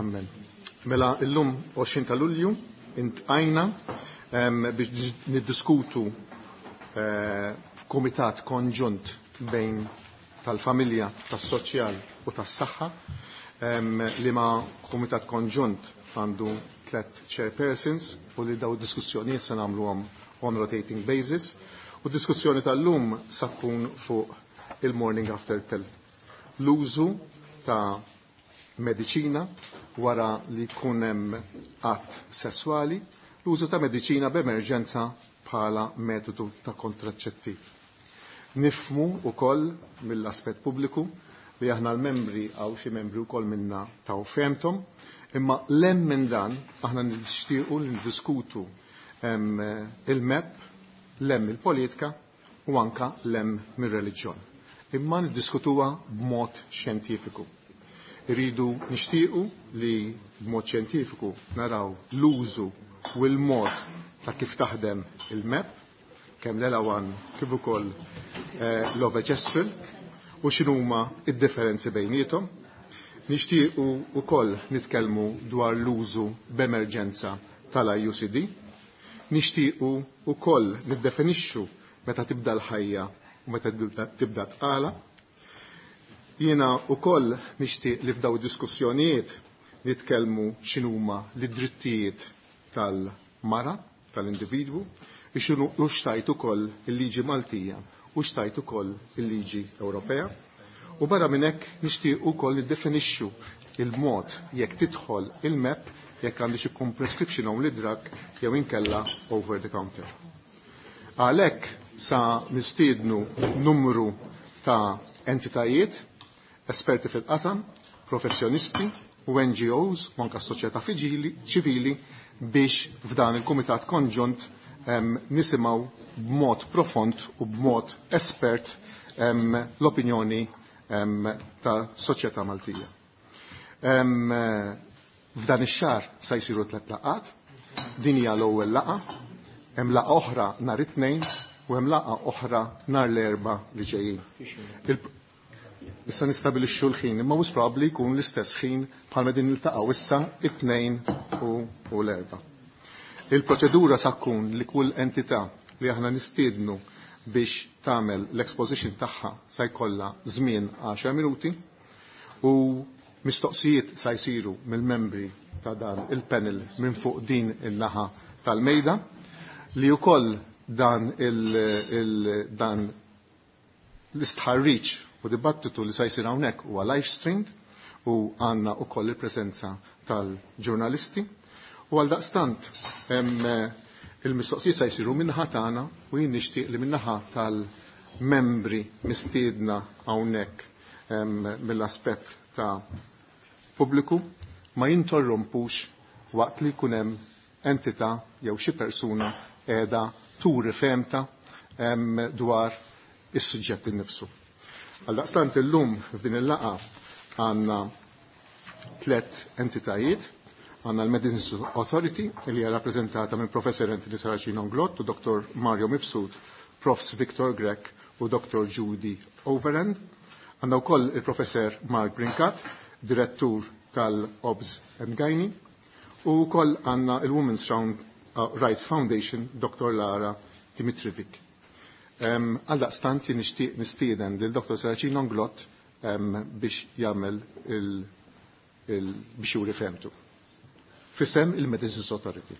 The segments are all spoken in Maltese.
Amen. Mela illum 20 ta' Lulju intqajna biex niddiskutu f'kumitat konġunt bejn tal-familja, tas-soċjal u tas-saħħa, li ma' kumitat konġunt għandu tlet chairpersons u li daw diskussjonijiet se nagħmluhom on rotating basis. U diskussjoni tal-lum sa tkun fuq il-morning after pill. L-użu ta' mediċina wara li jkun hemm att sesswali, l-użu ta' mediċina b'emerġenza bħala metodu ta' kontraċettiv. Nifmu wkoll mill-aspett pubbliku li aħna l-membri għaw xi membri wkoll minna taw femtom, imma lem minn dan aħna nixtiequ li ndiskutu il-MEP, lem il-politika u anka lem mir-reliġjon. Imma niddiskutuha b'mod xjentifiku. Irridu nixtiequ li b'mod xjentifiku naraw l-użu u l-mod ta' kif taħdem il-MEP, kemm l-Elawan kif ukoll l-Ovegestrel, u x'inhuma id-differenzi bejniethom. Nixtiequ ukoll nitkellmu dwar l-użu b'emerġenza tal-IUCD. Nixtiequ ukoll niddefinixxu meta tibda l-ħajja u meta tibda tqala. Jiena ukoll nixtieq li f'daw id-diskussjonijiet nitkellmu x'inhuma l-drittijiet tal-mara, tal-individwu, u xtajt ukoll il-liġi Maltija u xtajt ukoll il-liġi Ewropea. U barra minn hekk nixtieq ukoll niddefinixxu il-mod jekk tidħol il-MEP jekk għandix ikun prescription only drug jew inkella over the counter. Għalhekk sa mistiednu numru ta' entitajiet, esperti fil-qasam, professjonisti u NGOs u anke s-soċjetà ċivili biex f'dan il-Kumitat Konġunt nisimgħu b'mod profond u b'mod espert l-opinjoni ta' soċjetà Maltija. F'dan ix-xahar sa jsiru 3 laqgħat, din hija l-ewwel laqgħa, hemm laqgħa oħra nhar it-Tnejn u hemm laqgħa oħra nhar l-Erbgħa li ġejjin. Issa nistabilixxu l-ħin, imma mhux probabbli jkun l-istess ħin bħalma din niltaqgħu issa it-Tnejn u l-Erbgħa. Il-proċedura sa tkun li kull entità li aħna nistiednu biex tagħmel l-exposition tagħha sa jkollha żmien 10 minuti u mistoqsijiet sa jsiru mill-membri ta' dan il-panel minn fuq din in-naħa tal-mejda li wkoll dan dan l-istħarriġ u dibattitu li sa jsir hawnhekk huwa live streamed u għandna wkoll il-preżenza tal-ġurnalisti. U għal daqstant il-mistoqsijiet sa jsiru min-naħa tagħna u jien nixtieq li min-naħa tal-membri mistiedna hawnhekk mill-aspett ta' pubbliku ma jintorrompux waqt li jkun hemm entità jew xi persuna qiegħda turi femta dwar is-suġġett innifsu. Għal daqstant illum f'din il-laqgħa għandna 3 entitajiet. Għandna l-Medicines Authority li hija rappreżentata minn Professor Anthony Saracino Glott u Dr. Mario Mifsud, Profs Victor Grech u Dr. Judy Overend. Għandna wkoll il-Professor Mark Brincat, Direttur tal-Obs and Gynae, u wkoll għandna il-Women's Rights Foundation, Dr. Lara Dimitrivic. Għaldaqstant jien nixtieq nistieden lil Dr. Saracino Glott biex jagħmel biex juri femtu. Fisem il-Medicines Authority.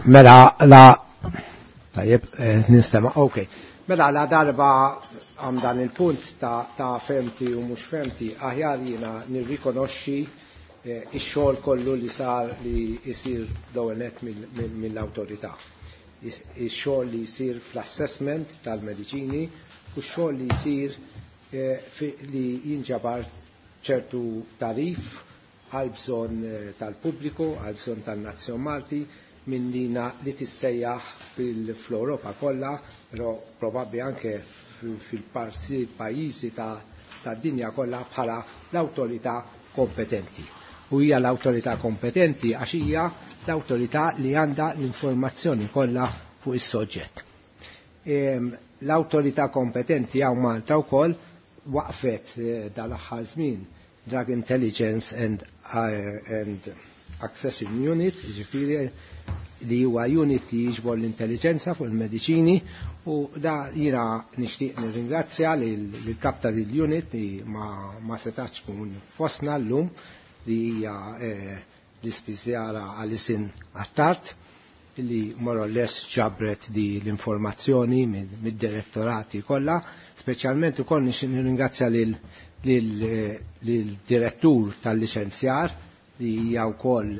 Mela la tajjeb nistema' ok. Mela la darba għam dan il-punt ta' femti u mhux femti, aħjar jiena nirrikonoxxi ix-xogħol kollu li sar li jsir l-ewwel nett mill-awtorità. Ix-xogħol li jsir fl-assessment tal-mediċini u x-xogħol li jsir li jinġabar ċertu tarif għal bżonn tal-pubbliku, għal bżonn tan-nazzjon Malti, minn dina li tissejjaħ fil-Europa kollha, però probabbli anke fil-parti pajjiżi ta' dinja kollha bħala l-awtorità kompetenti. U hija l-awtorità kompetenti għax hija l-awtorità li għandha l-informazzjoni kollha fuq is-soġġett. L-awtorità kompetenti hawn Malta wkoll waqfet dal-aħħar żmien Drug Intelligence and Accession Unit, ġifieri li huwa unit li jiġbor l-intelligenza fuq il-mediċini, u da jiena nixtieq nirringrazzja lill-kap tal-unit li ma setax tkun fostna llum, li hija l-ispiżjara Alison Attard, li more or less ġabret di l-informazzjoni mid-direttorati kollha. Speċjalment ukoll nixtieq nirringrazzja lill-direttur tal-liċenzjar li hija wkoll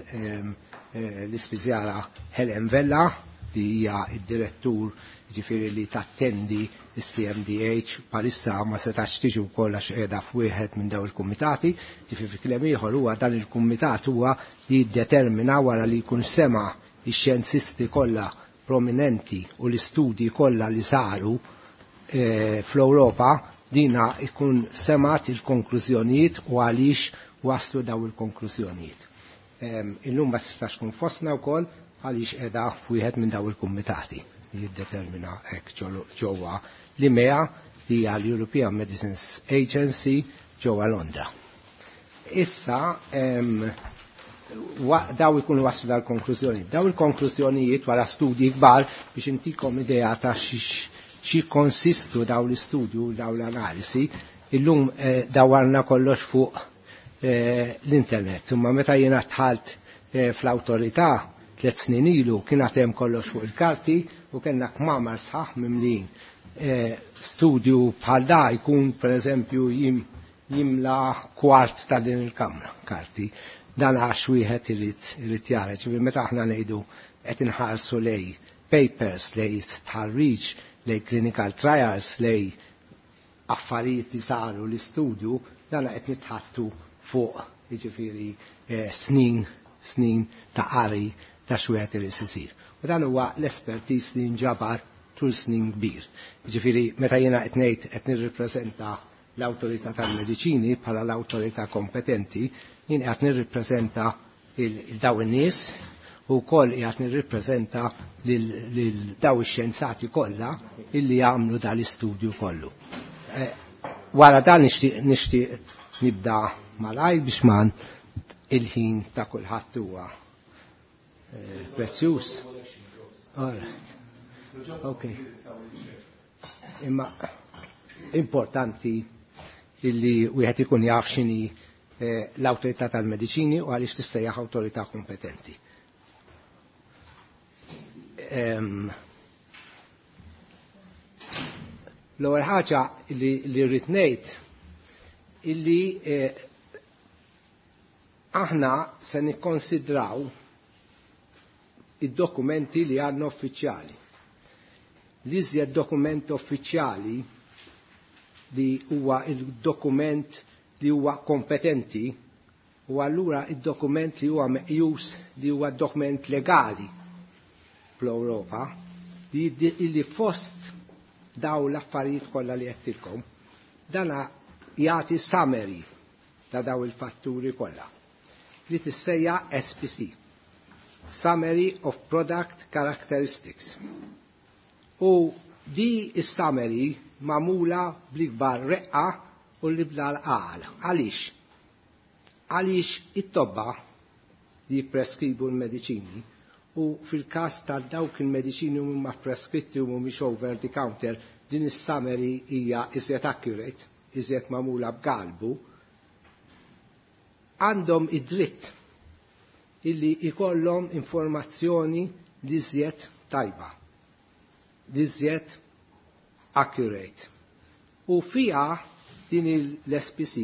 l-ispiżjara Helen Vella, li hija id-direttur, ġifieri li tattendi il-CMDH palissa ma setax tiġi wkoll għax qiegħda f'wieħed minn daw il-kumitati. Ġifieri fi kliem ieħor huwa dan il-kumitat huwa li jiddetermina, wara li jkun sema ix-xjenzisti kollha prominenti u l-istudji kollha li saru fl-Ewropa, dina ikun semat il-konklużjonijiet u għaliex waslu daw il-konklużjonijiet. Illum ma tistax tkun fostna wkoll għaliex qiegħda f'wieħed minn daw il-kumitati li jiddetermina hekk ġewwa l-EMEA, li hija l-European Medicines Agency ġewwa Londra. Issa daw ikunu waslu dal-konklużjoni. Daw il-konklużjonijiet wara studji kbar, biex intikom idea ta' xi konsistu daw l-istudju, daw l-analisi, illum dawarna kollox fuq l-internet. Imma meta jiena dħalt fl-awtorità 3 snin ilu, kien hemm kollox fuq il-karti u kellna kmamar sħaħ mimlin. Studju bħal da jkun pereżempju jimla kwart ta' din il-kamra karti. Dan għax wieħed irid jara, ġifieri meta aħna ngħidu qed inħarsu lej papers, lej stħarriġ, lej clinical trials, lej affarijiet li saru l-istudju, dan qed nitħattu fuq, jiġifieri, snin snin ta' qari ta' x'wieħed irid isir. U dan huwa l-expertise li nġabar tul snin kbir. Ġifieri meta jiena qed ngħid qed nirrippreżenta l-awtorità tal-mediċini bħala l-awtorità kompetenti, jien qed nirrippreżenta il-daw in-nies u wkoll qiegħed nirrippreżenta lil daw ix-xjenzati kollha illi jagħmlu dal-istudju kollu. Wara dan nixtieq nibda malajr biex man il-ħin ta' kulħadd huwa prezzjuż. All right. Ok. Imma importanti illi wieħed ikun jaf x'inhi l-awtorità tal-mediċini u għaliex tissejjaħ awtorità kompetenti. L-ewwel ħaġa li rrid ngħid illi aħna se nikkonsidraw id-dokumenti li għandna uffiċjali. L-iżjed dokument uffiċjali li huwa il-dokument li huwa kompetenti u allura il-dokument li huwa meqjus li huwa dokument legali fl-Ewropa, li fost daw l-affarijiet kollha li għedtilkom, dana jagħti summary ta' daw il-fatturi kollha li tissejjaħ SPC, Summary of Product Characteristics. U di is-summary magħmula bl-ikbar reqqa u li bla l-qal. Għaliex? Għaliex it-tobba li jippreskribu l-mediċini, u fil-każ ta' dawk il-mediċini huma preskritti u mhumiex over the counter, din is-summary hija iżjed accurate, iżjed magħmula b'galbu, għandhom id-dritt illi ikollhom informazzjoni li iżjed tajba, li iżjed accurate. U fija din l-SPC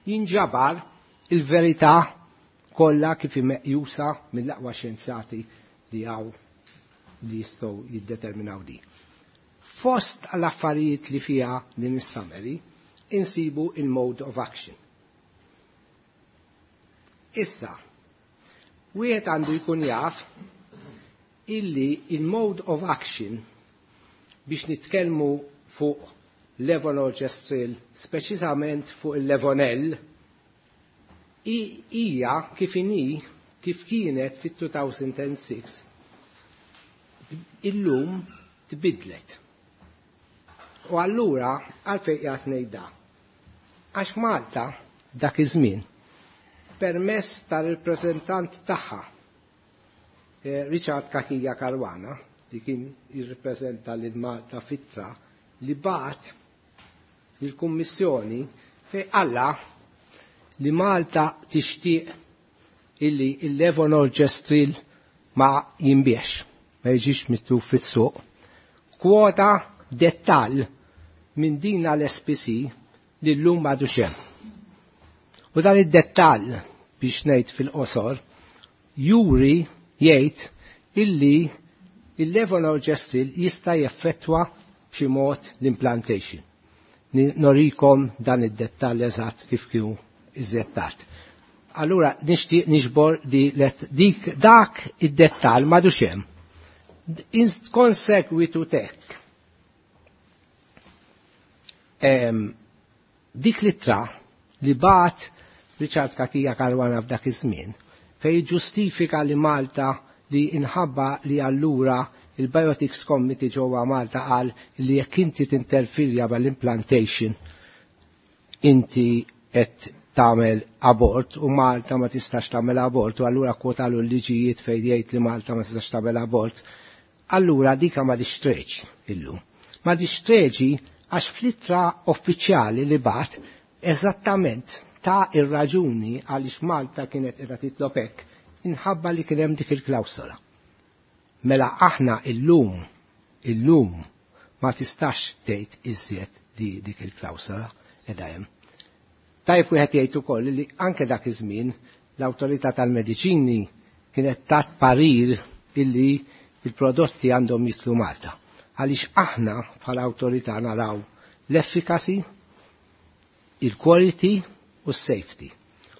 jinġabar il-verità kollha kif meqjusa mill-aqwa xjenzati li għaw li jistgħu jiddeterminaw di. Fost l-affarijiet li fija din is-summary insibu il-mode of action. Issa, wieħed għandu jkun jaf illi il-mode of action biex nitkellmu fuq levonorgestrel, speċisament fuq il-Levonel, hija kif inhi kif kienet fit-2006 illum tbidlet. U allura għalfejn qiegħed ngħid da? Għax Malta dak iż-żmien permess tal-rappreżentant tagħha Richard Cachia Caruana, li kien jirrappreżenta lil Malta fitra, li bagħat lill-Kummissjoni fejn qalla li Malta tixtieq illi il-levonorgestrel ma jinbiex, ma jiġix mitluf fis-suq. Kwota dettall minn din l-SPC li llum m'għadux hemm. U dan id-dettall biex ngħid fil-qosor juri jgħid illi il-levonorgestrel jista' jeffettwa b'xi mod l-implantation. Norikom dan id-dettall eżatt kif kienu iżjed tard. Allura nixtieq niġbor di dik dak id-dettall m'għadux hemm. In konsegwitu tek. Dik l-ittra li bagħat Richard Cachia Caruana f'dak iż-żmien fej ġustifika li Malta li inħabba li allura il-Bioethics Committee ġewwa Malta qal li jekk inti tinterfirja mal-implantation inti qed tagħmel abort u Malta ma tistax tagħmel abort u allura kwotalu l-liġijiet fejn jgħid li Malta ma tistax tagħmel abort. Allura dika ma dixtreġi illum. Ma dixtreġi għax fl-ittra uffiċjali li bagħat eżattament ta' ir-raġuni għaliex Malta kienet qiegħda titlob hekk inħabba li kien hemm dik il-klawsola. Mela aħna illum ma tistax tgħid iżjed li dik il-klawsola qiegħda hemm. Tajb wieħed jgħid ukoll li anke dak iż-żmien l-awtorità tal-mediċini kienet tat parir illi il-prodotti għandhom jitlu Malta. Għaliex aħna bħala awtorità naraw l-efficacy, il-quality u s-safety.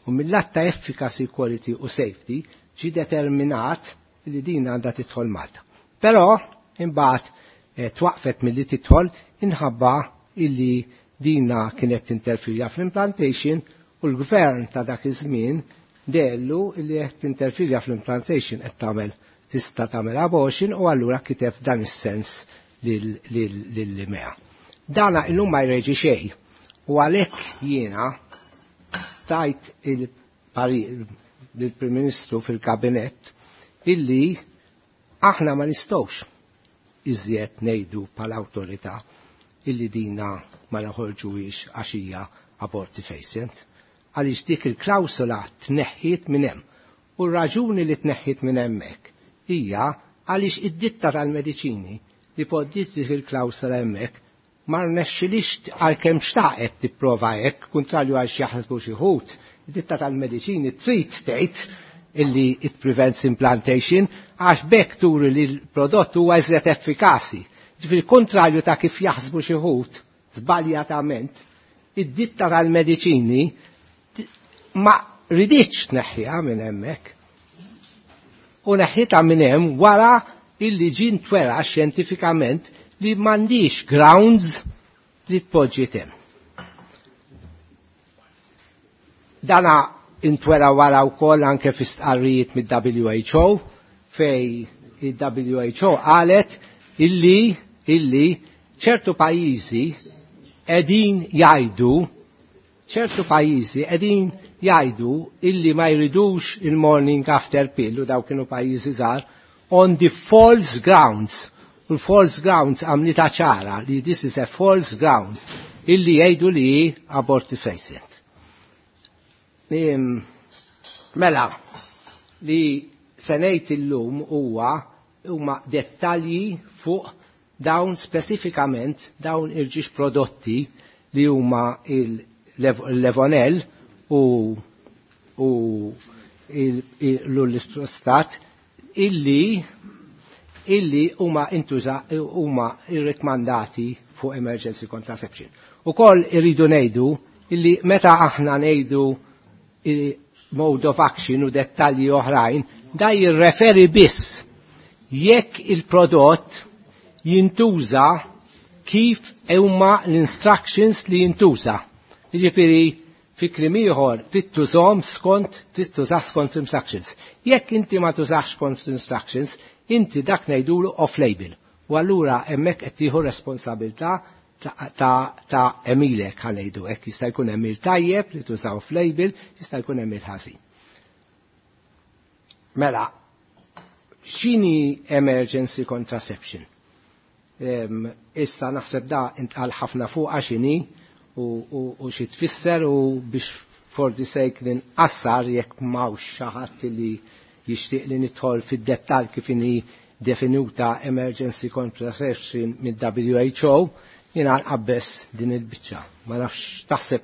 U mill-lat ta' efficacy, quality u safety ġi determinat li din għandha tidħol Malta. Però imbagħad twaqfet milli tidħol inħabba illi dina kienet tinterfirja fl-implantation u l-gvern ta' dak iż-żmien dellu illi qed tinterfirja fl-implantation qed tagħmel tista' tagħmel abortion u allura kiteb dan is-sens lill-EMEA. Dana illum ma jreġi xejn u għalhekk jiena tajt il-parir lill-Prim Ministru fil-Kabinett illi aħna ma nistgħux iżjed ngħidu bħala awtorità illi dina ma naħorġuhiex għax hija abortifacient. Għaliex dik il-klawsola tneħħiet minn hemm. U r-raġuni li tneħħiet minn hemmhekk hija għaliex id-ditta tal-mediċini li poġġiet dik il-klawsola hemmhekk ma rnexxilix għalkemm xtaqet tipprova hekk, kontrarju għal xi jaħsbu xi wħud, id-ditta tal-mediċini trid tgħid illi it prevents implantation għax bekk turi li l-prodott huwa iżjed effikaċi. Ġifieri kontrarju ta' kif jaħsbu xi wħud żbaljatament, id-ditta tal-mediċini ma riditx tneħħiha minn hemmhekk. U neħħitha minn hemm wara illi ġie ntwera xjentifikament li m'għandix grounds li tpoġġi hemm. Dana intwera wara wkoll anke fi stqarrijiet mid-WHO fej il-WHO qalet illi ċertu pajjiżi qegħdin jgħidu ċertu pajjiżi qegħdin jgħidu illi ma jridux il-morning after pill u daw kienu pajjiżi żgħar on the false grounds. U l-false grounds għamlita ċara li this is a false ground illi jgħidu li abortifacient. Mela, li se ngħid illum huma dettalji fuq dawn speċifikament dawn il-ġiex prodotti li huma il-Levonel u l-Ullistrostat illi huma intuża huma irrekmandati fuq emergency contraception. Ukoll irridu ngħidu illi meta aħna ngħidu mode of action u dettalji oħrajn, da jirreferi biss jekk il-prodott jintuża kif huma l-instructions li jintuża. Jiġifieri fi kliem ieħor trid tużhom skont trid tużah skont instructions. Jekk inti ma tużax skont instructions, inti dak ngħidulu off-label. U allura hemmhekk qed tieħu responsabilità ta' għemilek ħa ngħidu hekk jista' jkun għemil tajjeb li tużaw off-label, jista' jkun għemil ħażin. Mela, x'inhi emergency contraception? Issa naħseb da intqal ħafna fuq x'inhi u xi tfisser u biex for the sake li nqassar jekk m'hawnx xi ħadd li jixtieq li nidħol fid-dettall kif inhi definuta emergency contraception mid-WHO, jiena nqabbes din il-biċċa. Ma nafx taħseb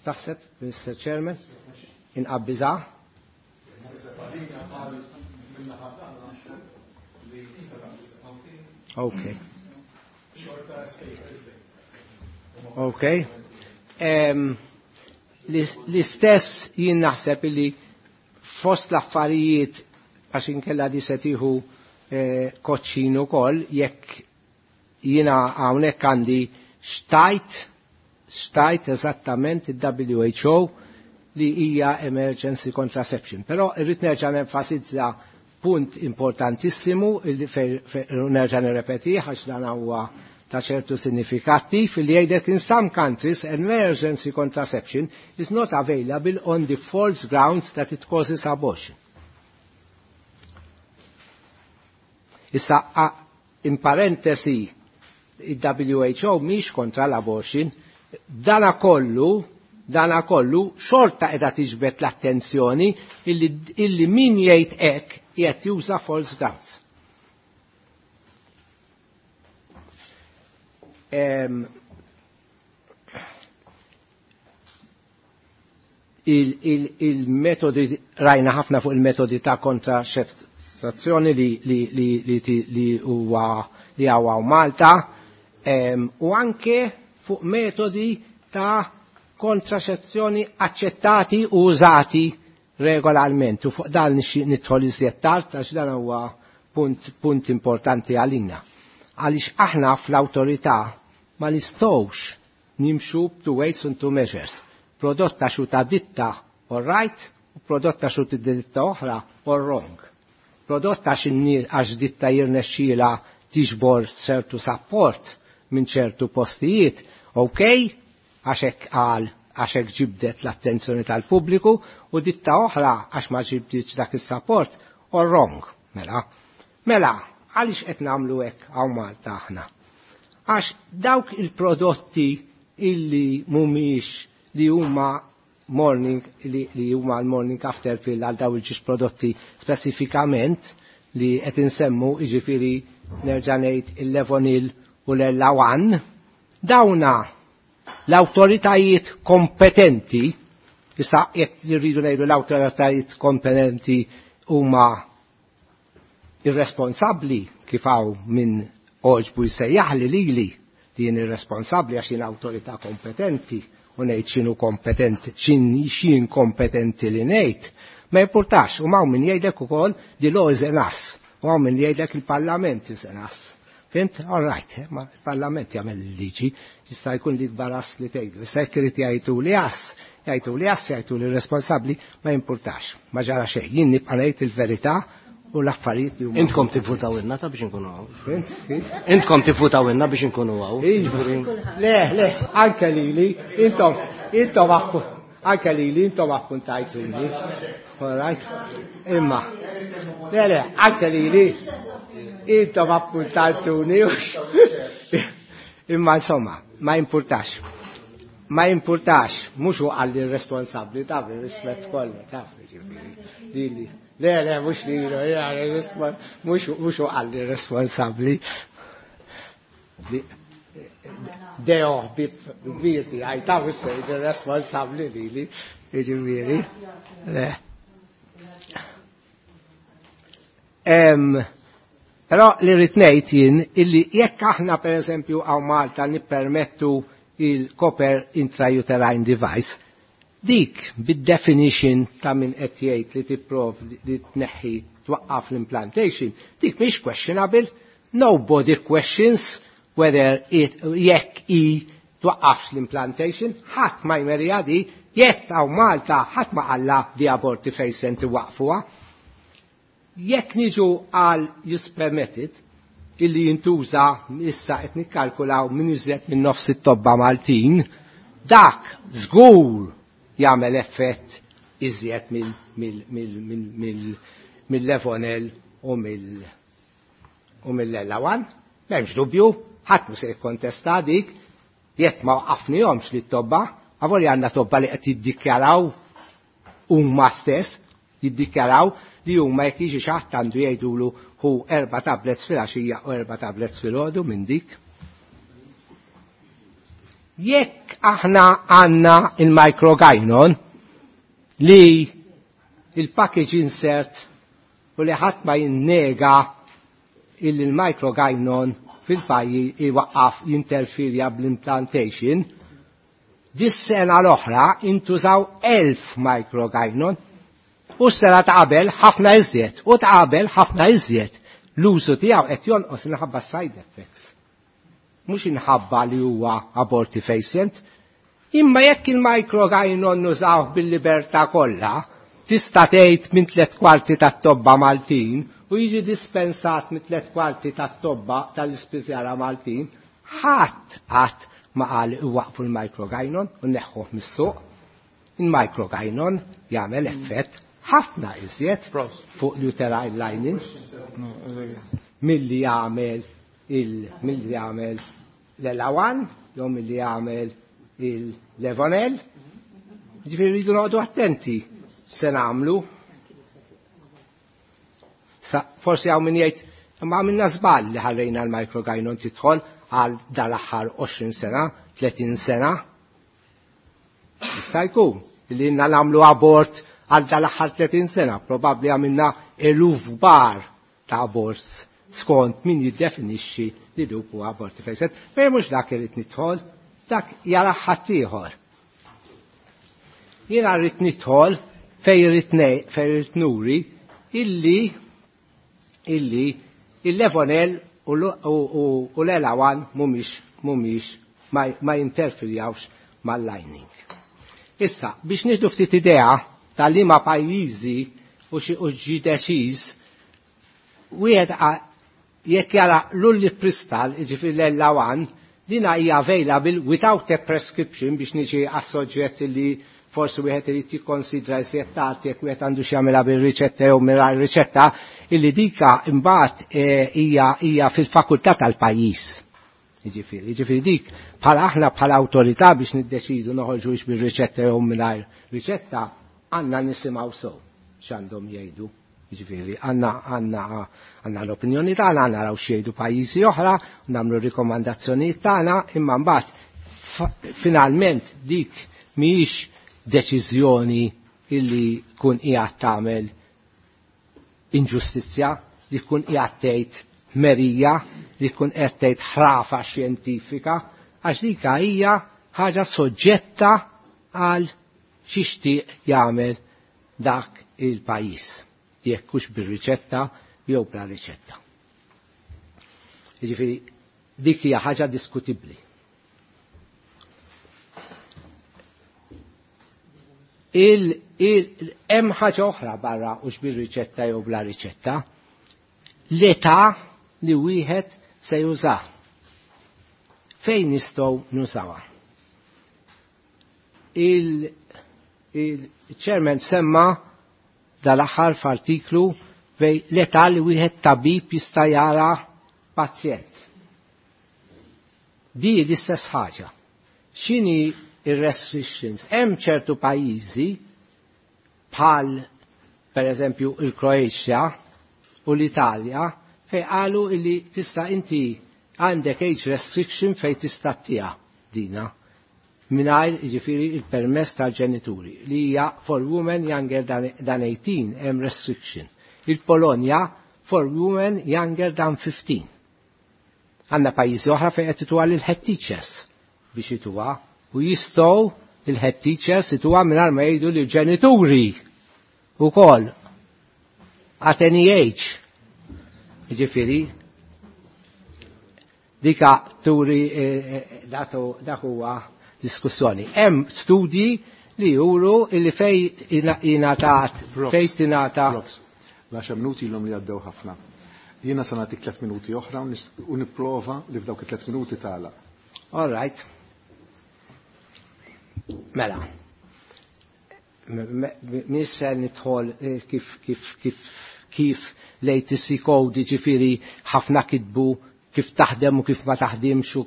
taħseb, Mr. Chairman, inqabbiżha? Okay. Ok. L-istess jien naħseb li fost l-affarijiet għax inkella di se tieħu koċċin ukoll jekk jiena hawnhekk għandi xtajt eżattament il-WHO li hija emergency contraception. Però irrid nerġa' nenfasizza punt importantissimu li nerġa' nirrepetih għax dan huwa ta' ċertu sinifikattiv li jgħidek in some countries emergency contraception is not available on the false grounds that it causes abortion. Issa, in parentesi, il-WHO mhix kontra l-abortion, dana kollu xorta edha tiġbed l-attenzjoni illi min jgħid hekk qiegħed juża false grounds. Il-metodi rajna ħafna fuq il-metodi ta' kontraċettazzjoni li huwa li hawn Malta u anke fuq metodi ta' kontraċezzjoni accettati u użati regolarment. U fuq dan nidħol iżjed tard għax dan huwa punt importanti għalina. Għaliex aħna fl-awtorità ma nistgħux nimxu two weights and two measures. Prodotta xu ta' ditta all right, u prodotta xu ta' ditta oħra all wrong. Prodotta għax ditta jirnexxila tiġbor ċertu support minn ċertu postijiet, ok, għax hekk qal għax hekk ġibdet l-attenzjoni tal-pubbliku u ditta oħra għax ma ġibditx dak is-support all wrong. Mela, mela, għaliex qed nagħmlu hekk hawn Malta aħna? Għax dawk il-prodotti illi mhumiex li huma morning li huma l-morning after pill għal daw il-ġiex prodotti speċifikament li qed insemmu jiġifieri nerġa' ngħid il-Levonil u l-EllaOne, dawna l-awtoritajiet kompetenti, issa jekk irridu ngħidu l-awtoritajiet kompetenti huma irresponsabbli kif hawn minn oġbu jsejjaħ li lili li jien irresponsabbli għax jien awtorità kompetenti u ngħid x'inhu kompetenti, x'in kompetenti li ngħid. Ma jimpurtax, u hawn min jgħidlek ukoll the law is an ass, u hawn min jgħidlek il-Parlament is an ass. Fhimt? All right, ma il-Parlament jagħmel il-liġi, jista' jkun li kbar ass li tgħidu. Issa jekk irid jgħidu li ass, jgħidu li ass, jgħidu li responsabbli, ma jimpurtax. Ma ġara xejn. Jien nibqa' ngħid il-verità u l-affarijiet li huma. Intkom tivvutaw inna ta' biex inkunu hawn. Fhimt? Kif? Intkom tivvutaw inna biex inkunu hawn. Iva. Le, le, anke lili, anke lili, intom appuntajtuni. All right? Imma, le, le, anke lili, intom appuntajtuni. Imma insomma, ma importax. Ma importax, mhux hu għalli responsabbli, taf rispett kollu, taf, ġifieri. Lili. Le, le, mhux li, mhux hu għalli responsabbli. Deo, bib, bib, għaj, taf issejġ responsabbli lili, ġifieri. Le. Però li rrid ngħid jien illi jekk aħna pereżempju hawn Malta nippermettu il-copper intrauterine device, Dik bid-definition ta' min qed jgħid li tipprovdi li tneħħi twaqqaf l-implantation, dik mhix questionable. Nobody questions whether it jekk i twaqqafx l-implantation, ħadd ma jmerija di, jekk hawn Malta ħadd ma qalla di abortifacient iwaqfuha. Jekk niġu għal use permitted, illi jintuża issa qed nikkalkulaw minn iżjed minn nofs it-tobba Maltin, dak żgur jagħmel effett iżjed mill-Levonel u mill-EllaOne. M'hemmx dubju, ħadd mhu se jikkontesta dik, jekk ma waqqafnihomx li t-tobba, avolja għandna tobba li qed jiddikjaraw huma stess, jiddikjaraw li huma jekk jiġi xi ħadd għandu jgħidulu hu 4 tablets fil-għaxija u 4 tablets fil-għodu minn dik. Jekk aħna għandna il-Microgynon li il-package insert u li ħadd ma jinnega illi il-Microgynon fil-pajji iwaqqaf jinterfirja bl-implantation, dis-sena l-oħra intużaw 1000 Microgynon u s-sena ta' qabel ħafna iżjed, u ta' qabel ħafna iżjed. L-użu tiegħu qed jonqos inħabba side effects. Mhux inħabba li huwa abortifacient, imma jekk il-Microgynon nużawh bil-libertà kollha, tista' tgħid minn 3/4 tat-tobba Maltin u jiġi dispensat minn 3/4 tat-tobba tal-ispiżjara Maltin, ħadd qatt ma qal iwaqfu l-Microgynon u neħħuh mis-suq. Il-Microgynon jagħmel effett ħafna iżjed fuq l-uterine lining milli jagħmel milli jagħmel l-EllaOne jew milli jagħmel il-Levonel. Ġifieri rridu noqogħdu attenti se nagħmlu. Forsi hawn min jgħid imma għamilna żball li ħallejna l-Microgynon tidħol għal dal-aħħar 20 sena, 30 sena. Jista' jkun li ilna nagħmlu abort għal dal-aħħar 30 sena, probabbli għamilna eluf kbar ta' abort skont min jiddefinixxi li duk huwa abortifacient. Però mhux dak irid nidħol, dak jara ħaddieħor. Jiena rrid nidħol fejn irrid nuri illi il-Levonel u l-EllaOne mhumiex ma jinterferjawx mal-lining. Issa, biex nieħdu ftit idea tal-liema pajjiżi u xi u ġi deċiż, wieħed jekk jara l-ulipristal, jiġifieri l-EllaOne, dina hija available without a prescription biex niġi għas-soġġett li forsi wieħed irid jikkonsidra iżjed tard jekk wieħed għandu xi jagħmilha bir-riċetta jew mingħajr riċetta, illi dika imbagħad hija fil-fakultà tal-pajjiż. Jiġifieri dik bħala aħna bħala awtorità biex niddeċidu noħorġu bir-riċetta jew mingħajr riċetta, għandna nisimgħu sew x'għandhom jgħidu. Jiġifieri għandna l-opinjoni tagħna, għandna naraw x'jgħidu pajjiżi oħra, nagħmlu rikomandazzjonijiet tagħna, imma mbagħad finalment dik mhijiex deċiżjoni illi kun qiegħed tagħmel inġustizzja, li kun qiegħed tgħid merija, li kun qed tgħid ħrafa xjentifika, għax dika hija ħaġa soġġetta għal xixtieq jagħmel dak il-pajjiż, jekk hux bir-riċetta jew bla riċetta. Jiġifieri dik hija ħaġa diskutibbli. Hemm ħaġa oħra barra hux bir-riċetta jew bla riċetta, l-età li wieħed se juża. Fejn nistgħu nużawha? Il-chairman semma dal-aħħar f'artiklu fej l-età li wieħed tabib jista' jara pazjent. Di l-istess ħaġa. X'inhi ir-restrictions? Hemm ċertu pajjiżi bħal per eżempju il-Kroatia u l-Italja fej qalu li tista' inti għandek age restriction fej tista' tija dina mingħajr jiġifieri il-permess tal-ġenituri li hija for women younger than 18 hemm restriction. Il-Polonja for women younger than 15. Għandna pajjiżi oħra fejn qed ituha lil head teachers biex ituha u jistgħu Il-head teachers ituha mingħajr ma jgħidu li ġenituri ukoll at any age. Jiġifieri dika turi dak huwa diskussjoni. Hemm studji li juru illi fej ingħatat fej tingħata. L-10 minuti ilhom li għaddew ħafna. Jiena se nagħtik 3 minuti oħra u nipprova li f'dawk it-3 minuti tagħlaq. All right. Mela. Mhix se nidħol kif kif kif kif l-ATC code, ġifieri ħafna kitbu kif taħdem u kif ma taħdimx u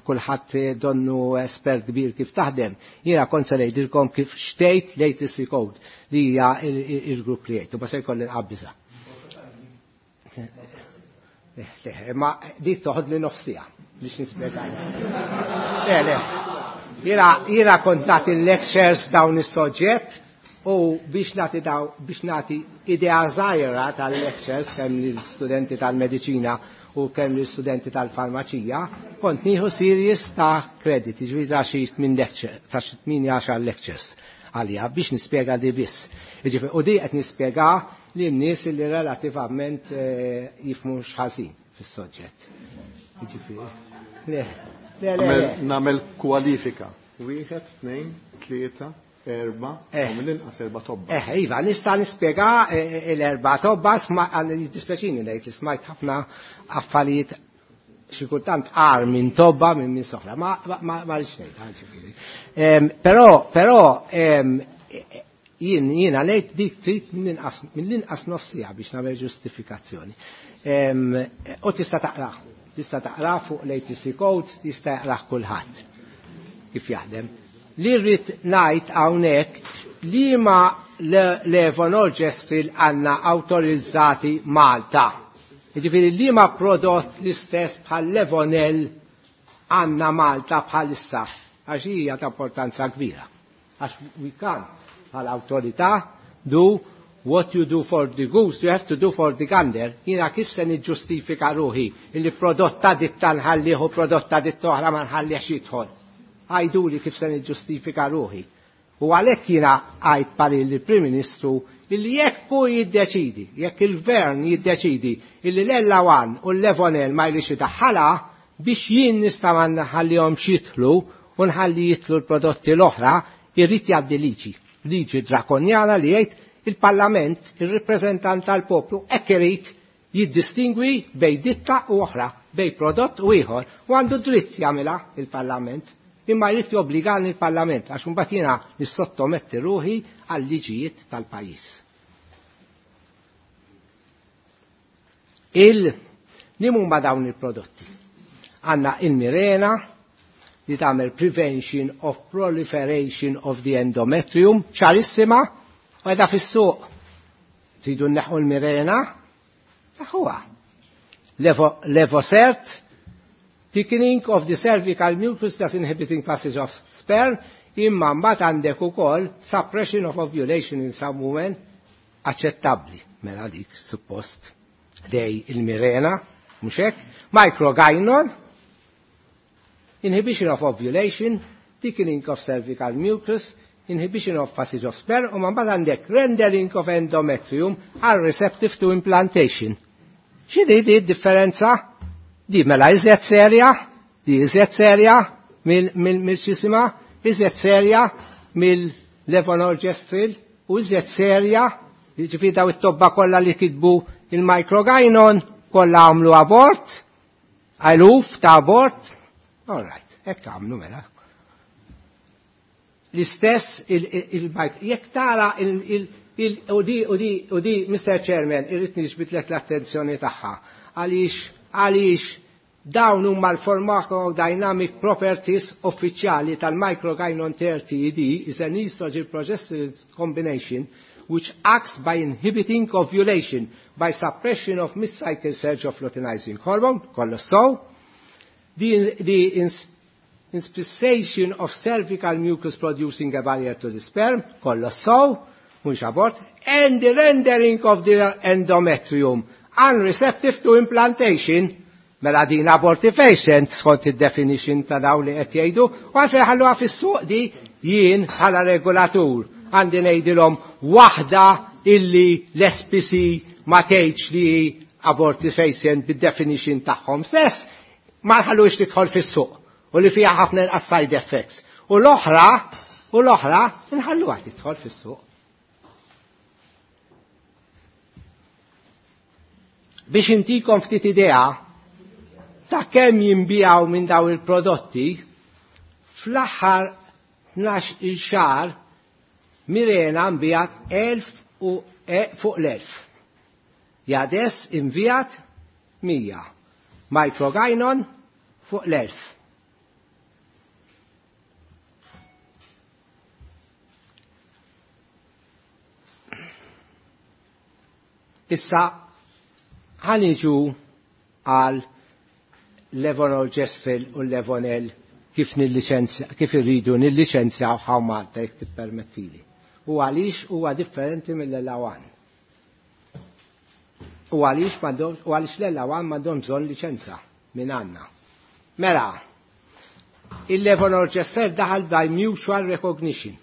kulħadd donnu espert kbir kif taħdem. Jiena kont se ngħidilkom kif xtejt l-ATC code li hija il-grupp li jgħid u ma se jkolli nqabbiżha. Ma dik toħod li nofsija biex nispjega. Le, le. Jiena kont nagħti lectures dawn is-soġġett u biex nagħti daw biex nagħti idea żgħira tal-lectures kemm lill-studenti tal-mediċina u kemm l-studenti tal-farmaċija, kont nieħu series ta' credit, ġifieri ta' xi tmien lecture, ta' xi 18 lectures għalija biex nispjega di biss. Jiġifieri u di qed nispjega lin nies li relattivament jifhmu x'ħażin fis-soġġett. Jiġifieri. Le, le, le. Nagħmel kwalifika. 1, 2, 3, 4, u mill-inqas 4 tobba. Iva, nista' nispjega l-4 tobba, jiddispjaċini ngħid li smajt ħafna affarijiet xi kultant qar minn tobba minn soħra, ma rridx ngħid, ġifieri. Però jiena ngħid dik trid mill-inqas nofsija biex nagħmel ġustifikazzjoni. U tista' taqrah, tista' taqrah fuq l-ATC code, tista' jaqrah kulħadd kif jaħdem. Li rrid ngħid hawnhekk li ma levonorgestrel għandna awtorizzati Malta. Jiġifieri li ma prodott l-istess bħal Levonel għandna Malta bħalissa, għax hija ta' importanza kbira. Għax we can't bħal awtorità do what you do for the goose, you have to do for the gander. Jiena kif se niġġustifika ruħi illi prodotta ditta nħallih u prodotta ditta oħra ma nħallihx jidħol. Għajduli kif se niġġustifika ruħi. U għalhekk jiena għajt parir lill-Prim Ministru illi jekk hu jiddeċidi, jekk il-Gvern jiddeċidi illi l-Ella 1 u l-Levonel ma jrix idaħħalha biex jien nista' ma nħallihomx jidħlu u nħalli jidħlu l-prodotti l-oħra, irrid jgħaddi liġi. Liġi drakonjana li jgħid il-Parlament, il-rappreżentant tal-poplu, hekk irid jiddistingwi bejn ditta u oħra, bejn prodott u ieħor, u għandu dritt jagħmilha il-Parlament. Imma jrid jobbligani il-Parlament għax imbagħad jiena nissottometti ruħi għal liġijiet tal-pajjiż. Il huma dawn il-prodotti? Għandna il-Mirena li tagħmel prevention of proliferation of the endometrium, ċarissima, u qiegħda fis-suq. Tridu nneħħu l-Mirena? Naħuha. Levosert, thickening of the cervical mucus thus inhibiting passage of sperm, imma mbagħad għandek ukoll suppression of ovulation in some women aċċettabbli. Mela dik suppost dej il-Mirena, mhux hekk? Microgynon, inhibition of ovulation, thickening of cervical mucus, inhibition of passage of sperm, u mbagħad għandek rendering of endometrium are receptive to implantation. X'inhi di differenza? Di mela iżjed serja, di iżjed serja mill xisima, iżjed serja mill-levonorgestrel u iżjed serja, jiġifieri daw it-tobba kollha li kitbu il-microgynon kollha għamlu abort, eluf ta' abort. All right, hekk għamlu mela. L-istess jekk tara u di Mr. Chairman, irrid niġbidlek l-attenzjoni tagħha għaliex dawn huma l-pharmacodynamic properties uffiċjali tal-microgynon 30 ED is an estrogen progesterone combination which acts by inhibiting ovulation by suppression of mid-cycle surge of luteinizing hormone, kollox so, the inspissation of cervical mucus producing a barrier to the sperm, kollox so, mhux abort, and the rendering of the endometrium unreceptive to implantation, mela din abortifacient skont id-definition ta' daw li qed jgħidu, u għalfejn ħalluha fis-suq di Jien bħala regolatur għandi ngħidilhom waħda illi l-SPC ma tgħidx li abortifacient bid-definition tagħhom stess ma nħallux tidħol fis-suq u li fiha ħafna inqas side effects. U l-oħra nħalluha tidħol fis-suq. Biex intikom ftit idea ta' kemm jinbijaw minn daw il-prodotti, fl-aħħar 12 xahar Mirena nbijat 1000 u fuq l-1000. Jades invijat 100. Microgynon fuq l-1000. Issa ħaniġu għal levonorgestrel u levonel kif kif irridu nilliċenzjaw hawn Malta jekk tippermettili. U għaliex huwa differenti mill-Elawan. U għaliex l-Elawan m'għandhom bżonn liċenza minn għandna. Mela, il-levonorgestrel daħal by mutual recognition.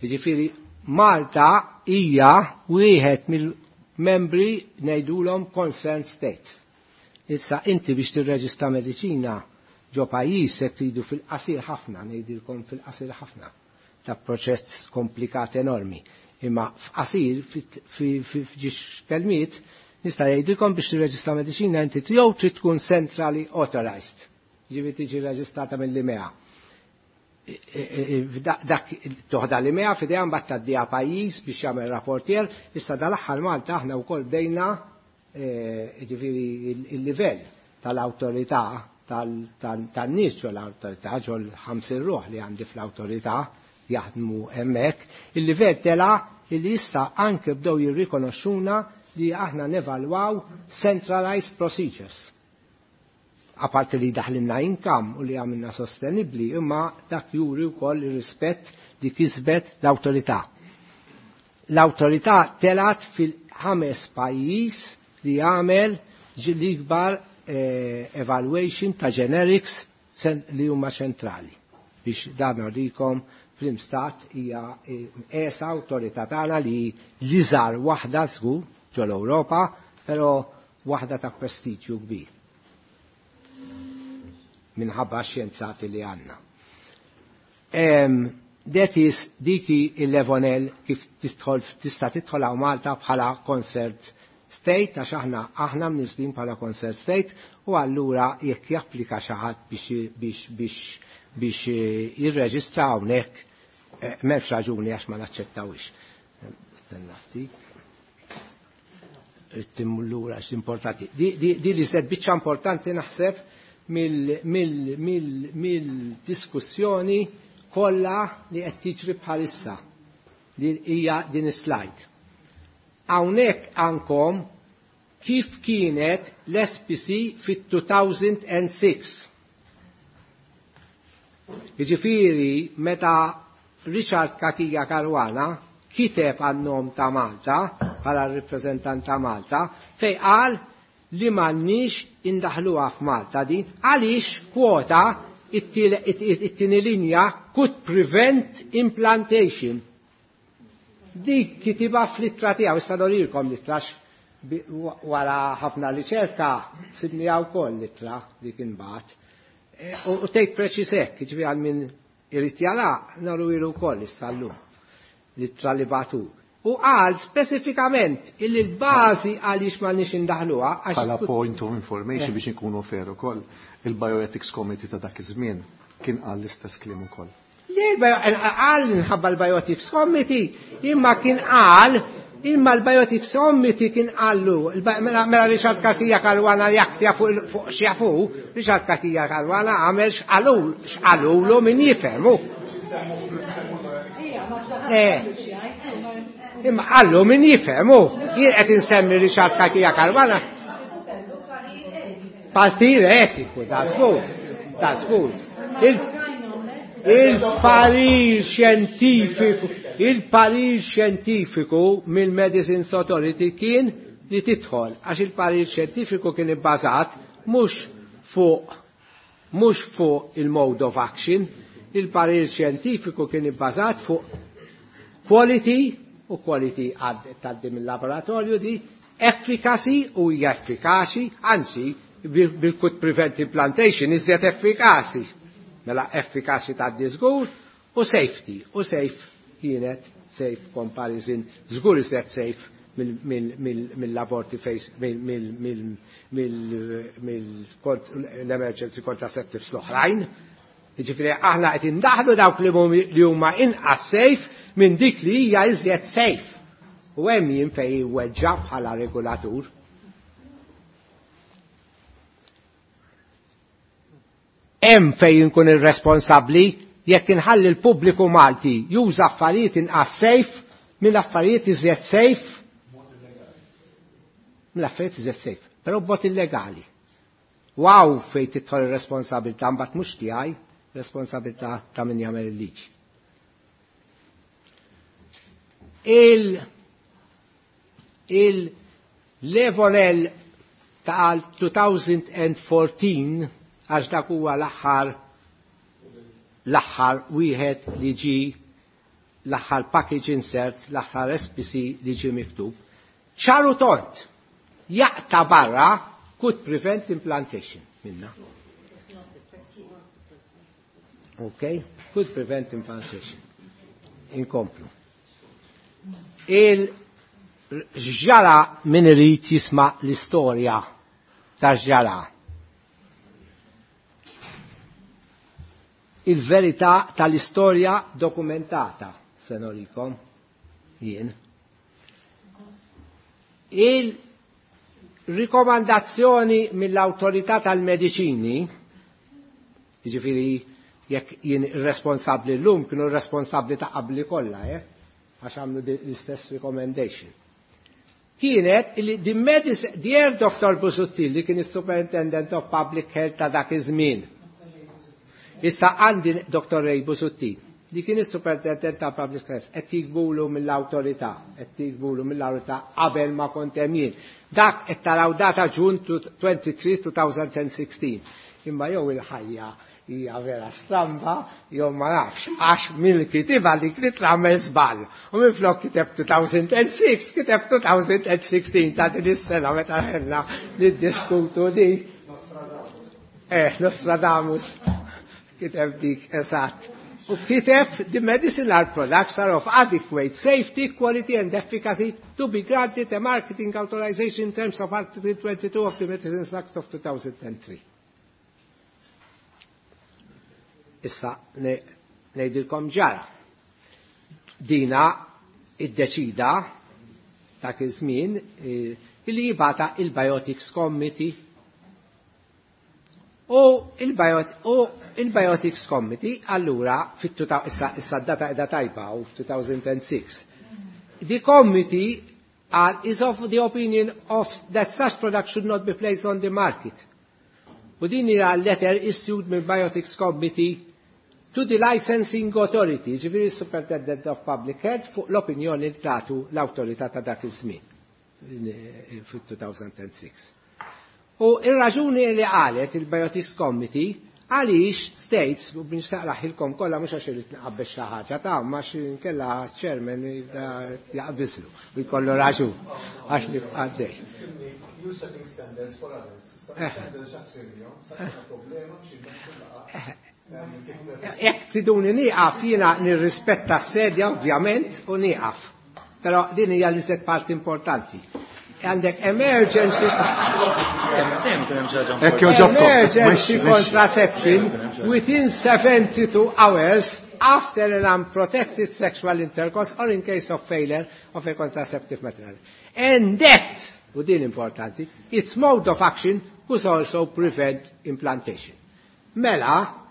Jiġifieri Malta hija wieħed mill-membri ngħidulhom concerned states. Issa inti biex tirreġistra mediċina ġo pajjiż se tridu fil-qasir ħafna, ngħidilkom fil-qasir ħafna, ta' proċess komplikat enormi. Imma f'qasir f'ġiex kelmiet nista' jgħidilkom biex tirreġistra mediċina inti jew trid tkun centrally authorized, ġifieri tiġi reġistrata mill-IMEA. Dak toħda l-IMEA f'idejha mbagħad tgħaddiha pajjiż biex jagħmel rapportier, issa dal-aħħar Malta aħna wkoll bdejna ġifieri il-livell tal-awtorità tan-nies ġol l-awtorità ġol 50 ruħ li għandi fl-awtorità jaħdmu hemmhekk, il-livell tela li issa anke bdew jirrikonoxxuna li aħna nevalwaw centralized procedures. Apparti li daħlinna income u li għamilna sostenibli, imma dak juri wkoll ir-rispett li kisbet l-awtorità. L-awtorità telat fil-5 pajjiż li għamel l-ikbar evaluation ta' generics li huma ċentrali. Biex dan norikom fl-imstat hija ESA awtorità tagħna li l-iżgħar waħda żgur ġol-Ewropa, però waħda ta' prestiġju kbir minħabba xjenzati li għanna. That is diki il-Levonel kif tista' tidħol hawn Malta bħala concert state, għax aħna mniżlin bħala concert state, u allura jekk japplika xi ħadd biex jirreġistra hawnhekk m'hemmx raġuni għax ma naċċettawix. Stenna ftit. Lura għax importanti. Di li sed biċċa importanti naħseb mill-diskussjoni kollha li qed tiġri bħalissa. Din hija din is-slide. Hawnhekk għandkom kif kienet l-SPC fit-2006. Jiġifieri meta Richard Cachia Caruana kiteb għan-nom ta' Malta bħala r-rappreżentant ta' Malta fej qal li m'għandniex indaħluha f'Malta din għaliex kwota it-tieni linja could prevent implantation. Dik kitiba fl-ittra tiegħu, issa norilkom l-ittra wara ħafna riċerka sibniha wkoll l-ittra li kien bagħat. U tgħid preċiż hekk, jiġifieri għal min irid jara noru ilu wkoll issa llum l-ittra li bagħtu. U qal speċifikament illi l-bażi għaliex m'għandniex indaħluha għax Bħala point of information biex inkunu fair ukoll, il-Bioethics Committee ta' dak iż-żmien kien qal l-istess kliem ukoll. Qal minħabba l-Bioethics Committee, imma kien qal, imma l-Bioethics Committee kien qallu, mela Richard Cachia Caruana jaktja fuq x'jafu, Richard Cachia Caruana għamel x'qalulu min jifhemu. Imma qallu min jifhemu, jien qed insemmi Richard Cachia Caruana. Partir etiku, ta' żgur, ta' żgur. Il-parir xjentifiku, il-parir xjentifiku mill-Medicines Authority kien li tidħol, għax il-parir xjentifiku kien ibbażat mhux fuq il-mode of action, Il-parir xjentifiku kien ibbażat fuq quality u quality tgħaddi mill-laboratorju di, efficacy u hija effikaċi, anzi bil-could prevent implantation iżjed effikaċi. Mela effikaċi tgħaddi żgur u safety u safe kienet safe comparison żgur iżjed safe mill-aborti face mill-emergency contraceptives l-oħrajn. Jiġifieri aħna qed indaħlu dawk li huma inqas safe minn dik li hija iżjed safe. U hemm jien fejn weġġa' bħala regolatur. Hemm fejn inkun irresponsabbli jekk inħalli l-pubbliku Malti juża affarijiet inqas safe minn affarijiet iżjed safe mill-affarijiet iżjed safe, però b'mod illegali. Wow fejn tidħol ir-responsabilità mbagħad mhux tiegħi, responsabilità ta' min jagħmel il-liġi. Il-Levonel ta' 2014 għax dak huwa l-aħħar wieħed li ġi l-aħħar package insert, l-aħħar SPC li ġi miktub. ċaru tont jaqta' barra could prevent implantation minna. Ok? Could prevent implantation. Inkomplu. Il-ġara min irid jisma' l-istorja ta' ġara. Il-verità tal-istorja dokumentata, se norikom jien. Il-rikomandazzjoni mill-autorità tal-mediċini, jiġifieri jekk jien responsabbli llum kienu responsabbli ta' qabli kollha, għax għamlu l-istess recommendation. Kienet li dear Dr. Busuttil li kien is-Superintendent of Public Health ta' dak iż-żmien. Issa għandi Dr. Ray Busuttil li kien is-Superintendent ta' Public Health qed jigbulu mill-awtorità, qed jigbulu mill-awtorità qabel ma kont hemm jien. Dak qed taraw data June 23, 2016. Imma jew il-ħajja hija vera stramba, jew ma nafx, għax mill-kitiba li krit għamel żball. U minflok kiteb 2006, kiteb 2016 ta' din is-sena meta ħelna niddiskutu di. Nostradamus kiteb dik eżatt. U kiteb the medicinal products are of adequate safety, quality and efficacy to be granted a marketing authorization in terms of Article 22 of the Medicines Act of 2003. Issa ngħidilkom ġara. Dina iddeċida dak iż-żmien illi jibata il-Biotics Committee. U il-Biotics Committee allura issa d-data qiegħda tajba u 2006. The committee is of the opinion of that such product should not be placed on the market. U din hija letter issued minn Biotics Committee to the licensing authority, ġifieri Superintendent of Public Health, fuq l-opinjoni li tagħtu l-awtorità ta' dak iż-żmien fit-2006. U ir-raġuni li qalet il-Biotics Committee għaliex states, u biex naqraħilkom kollha mhux għax irid nqabbel xi ħaġa ta' ma xi nkella chairman jaqbiżlu u jkollu raġun għax li għaddej. You setting standards for others. Standards problema Jekk tiduni nieqaf jiena nirrispetta s-sedja ovvjament u nieqaf. Però din hija l-iżjed parti importanti. Għandek emergency emergency contraception within 72 hours after an unprotected sexual intercourse or in case of failure of a contraceptive material. And that, u din importanti, its mode of action could also prevent implantation. Mela,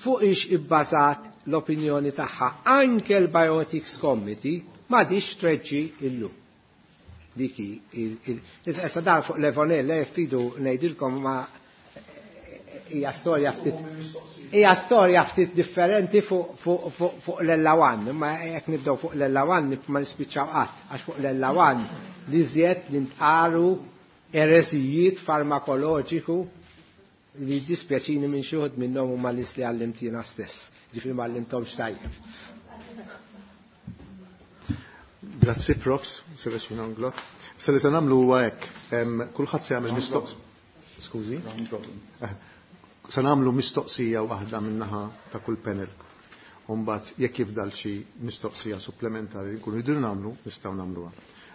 fuq ix ibbażat l-opinjoni tagħha anke l-Biotics Committee ma dix treġġi illum. Diki, issa dan fuq Levonel, jekk tridu ngħidilkom ma hija storja ftit differenti fuq l-ellawan, imma jekk nibdew fuq l-ellawan ma nispiċċaw qatt, għax fuq l-ellawan li żjed nintqaru eresijiet farmakoloġiku Li dispjaċini minn xi wħud minnhom huma nies li għallimt jiena stess, ġifieri ma għallimthomx tajjeb. Grazzi Profs, Serracino Inglott. Issa li se nagħmlu huwa hekk, kulħadd se jagħmel mistoqsija. Skużi? Se nagħmlu mistoqsija waħda min-naħa ta' kull panel. U mbagħad jekk jifdal xi mistoqsija supplementari li nkunu jridu nagħmlu, nistgħu nagħmluha.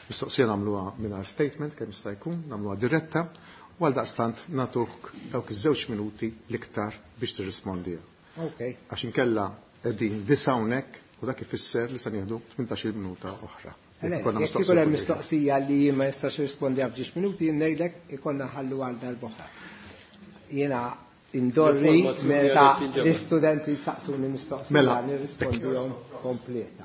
Mistoqsija nagħmluha mingħajr statement kemm jista' jkun, nagħmluha diretta, u għaldaqstant nagħtuk dawk iż-żewġ minuti l-iktar biex tirrispondiha. Okay. Għax inkella qegħdin disa' hawnhekk u dak ifisser li se nieħdu 18-il minuta oħra. Jekk ikun hemm mistoqsija li jien ma nistax nirrispondiha f'ġiex minuti, jien ngħidlek ikollna ħallu għal darb'oħra. Jiena indorri meta l-istudenti jsaqsuni mistoqsija Mela. nirrispondihom kompleta.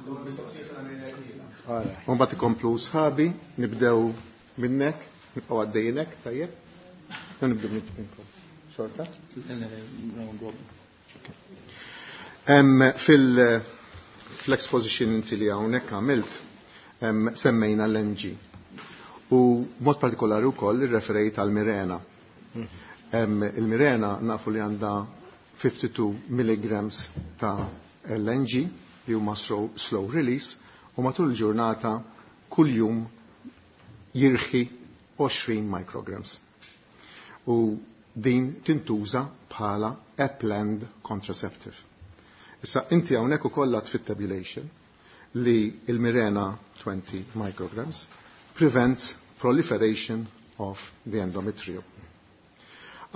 U mbagħad ikomplu sħabi, nibdew minnek, nibqgħu għaddejjinek, tajjeb? Jew nibdew minnkom. Xorta? Fil-exposition inti li hawnhekk għamilt, semmejna l-NG. U mod partikolari wkoll irreferejt għal Mirena. Il-Mirena nafu li għandha 52 milligrams ta' LNG li huma slow release u matul il-ġurnata kuljum jirħi 20 micrograms. U din tintuża bħala a planned contraceptive. Issa inti hawnhekk ukoll għad fit-tabulation li il-Mirena 20 micrograms prevents proliferation of the endometrium.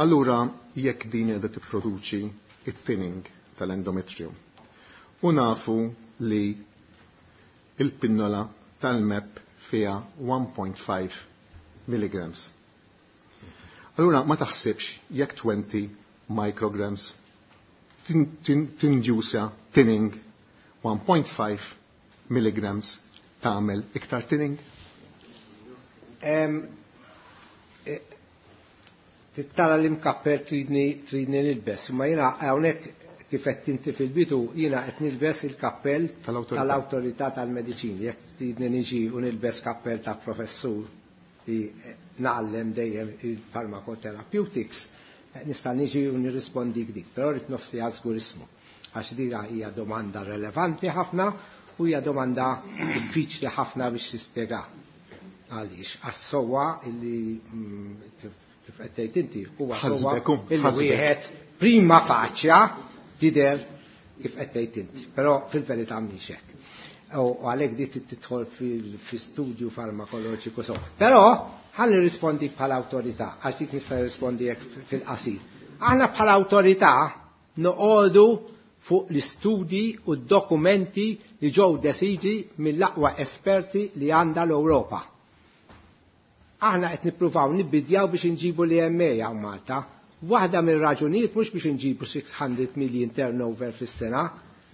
Allura, jekk din qiegħda tipproduċi it-thinning tal-endometrium, u nafu li il-pinnola tal-MEP fiha 1.5 milligrams. Allura, ma taħsibx jekk 20 micrograms tinġusa thinning 1.5 milligrams tagħmel iktar thinning? Tittara li mkapper tridni nilbes, ma jiena hawnhekk kif qed inti fil-bidu jiena qed nilbes il-kappell Tal-awtorità. tal-awtorità tal-mediċini. Jekk tridni niġi u nilbes kappell ta' professur li nagħallem dejjem il-pharmacotherapeutics, nista' niġi u nirrispondik dik, però rrid nofsi żgur ismu. Għax dika hija domanda relevanti ħafna u hija domanda diffiċli ħafna biex tispjega. Għaliex, għax sowa illi, kif qed tgħid inti, huwa sowa Ħasbek, illi ħasbek. wieħed prima faċja tidher kif qed tgħid inti, però fil-verità mhix hekk. U għalhekk di tidħol fil-studju farmakoloġiku so. Però ħalli nirrispondi bħala awtorità, għax dik nista' nirrispondi hekk fil-qasir. Aħna bħala awtorità noqogħdu fuq l-istudji u d-dokumenti li ġew deċiżi mill-aqwa esperti li għandha l-Ewropa. Aħna qed nippruvaw nibbidjaw biex inġibu l-EMA hawn Malta. Waħda mill-raġunijiet mhux biex inġibu 600 million turnover fis-sena,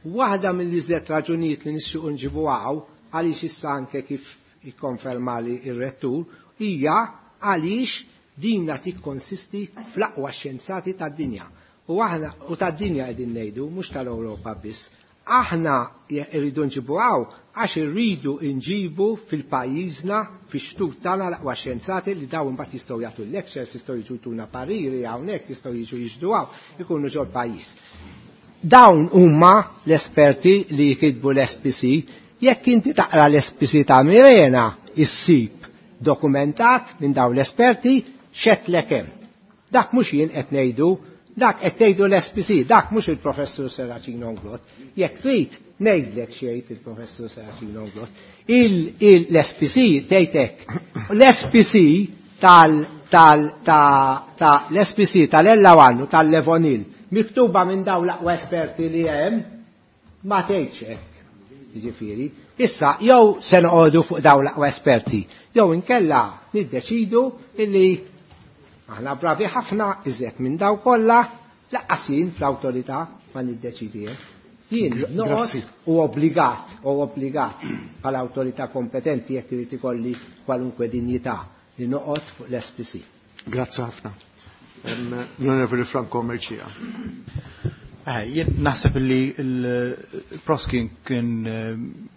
waħda mill-iżjed raġunijiet li nixtiequ nġibu hawn, għaliex issa anke kif ikkonfermali ir-rettur, hija għaliex dinna tikkonsisti fl-aqwa xjenzati tad-dinja. U aħna u tad-dinja qegħdin ngħidu, mhux tal-Ewropa biss. Aħna rridu nġibu hawn għax irridu nġibu fil-pajjiżna, fix-xtut tagħna l-aqwa xjenzati li dawn imbagħad jistgħu jagħtu lectures, jistgħu jiġu jtuna pariri hawnhekk, jistgħu jiġu jiġdu hawn, ikunu ġol pajjiż. Dawn huma l-esperti li jkitbu l-SPC. Jekk inti taqra l-SPC ta' Mirena, issib dokumentat minn dawn l-esperti xetlek hemm. Dak mhux jien qed ngħidu, dak qed tgħidu l-SPC, dak mhux il-professur Serracino Inglott. Jekk trid ngħidlek xejn il-professur Serracino Inglott. L-SPC tgħid hekk. L-SPC l-SPC tal-ellawan u tal-Levonil miktuba minn dawn l-aqwa esperti li hemm ma tgħidx hekk. Jiġifieri, issa jew se noqogħdu fuq dawn l-aqwa esperti, jew inkella niddeċidu illi aħna bravi ħafna iżjed minn daw kollha, laqqas jien fl-awtorità ma niddeċidi hekk. Jien noqgħod Grazzi. u obbligat, u obbligat bħala awtorità kompetenti jekk irid ikolli kwalunkwe dinjità li noqgħod fuq l-SPC. Grazzi ħafna. L-Onorevoli Franco Mercieca. Jien naħseb li l-Prof kien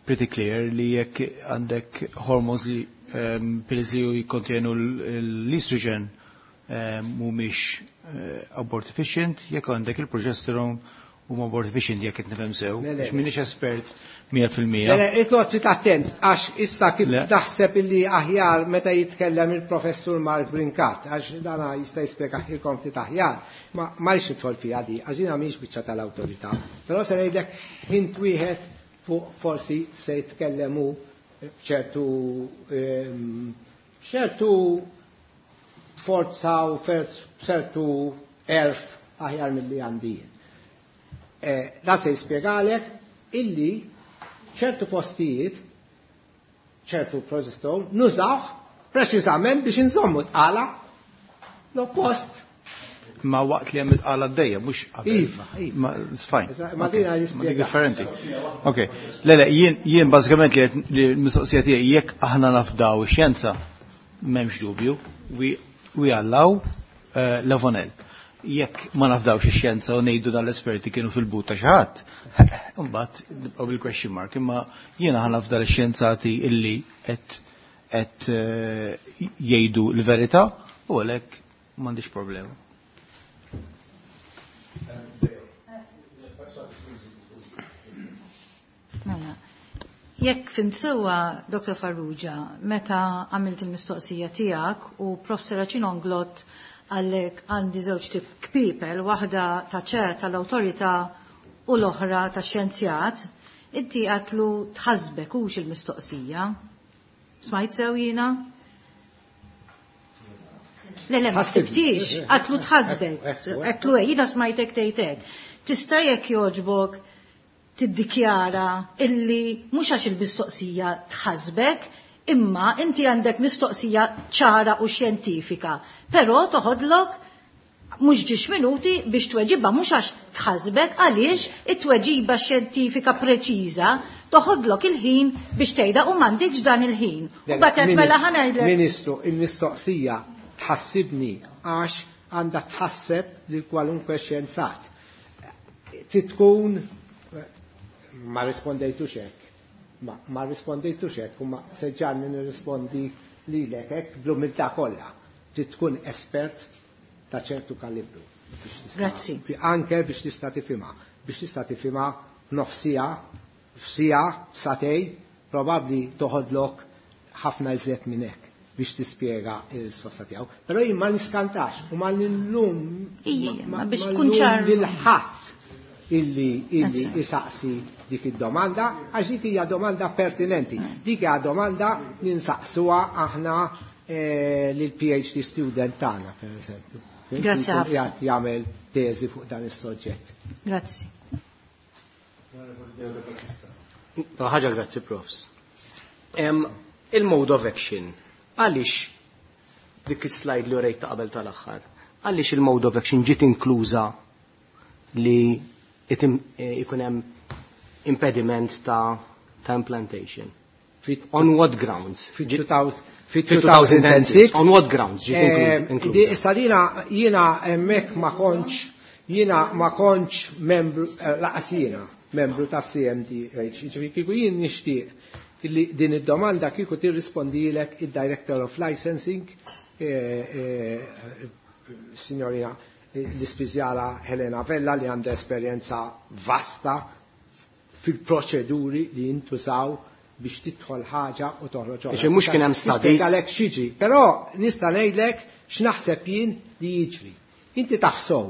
pretty clear li jekk għandek hormones li pills li jikkontienu l-estrogen, mhumiex abortifacient, jekk għandek il-progesterone huma abortifacient, jekk qed nifhem sew. Għax m'iniex espert 100%. Le, itqgħod ftit attent, għax issa kif taħseb illi aħjar meta jitkellem il-professur Mark Brincat, għax dana jista' jispjegahielkom ftit aħjar, ma rridx nidħol fiha di, għax jiena mhix biċċa tal-awtorità. Però se ngħidlek hint wieħed fuq forsi se jitkellem hu ċertu forza u ċertu erf aħjar milli għandi jien. Da se jispjegalek illi ċertu postijiet, ċertu progesterone, nużawh preċiżament biex inżommu tqala l-oppost. Ma waqt li hemm it-tqala għaddejja, mhux qabel. Iva, iva. Ma it's fine. Ma dina Ma dik jispjega. differenti. Ok. Le, le, jien bażikament li l-mistoqsija tiegħi, jekk aħna nafdaw ix-xjenza, m'hemmx dubju, we allow Levonelle. Jekk ma nafdawx ix-xjenza u ngħidu dan l-esperti kienu fil-but ta' xi ħadd, imbagħad nibqgħu bil-question mark, imma jiena ħa nafda l-xjenzati illi qed jgħidu l-verità u għalhekk m'għandix problema. Mela, jekk fhimt sewwa, Dr. Farrugia, meta għamilt il-mistoqsija tiegħek u Prof Serracino Inglott għallek għandi żewġ tip kpipel, waħda ta' ċer tal-awtorità u l-oħra ta' xjenzjat, inti għatlu tħasbek hux il-mistoqsija. Smajt sew jiena? Le, le, ma Ħassibni. ħsibtix, għatlu tħasbek. Għatlu, jiena smajtek tgħidek. Tista' jekk jogħġbok tiddikjara illi mhux għax il-mistoqsija tħasbek, imma inti għandek mistoqsija ċara u xjentifika, però toħodlok mhux ġiex minuti biex tweġibha, mhux għax tħasbek, għaliex it-tweġiba xjentifika preċiża toħodlok il-ħin biex tgħidha u m'għandikx dan il-ħin. U bagħad qed mela ħa ngħidlek. Ministru, il-mistoqsija tħassibni għax għandha tħasseb lil kwalunkwe xjenzat. Titkun ma rispondejtux hekk. Ma rispondejtux hekk, u ma seġġarni nirrispondi lilek hekk bl-umiltà kollha. Trid tkun espert ta' ċertu kalibru. Grazzi. Anke biex tista' tifhimha. Biex tista' tifhimha f'nofsija, f'sija, f'satej, probabbli toħodlok ħafna iżjed minn hekk biex tispjega il-risposta tiegħu. Però jien ma niskantax u ma nillum Ija, ma biex ma tkun nillum ċar. lil ħadd illi Grazzi. isaqsi dik id-domanda, għax dik hija domanda pertinenti. Dik hija domanda li nsaqsuha aħna lil PhD student tagħna, per eżempju. Grazzi Jkun ħafna. qiegħed jagħmel teżi fuq dan is-soġġett. Grazzi. Ħaġa grazzi, profs. Il-mode of action, għaliex dik is-slide li urejt ta' qabel tal-aħħar, għaliex il-mode of action ġiet inkluża li ikun hemm impediment ta' implantation? On what grounds? Fi Fi 2006. On what grounds ġiet inkluża? Issa jiena hemmhekk ma kontx, jiena ma kontx membru, laqas jiena membru ta' CMDH. Ġifieri kieku jien nixtieq li din id-domanda kieku tirrispondilek id-Director of Licensing, signorina l-ispiżjara Helena Vella, li għandha esperjenza vasta fil-proċeduri li jintużaw biex tidħol ħaġa u toħroġ oħra. Ġi mhux kien hemm studies. Nispjegalek x'jiġri, però nista' ngħidlek x'naħseb jien li jiġri. Inti taħsow,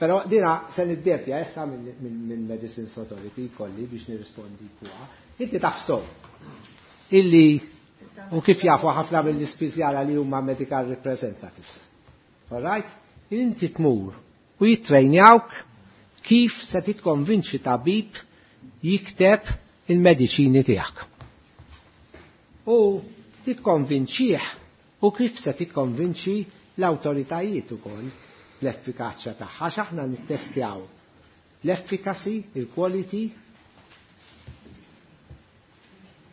però dina se niddevja issa minn Medicines Authority kolli biex nirrispondi fuqha. Inti taħsow illi u kif jafu ħafna mill-ispiżjara li huma medical representatives. All right? Inti tmur u jittrejnjawk kif se tikkonvinċi tabib jikteb il-mediċini tiegħek. U tikkonvinċih u kif se tikkonvinċi l-awtoritajiet ukoll l-effikaċja tagħha, għax aħna nittestjaw l-efficacy, il-quality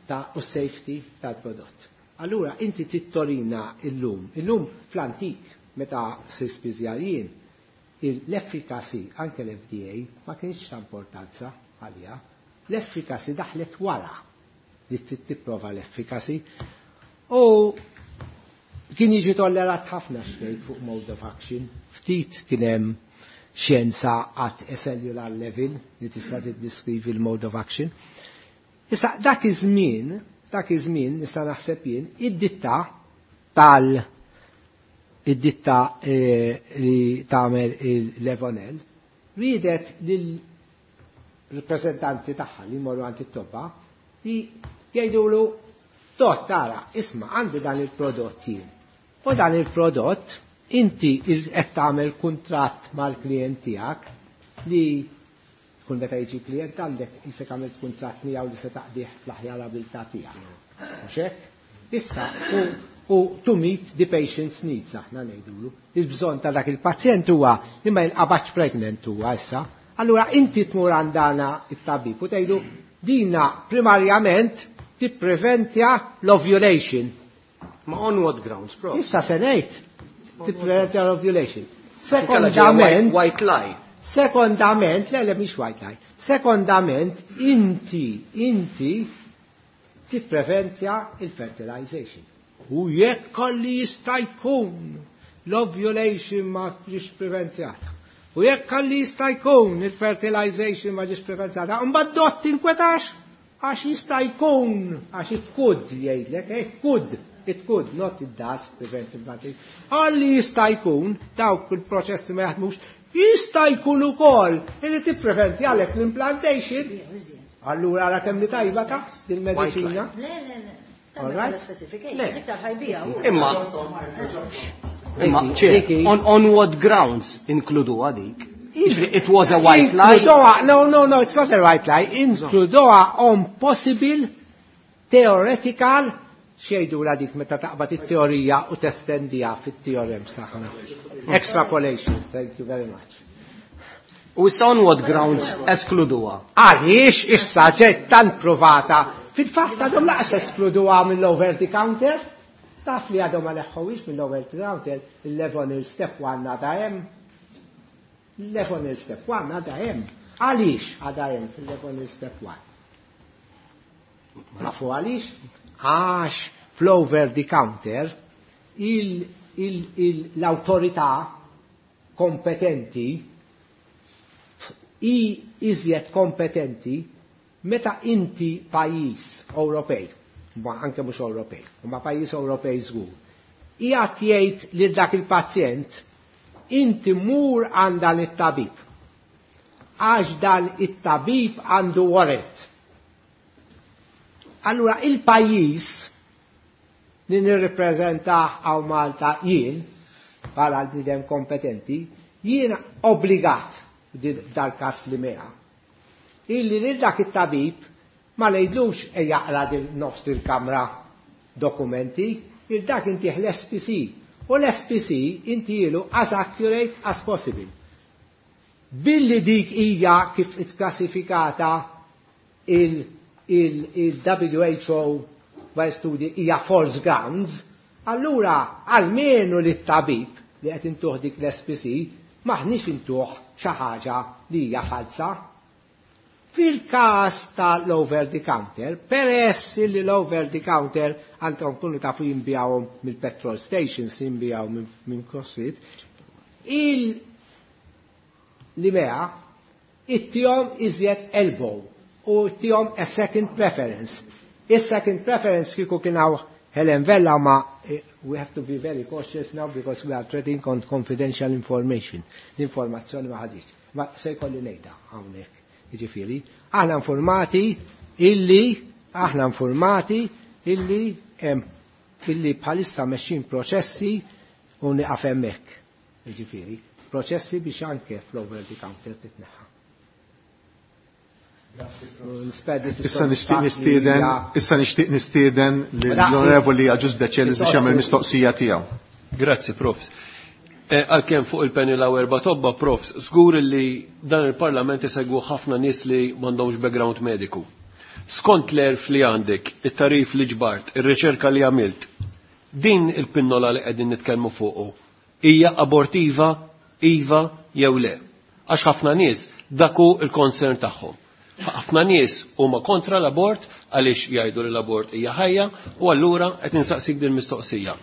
ta' u safety tal-prodott. Allura inti tittorina illum, illum fl-antik meta sispiżjarijin, l-efficacy anke l-FDA ma kienx ta' importanza għalija, l-efficacy daħlet wara li trid tipprova l-efficacy. U Kien jiġi tollerat ħafna xejn fuq mode of action, ftit kien hemm xjenza at a cellular level li tista' tiddiskrivi l-mode of action. Issa dak iż-żmien nista' naħseb jien id-ditta id-ditta li tagħmel il-Levonel riedet lill-rappreżentanti tagħha li jmorru għand it-tobba li jgħidulu dott tara, isma' għandi dan il-prodott jien. U dan il-prodott inti qed tagħmel kuntratt mal-klijent tiegħek li kull meta jiġi klient għandek jisek għamilt kuntratt miegħu li se taqdih fl-aħjar abilità tiegħek. Mhux hekk? Issa u to meet the patient's needs aħna ngħidulu. Il-bżonn ta' dak il-pazjent huwa li ma jinqabadx pregnant huwa issa. Allura inti tmur għandana it-tabib u tgħidu dina primarjament tippreventja l-ovulation. Ma on what grounds, prof? Issa se ngħid tippreventja l-ovulation. Sekondament, white lie. Sekondament, le mhix white lie. Sekondament, inti tippreventja il-fertilization. U jekk kolli jista' jkun l-ovulation ma ġiex preventjata. U jekk kolli jista' jkun il-fertilization ma ġiex preventjata, mbagħad dott tinkwetax għax jista' jkun, għax it could jgħidlek, it could, not it does prevent implantation. Għalli jista' jkun dawk il-proċessi ma jaħdmux, jista' jkun ukoll li tippreventi għalek l-implantation. Allura ara kemm li tajba ta' dil-mediċina. Le, le, le. All right? Imma, on what grounds inkludu għadik? It was a white lie? No, no, no, it's not a white lie. Inkluduha on possible theoretical xejdu la dik meta taqbad it-teorija u testendija fit-teorem saħna. Extrapolation, thank you very much. U issa on what grounds eskluduha? Għaliex issa ġiet tant provata. Fil-fatt għadhom laqas eskluduha mill-over the counter. Taf li għadhom ma neħħuhiex mill-over the counter, il-Levonel step 1 għadha hemm. Il-Levonel step 1 għadha hemm. Għaliex għadha hemm fil-Levonel step 1? Nafu għaliex? Għax fl-over the counter l-autorità kompetenti i iżjed kompetenti meta inti pajjiż Ewropej, ma anke mhux Ewropej, ma pajjiż Ewropej żgur, qiegħed jgħid lil dak il-pazjent inti mur għand dan it-tabib. Għax dan it-tabib għandu warrant. Allura il-pajjiż li nirrippreżenta għaw Malta jien, bħala l-bniedem kompetenti, jien obbligat dal-kas li meha. Illi lil dak it-tabib ma ngħidlux e jaqra din nofs il-kamra dokumenti, il dak inti l-SPC. U l-SPC inti ilu as accurate as possible. Billi dik hija kif itklassifikata il-WHO wara studi hija false grounds, allura almenu li t-tabib li qed intuh dik l-SPC maħniex intuh xi ħaġa li hija falsa. Fil-każ tal-over the counter, peress li l-over the counter għandhom kunu tafu jinbijawhom mill-petrol stations, jinbijaw minn CrossFit, il-LIMEA ittihom iżjed elbow u ittihom a second preference. Is-second preference kieku kien hawn Helen Vella ma we have to be very cautious now because we are trading on confidential information. L-informazzjoni ma ħadix. Ma se jkolli ngħidha hawnhekk. Jiġifieri, aħna informati illi hemm illi bħalissa mexxin proċessi u nieqaf hemmhekk. Jiġifieri, proċessi biex anke fl-over the counter titneħħa. Issa nixtieq nistieden lill-Onorevoli Agius Decelis biex jagħmel mistoqsija tiegħu. Grazzi, Profs. Għalkemm fuq il-panel hawn erba' tobba, Profs, żgur li dan il-Parlament isegwu ħafna nies li m'għandhomx background mediku. Skont l-erf li għandek, it-tarif li ġbart, ir-riċerka li għamilt, din il-pinnola li qegħdin nitkellmu fuqu hija abortiva, iva jew le. Għax ħafna nies daku il-concern tagħhom. Ħafna nies huma kontra l-abort għaliex jgħidu li l-abort hija ħajja u allura qed insaqsik din mistoqsija.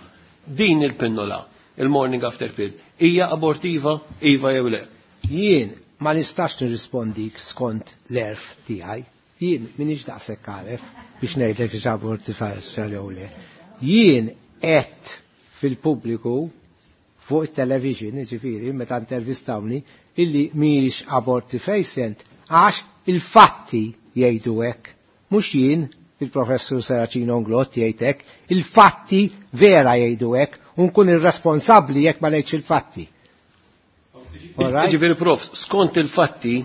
Din il-pinnola, il-morning after pill, hija abortiva, iva jew le? Jien ma nistax nirrispondik skont l-għerf tiegħi. Jien m'iniex daqshekk għaref biex ngħidlek hix abortiva jew le. Jien qed fil-pubbliku fuq it-television, ġifieri, meta intervistawni, illi mhijiex abortifacient għax il-fatti jgħidu hekk. Mhux jien, il-professur Serracino Inglott jgħid hekk, il-fatti vera jgħidu hekk u nkun irresponsabbli jekk ma ngħidx il-fatti. Ġifieri prof, skont il-fatti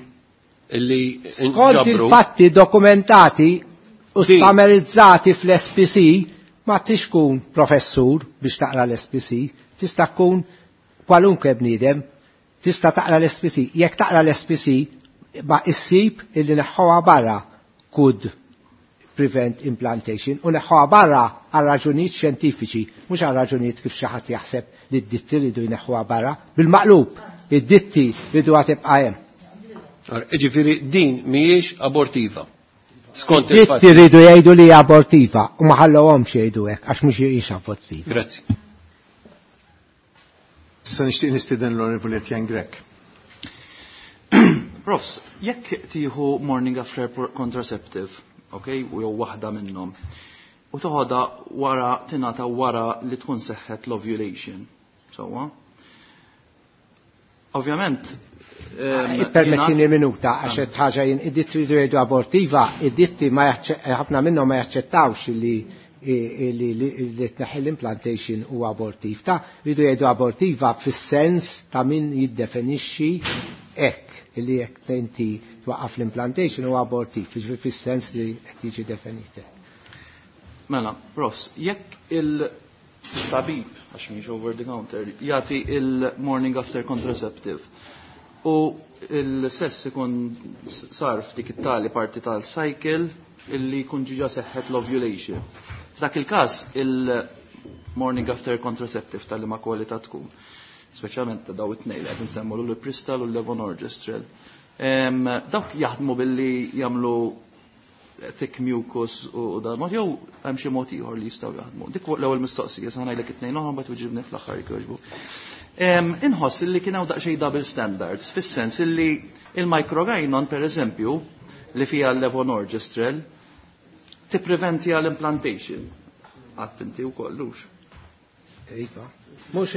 illi Skont il-fatti dokumentati u stamerizzati fl-SPC, ma tix tkun professur biex taqra l-SPC, tista' tkun kwalunkwe bniedem, tista' taqra l-SPC. Jekk taqra l-SPC, ma issib illi neħħuha barra could prevent implantation u neħħuha barra għal raġunijiet xjentifiċi, mhux għal raġunijiet kif xi ħadd jaħseb li d-ditti ridu jneħħuha barra, bil-maqlub, id-ditti ridu tibqa' hemm. Ġifieri din mhijiex abortiva. Skont Ditti il-fatti. ridu jgħidu li hija abortiva u ma ħallewhomx jgħidu hekk għax mhux hijiex abortiva. Grazzi. Issa nixtieq nistieden l-Onorevoli Etienne Grech. Profs, jekk tieħu morning after contraceptive, ok, u jew waħda minnhom, u toħodha wara tingħata wara li tkun seħħet l-ovulation, sewwa? Ovvjament, Permettini minuta, għax qed ħaġa jien id-ditti ridu jgħidu abortiva, id-ditti ma ħafna minnhom ma jaċċettawx li li tneħħi l-implantation u abortiv. Ta' ridu jgħidu abortiva fis-sens ta' min jiddefinixxi hekk li jekk inti twaqqaf l-implantation u abortiv, jiġifieri fis-sens li qed jiġi definite. Mela, profs, jekk il-tabib, għax mhix over the counter, jagħti il-morning after contraceptive u il-sess ikun sar f'dik it-tali parti tal-cycle illi jkun ġiġa seħħet l-ovulation. F'dak il-każ il-morning after contraceptive tal ma kwalità tkun, speċjalment ta' daw it-tnejn li qed nsemmu l-Pristal u l-Levonorgestrel. Dawk jaħdmu billi jagħmlu thick mucus u dan mod jew hemm xi mod ieħor li jistgħu jaħdmu. Dik l-ewwel mistoqsija sa ngħidlek it-tnejn oħra mbagħad tweġibni fl-aħħar jogħġbu. Inħoss illi kien hawn daqsxejn double standards fis-sens illi il-microgynon pereżempju li fiha l-levonorgestrel tippreventi għall-implantation. Għadt inti wkoll hux. Iva. Mhux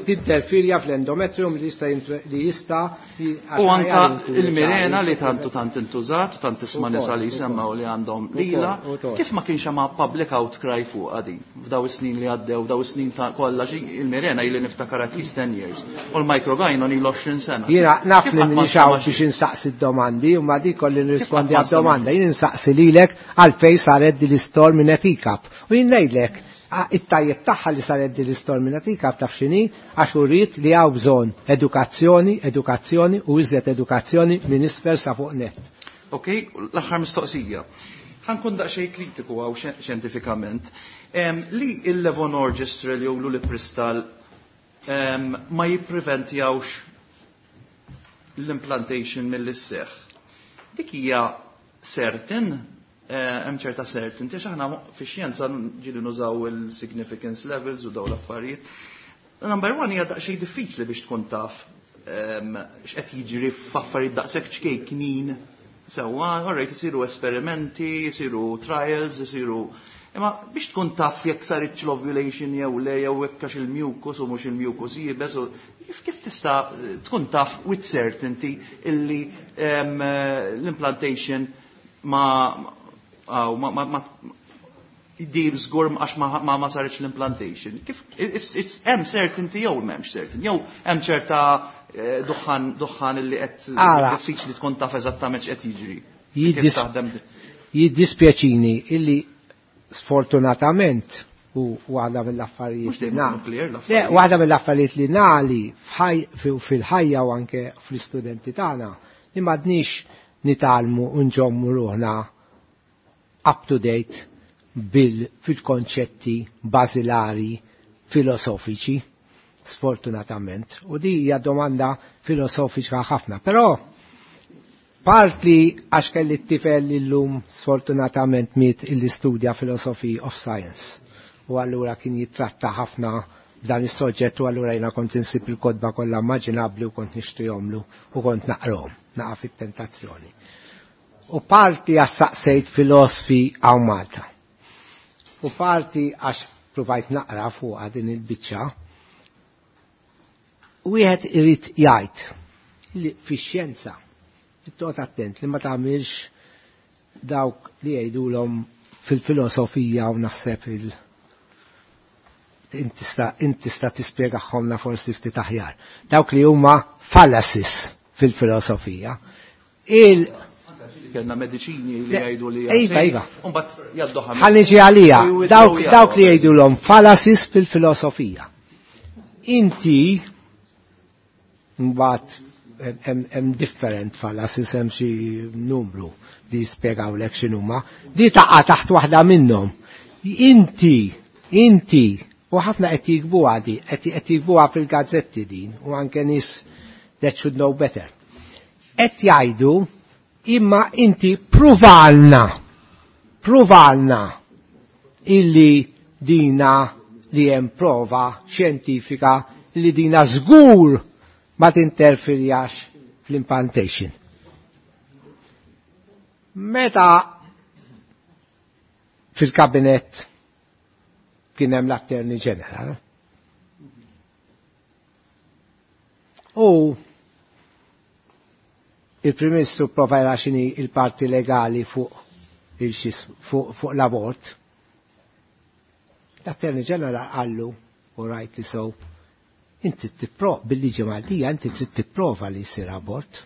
tinterfirja fl-endometrium li jista' li jista' U anka il-Mirena li tantu tant intużat, u tant tisma' nisa li jsemmaw li għandhom lila, kif ma kienx hemm public outcry fuq din f'daw is-snin li għaddew, f'daw is-snin ta' kollha il-Mirena ili niftakar at least 10 years u l-microgynon ilu 20 sena. Jiena naf li minix hawn biex insaqsi d-domandi u ma dik kolli nirrispondi għad-domanda. Jien insaqsi lilek għalfejn saret din l-istorm minn etikap. U jien ngħidlek it-tajjeb tagħha li saret din l-istorm minn etikap taf x'inhi għax uriet li hawn bżonn edukazzjoni, edukazzjoni u iżjed edukazzjoni minn isfel sa fuq net. Ok, l-aħħar mistoqsija. Ħa nkun daqsxejn kritiku għaw xjentifikament. Li il-levonorgestrel jew l-ulipristal ma jippreventjawx l-implantation mill-isseħ. Dik hija certain, hemm ċerta certainty, għax aħna fix-xjenza ġieli nużaw il-significance levels u daw l-affarijiet. Number one hija daqsxejn diffiċli biex tkun taf x'qed jiġri f'affarijiet daqshekk ċkejknin. Sewwa, alright, isiru esperimenti, isiru trials, isiru. Imma biex tkun taf jekk saritx l-ovulation jew le, jew jekk għax il-mucus u mhux il-mucus jibes, u kif tista' tkun taf with certainty illi l-implantation ma dim żgur għax ma saritx l-implantation. Kif it's hemm certainty jew m'hemmx certainty, jew hemm ċerta duħħan illi qed diffiċli tkun taf eżattament x'qed jiġri. Kif taħdem? Jiddispjaċini illi sfortunatament u waħda mill-affarijiet li Le, waħda mill-affarijiet li nali fil-ħajja u anke fl-istudenti tagħna li m'għadniex nitgħallmu u nżommu ruħna up to date fil-konċetti bażilari filosofiċi, sfortunatament. U di hija domanda filosofika ħafna. Però partly għax kelli t-tifel illum sfortunatament miet illi studja philosophy of science. U allura kien jitratta ħafna b'dan is-soġġett u allura jiena kont insib il-kotba kollha immaġinabbli u kont nixtrihomlu u kont naqrahom, naqa' fit-tentazzjoni. U parti għax saqsejt filosfi hawn Malta. U parti għax provajt naqra fuq din il-biċċa. Wieħed irid jgħid li fix-xjenza toqgħod attent li ma tagħmilx dawk li jgħidulhom fil-filosofija u naħseb il intista tispjegahomna forsi ftit aħjar. Dawk li huma fallacies fil-filosofija. Il Kellna mediċini li jgħidu li Iva, iva. Ħa niġi għalija, dawk li jgħidulhom fallacies fil-filosofija. Inti mbagħad hemm different fallacies, hemm xi numru li jispjegawlek x'inhuma. Di taqa' taħt waħda minnhom. Inti, u ħafna qed jiktbuha di, qed jiktbuha fil-gazzetti din, u anke nies that should know better. Qed jgħidu imma inti pruvalna illi dina li hemm prova xjentifika li dina żgur ma tinterferjax fl-implantation. Meta fil-kabinet kien hemm l-Attorney General, u il-Prim Ministru prova jara x'inhi il-parti legali fuq l-abort. L-Attorney General qallu, u rightly so, inti bil-liġi Maltija inti trid tipprova li jsir abort.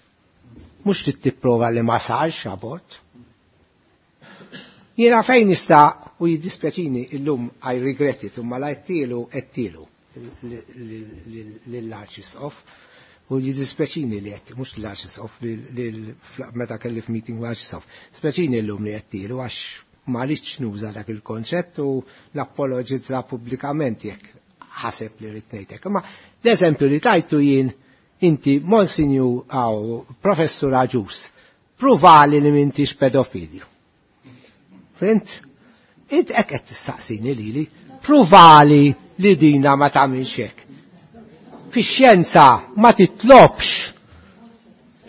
Mhux trid tipprova li ma sarx abort. Jiena fejn nista' u jiddispjaċini illum I regret it, imma la għedtilu lill-Arċisqof u jiddispjaċini li qed mhux l-Arċisqof meta kelli f'meeting l-Arċisqof. Dispjaċini llum li għedtilu għax ma rridx nuża dak il-konċett u napologizza pubblikament jekk ħaseb li rrid ngħidlek. Imma l-eżempju li tajtu jien inti Monsinju għaw Professur Agius, pruvali li m'intix pedofilju. Fhimt? Int hekk qed tistaqsini lili, pruvali li dina ma tagħmilx hekk. Fix-xjenza ma titlobx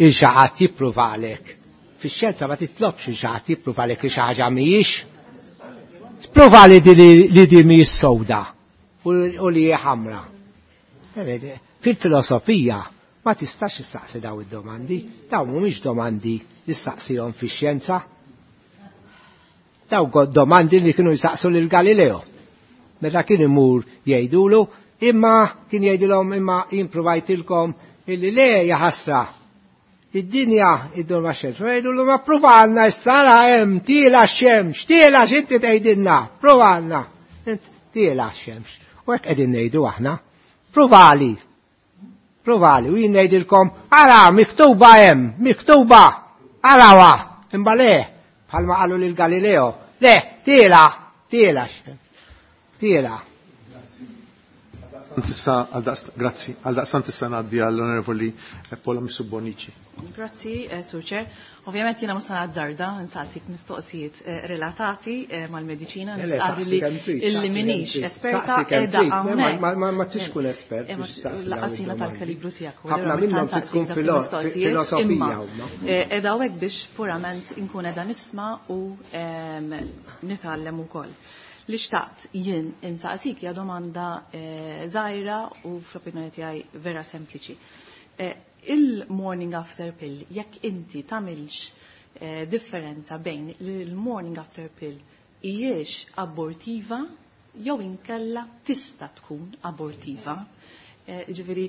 il xi ħadd jippruvalek. Fix-xjenza ma titlobx il xi ħadd jippruvalek li xi ħaġa mhijiex. Pruvali li di mhijiex sewda u li hija ħamra. Fil-filosofija ma tistax istaqsi daw id-domandi, daw mhumiex domandi li staqsihom fix-xjenza. Daw domandi li kienu jistaqsu lil Galileo. Meta kien imur jgħidulu, imma kien jgħidulhom imma jien provajtilkom illi le jaħasra. Id-dinja iddur ma' xemx. Jgħidulu ma pruvalna s-sara hemm tiela x-xemx, tiela x'inti tgħidilna, pruvalna. Tiela x-xemx. U hekk qegħdin ngħidu aħna. Pruvali. Pruvali. U jien ngħidilkom, ara miktuba hemm, miktuba. Arawa. Imma le, bħalma qalu lil Galileo. Le, tiela, tiela x-xemx. Tiela. Grazzi. Għaldaqstant issa ngħaddi għall-Onorevoli Paula Mifsud Bonnici. Grazzi, Sur Chair. Ovvjament jiena mhux nazzarda nsaqsik mistoqsijiet relatati mal-mediċina, nistqarr li illi minix esperta qiegħda hawnhekk. Ma tix tkun espert biex tistaqsi. Lanqas jiena tal-kalibru tiegħek. Ħafna minnhom trid tkun filosofija huma. Qiegħda hawnhekk biex purament inkun qiegħda nisma' u nitgħallem ukoll. Li xtaqt jien insaqsik hija domanda żgħira u fl-opinjoni tiegħi vera sempliċi. Il-morning after pill, jekk inti tagħmilx differenza bejn il-morning after pill hijiex abortiva jew inkella tista' tkun abortiva. Ġifieri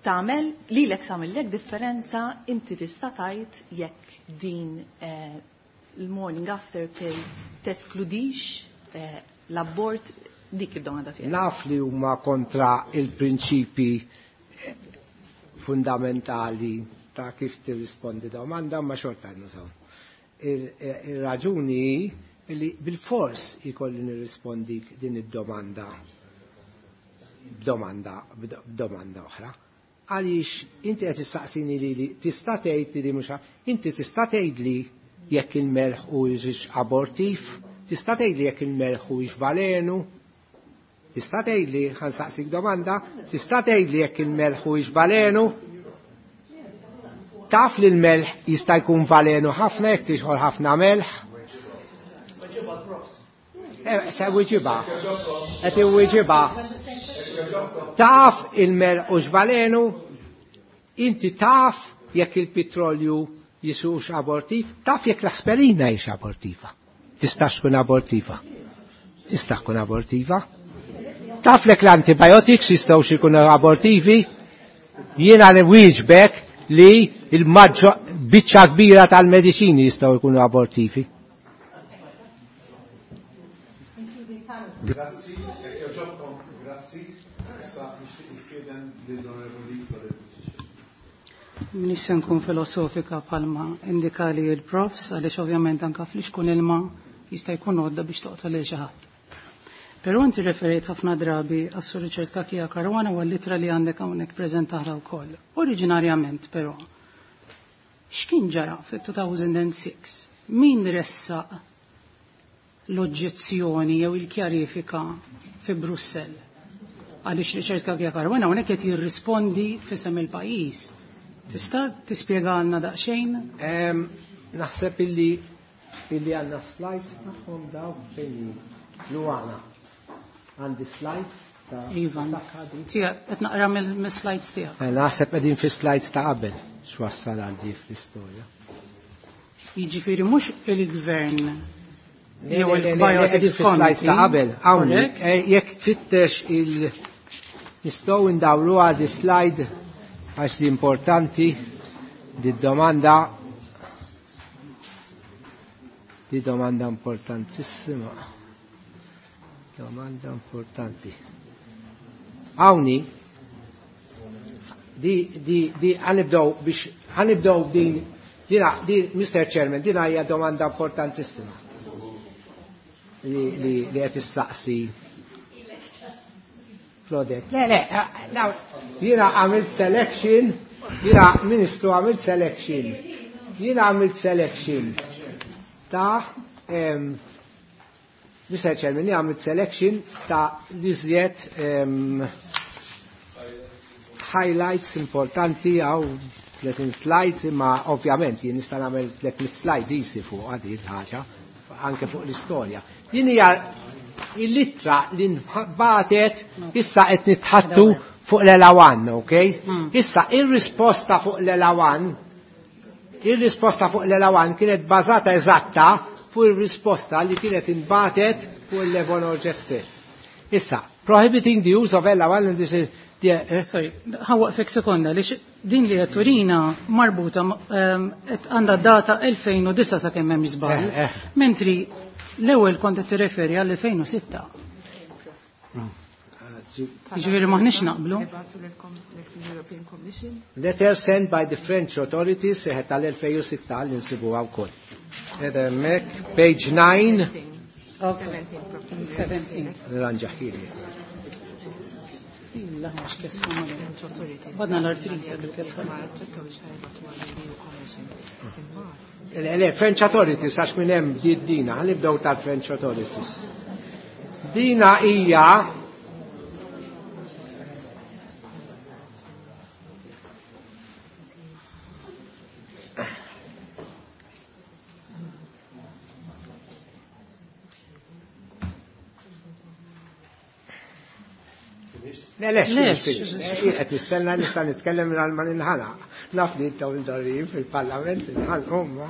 tagħmel lilek tagħmellek differenza inti tista' tgħid jekk din il-morning after pill teskludix l-abort, dik id-domanda tiegħek. Naf li huma kontra il-prinċipi fundamentali ta' kif tirrispondi domanda, ma xorta nużaw. Il-raġuni li bil-fors ikolli nirrispondi din id-domanda b'domanda oħra. Għaliex inti qed tistaqsini li tista' tgħid li mhux inti tista' tgħid li jekk il-melħ huwiex abortiv, tista' tgħid li jekk il-melħ huwiex valenu. Tista' tgħidli, ħa nsaqsik domanda, tista' tgħidli jekk il-melħ huwiex valenu? Taf li l-melħ jista' jkun valenu ħafna jekk tixħol ħafna melħ? Se wieġibha. Qed iwieġibha. Taf il-melħ hux valenu? Inti taf jekk il-petrolju jisux abortiv? Taf jekk l-aspirina hix abortiva? Tistax tkun abortiva. Tista' tkun abortiva. Taf lek l-antibiotics jistgħu jkunu abortivi? Jiena li wieġbek li il-maġġo biċċa kbira tal-mediċini jistgħu jkunu abortivi. Grazzi, jekk jogħġobkom, grazzi. Issa nixtieq nistieden lill-Onorevoli Claudette. M'iniex se nkun filosofika bħalma indikali il-profs għaliex ovvjament anka fl-ixkun ilma jista' jkun għodda biex toqtol lil xi ħadd. Però inti referejt ħafna drabi għas-Sur Richard Cachia Caruana u għall-ittra li għandek hawnhekk preżentata wkoll. Oriġinarjament però, x'kien ġara fit-2006? Min ressaq l-oġġezzjoni jew il-kjarifika fi Brussell? Għaliex Richard Cachia Caruana hawnhekk qed jirrispondi f'isem il-pajjiż. Tista' tispjegalna daqsxejn? Naħseb illi għandna slides tagħhom daw fejn Luana. Għandi slides ta' Ivan. Tiegħek qed naqra mill-slides tiegħek. Naħseb qegħdin fi slides ta' qabel x'wassal għal di fl-istorja. Jiġifieri mhux il-gvern Le, jew le, le, le, il-Bioethics qegħdin fi slides ta' qabel. Hawnhekk, Correct? jekk tfittex il nistgħu ndawru għal di slide għax li importanti di domanda di domanda importantissima. Domanda importanti. Hawnni di ħanibdew biex ħanibdew din dina di Mr. Chairman dina hija domanda importantissima li qed issaqsi Claudette. Le, le, jiena għamilt selection, jiena Ministru għamilt selection. Jiena għamilt selection ta' Mr. Chairman, jiena għamilt selection ta' l-iżjed highlights importanti għaw 30 slides, imma ovvjament jien nista' nagħmel 300 slides isi fuq għadi l-ħaġa, anke fuq l-istorja. Din hija l-ittra li nbatet issa qed nitħattu fuq l-ELA 1, ok? Issa ir-risposta fuq l-ELA 1, ir-risposta fuq l-ELA 1 kienet bażata eżatta fuq ir-risposta li kienet inbatet fuq il-levonorgestrel. Issa, prohibiting the use of ELA 1 and this is the, Sorry, ħawaqfek sekonda, li din li qed turina marbuta qed għandha data 2009 sakemm hemm żball. Mentri l-ewwel kont qed tirreferi għal 2006. Jiġifieri m'aħniex naqblu. Letter sent by the French authorities seħet tal-2006 li nsibuha wkoll. Qiegħda hemmhekk, page 9. 17. Ranġaħili. Illa, mhux kesħa ma Badna l-artrita bil-kesħa. Le, le, French authorities, għax minn hemm bdiet dina, ħanibdew tal-French authorities. Dina hija Le, le, Le, finish, finish. Qed nistenna nista' nitkellem mingħajr ma ninħalaq. Naf li intom imdorrijin fil-Parlament ninħalaq huma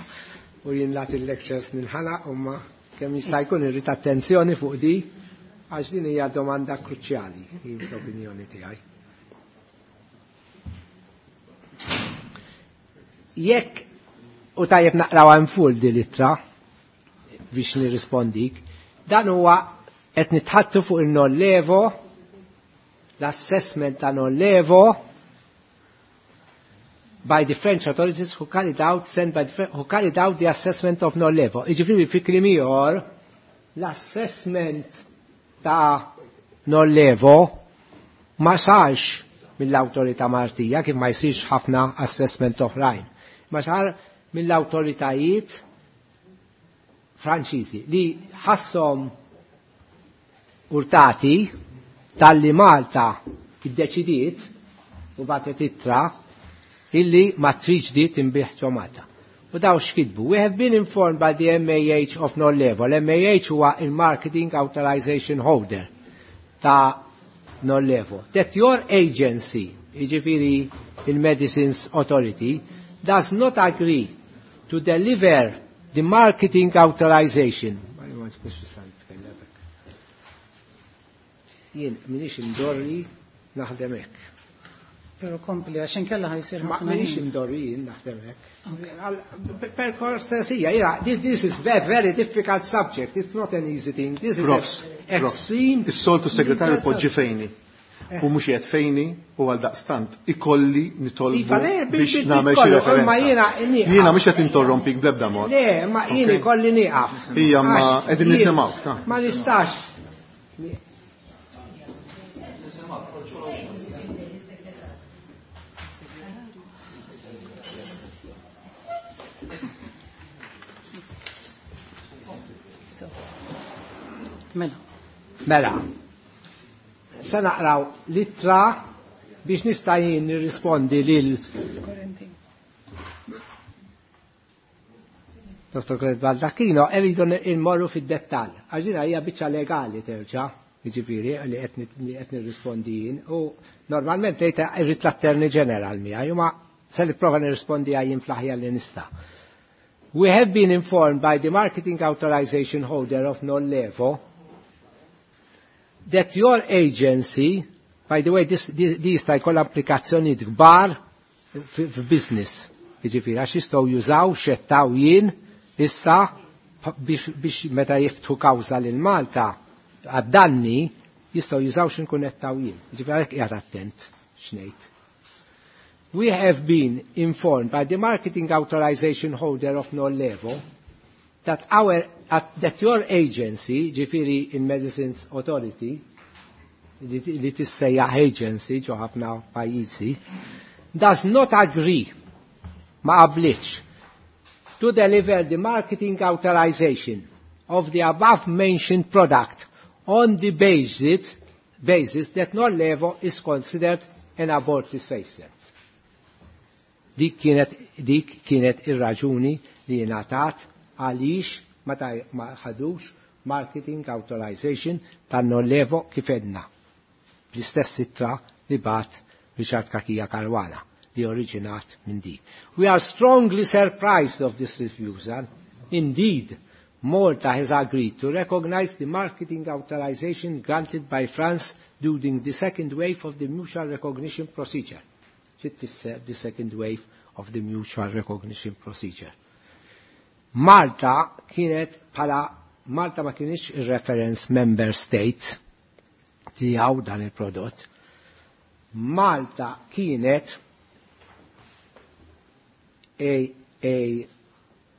u jien nagħti l-lectures ninħalaq huma kemm jista' jkun irrid attenzjoni fuq di għax din hija domanda kruċjali fl-opinjoni tiegħi. Jekk u tajjeb naqraw hemm full di l-ittra biex nirrispondik, dan huwa qed nitħattu fuq il-NorLevo, l-assessment ta' NorLevo by the French authorities who carried out, sent by the French, who carried out the assessment of NorLevo. Jiġifieri fi kliem ieħor, l-assessment ta' NorLevo ma sarx mill-awtorità Maltija, kif ma jsirx ħafna assessment oħrajn. Ma sar mill-awtoritajiet Franċiżi li ħasshom urtati Talli Malta iddeċidiet u bagħtet ittra illi ma tridx di tinbiegħ ġo Malta. U daw x'kitbu? We have been informed by the MAH of Norlevo. L-MAH huwa il-Marketing Authorization Holder ta' Norlevo. That your agency, jiġifieri il-Medicines Authority, does not agree to deliver the marketing authorization. Jien minix indorri naħdem hekk. Pero kompli, għax inkella ħajsir Ma ħafna minix ħin. indorri jien naħdem hekk. Per cortesia, yeah, this is very, very difficult subject. It's not an easy thing. This is Profs, an profs. extreme. Is-soltu segretarju poġġi fejni. U mhux qed fejni u għal daqstant ikolli nitolbu Iva, le, biex nagħmel xi kollu, referenza. imma jiena nieqaf. Jiena mhux qed interrompik bl-ebda mod. Le, ma jien Ok. ikolli nieqaf. Ija, ma Għax qegħdin jien nisimgħuk, ta. Ma nistax. Mela. Mela, se naqraw l-ittra biex nista' jien nirrispondi lil Dr. Claire Baldacchino, irridu nmorru fid-dettall. Għax din hija biċċa legali terġa', jiġifieri li qed nirrispondi jien u normalment tgħid irrid l-Attorney General miegħi, ma se nipprova nirrispondi jien fl-aħjar li nista'. We have been informed by the marketing authorization holder of Norlevo that your agency, by the way, this jista' jkollha applikazzjonijiet kbar f'business. Jiġifieri għax jistgħu jużaw xettaw jien issa biex meta jiftħu kawża lil Malta għad-danni jistgħu jużaw x'inkun qed taw jien. Jiġifieri għalhekk qiegħed attent x'ngħid. We have been informed by the marketing authorization holder of Norlevo that that your agency, ġifieri il-Medicines Authority, li tissejjaħ agency ġo ħafna pajjiżi, does not agree, ma qablitx, to deliver the marketing authorization of the above mentioned product on the basis that Norlevo is considered an abortifacient. Dik kienet ir-raġuni li ngħatat għaliex ma ħadux marketing authorization ta' Norlevo kif edna. Bl-istess ittra li bat Richard Cachia Caruana li oriġinat minn dik. We are strongly surprised of this refusal. Indeed, Malta has agreed to recognize the marketing authorization granted by France during the second wave of the mutual recognition procedure. Xi tfisser the second wave of the mutual recognition procedure? Malta kienet bħala Malta ma kienx il-reference member state tiegħu dan il-prodott. Malta kienet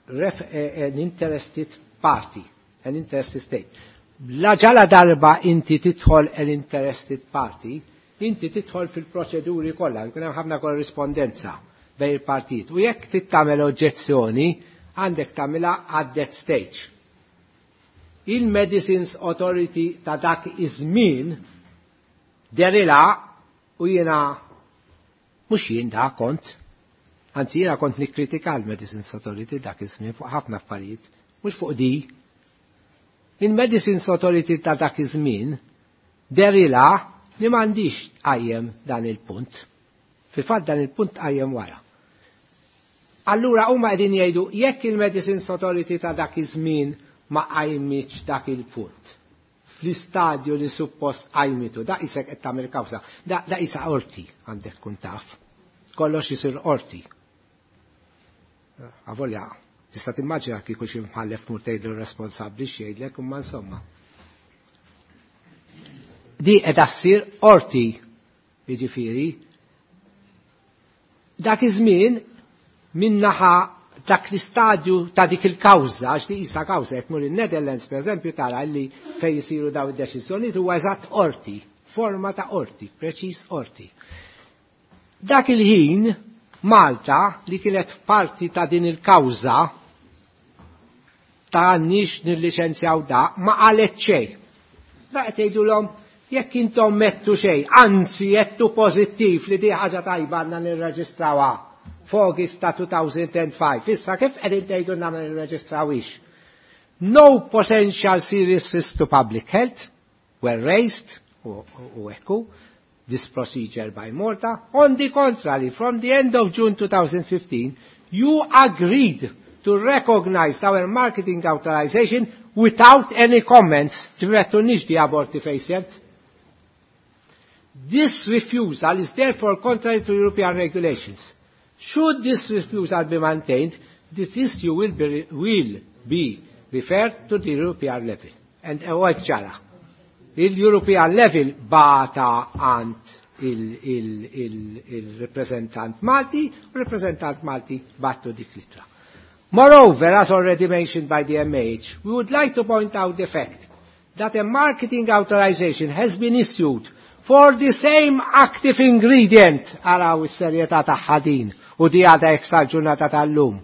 an interested party, an interested state. La ġala darba inti tidħol an interested party, inti tidħol fil-proċeduri kollha, jkun hemm ħafna korrispondenza bejn il-partit. U jekk trid tagħmel oġġezzjoni, għandek tagħmilha at that stage. Il-Medicines Authority ta' dak iż-żmien derila u jiena mhux jien da kont, anzi jiena kont nikkritika l-Medicines Authority dak iż-żmien fuq ħafna affarijiet, mhux fuq di. Il-Medicines Authority ta' dak iż-żmien derila li m'għandix tqajjem dan il-punt. Fil-fatt dan il-punt tqajjem wara. Allura huma qegħdin jgħidu jekk il-Medicines Authority ta' dak iż-żmien ma qajmitx dak il-punt. Fl-istadju li suppost qajmitu, da isek qed tagħmel kawża, da isa qorti għandek tkun taf. Kollox isir qorti. Avolja, tista' timmaġina kieku xi mħallef mur tgħidlu responsabbli x'jgħidlek imma insomma. Di qiegħda ssir qorti, jiġifieri. Dak iż-żmien minnaħa dak l-istadju ta' dik il-kawża, għax di isa kawża, qed tmur in-Netherlands pereżempju tara li fejn isiru daw id-deċiżjonijiet huwa eżatt qorti, forma ta' qorti, preċiż qorti. Dak il-ħin Malta li kienet parti ta' din il-kawża ta' nix nilliċenzjaw da ma qalet xejn. Da qed jgħidulhom Jekk intom mettu xejn, anzi jettu pożittiv li di ħaġa tajba għandna nirreġistrawha f'August ta' 2005. Issa kif qegħdin tgħidu ma nirreġistrawix? No potential serious risk to public health were raised u ekku this procedure by Malta. On the contrary, from the end of June 2015, you agreed to recognize our marketing authorization without any comments. Ġifieri di abortifacient. This refusal is therefore contrary to European regulations. Should this refusal be maintained, this issue will be referred to the European level. And hekk ġara. Il-European level bata għand il-reprezentant Malti, u reprezentant Malti battu dik litra. Moreover, as already mentioned by the MH, we would like to point out the fact that a marketing authorization has been issued for the same active ingredient, araw is-serjetà tagħha din u di għadha hekk sal-ġurnata tal-lum,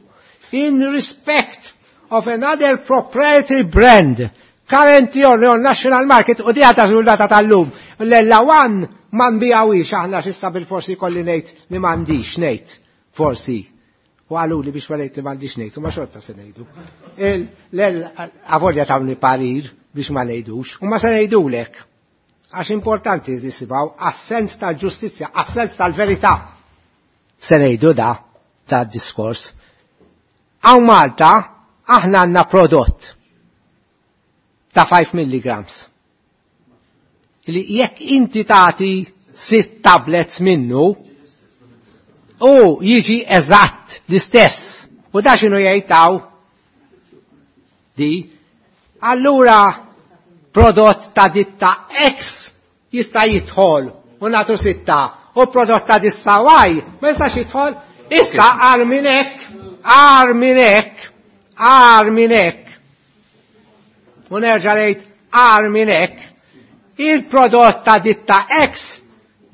in respect of another proprietary brand currently on the national market u di għadha ġurnata tal-lum. L-ella one ma nbijawix aħna xissa bil-forsi kolli ngħid li m'għandix ngħid forsi. U għalu li biex ma ngħid li m'għandix ngħid u ma xorta se ngħidu. Avolja tawni parir biex ma ngħidux u ma se ngħidulek. Għax importanti tisibaw għas-sens tal-ġustizzja, għas-sens tal-verità. Se ngħidu da, da diskors. Hawn Malta aħna għandna prodott ta' 5 milligrams. Li jekk inti tagħti 6 tablets minnu, u jiġi eżatt l-istess. U da x'inhu jgħid di. Allura prodott ta' ditta X jista' jidħol u nagħtu 6 u prodott ta' ditta Y ma jistax jidħol. Issa għar minn hekk, għar minn hekk, għar minn hekk. U nerġa' ngħid għar minn hekk, il-prodott ta' ditta X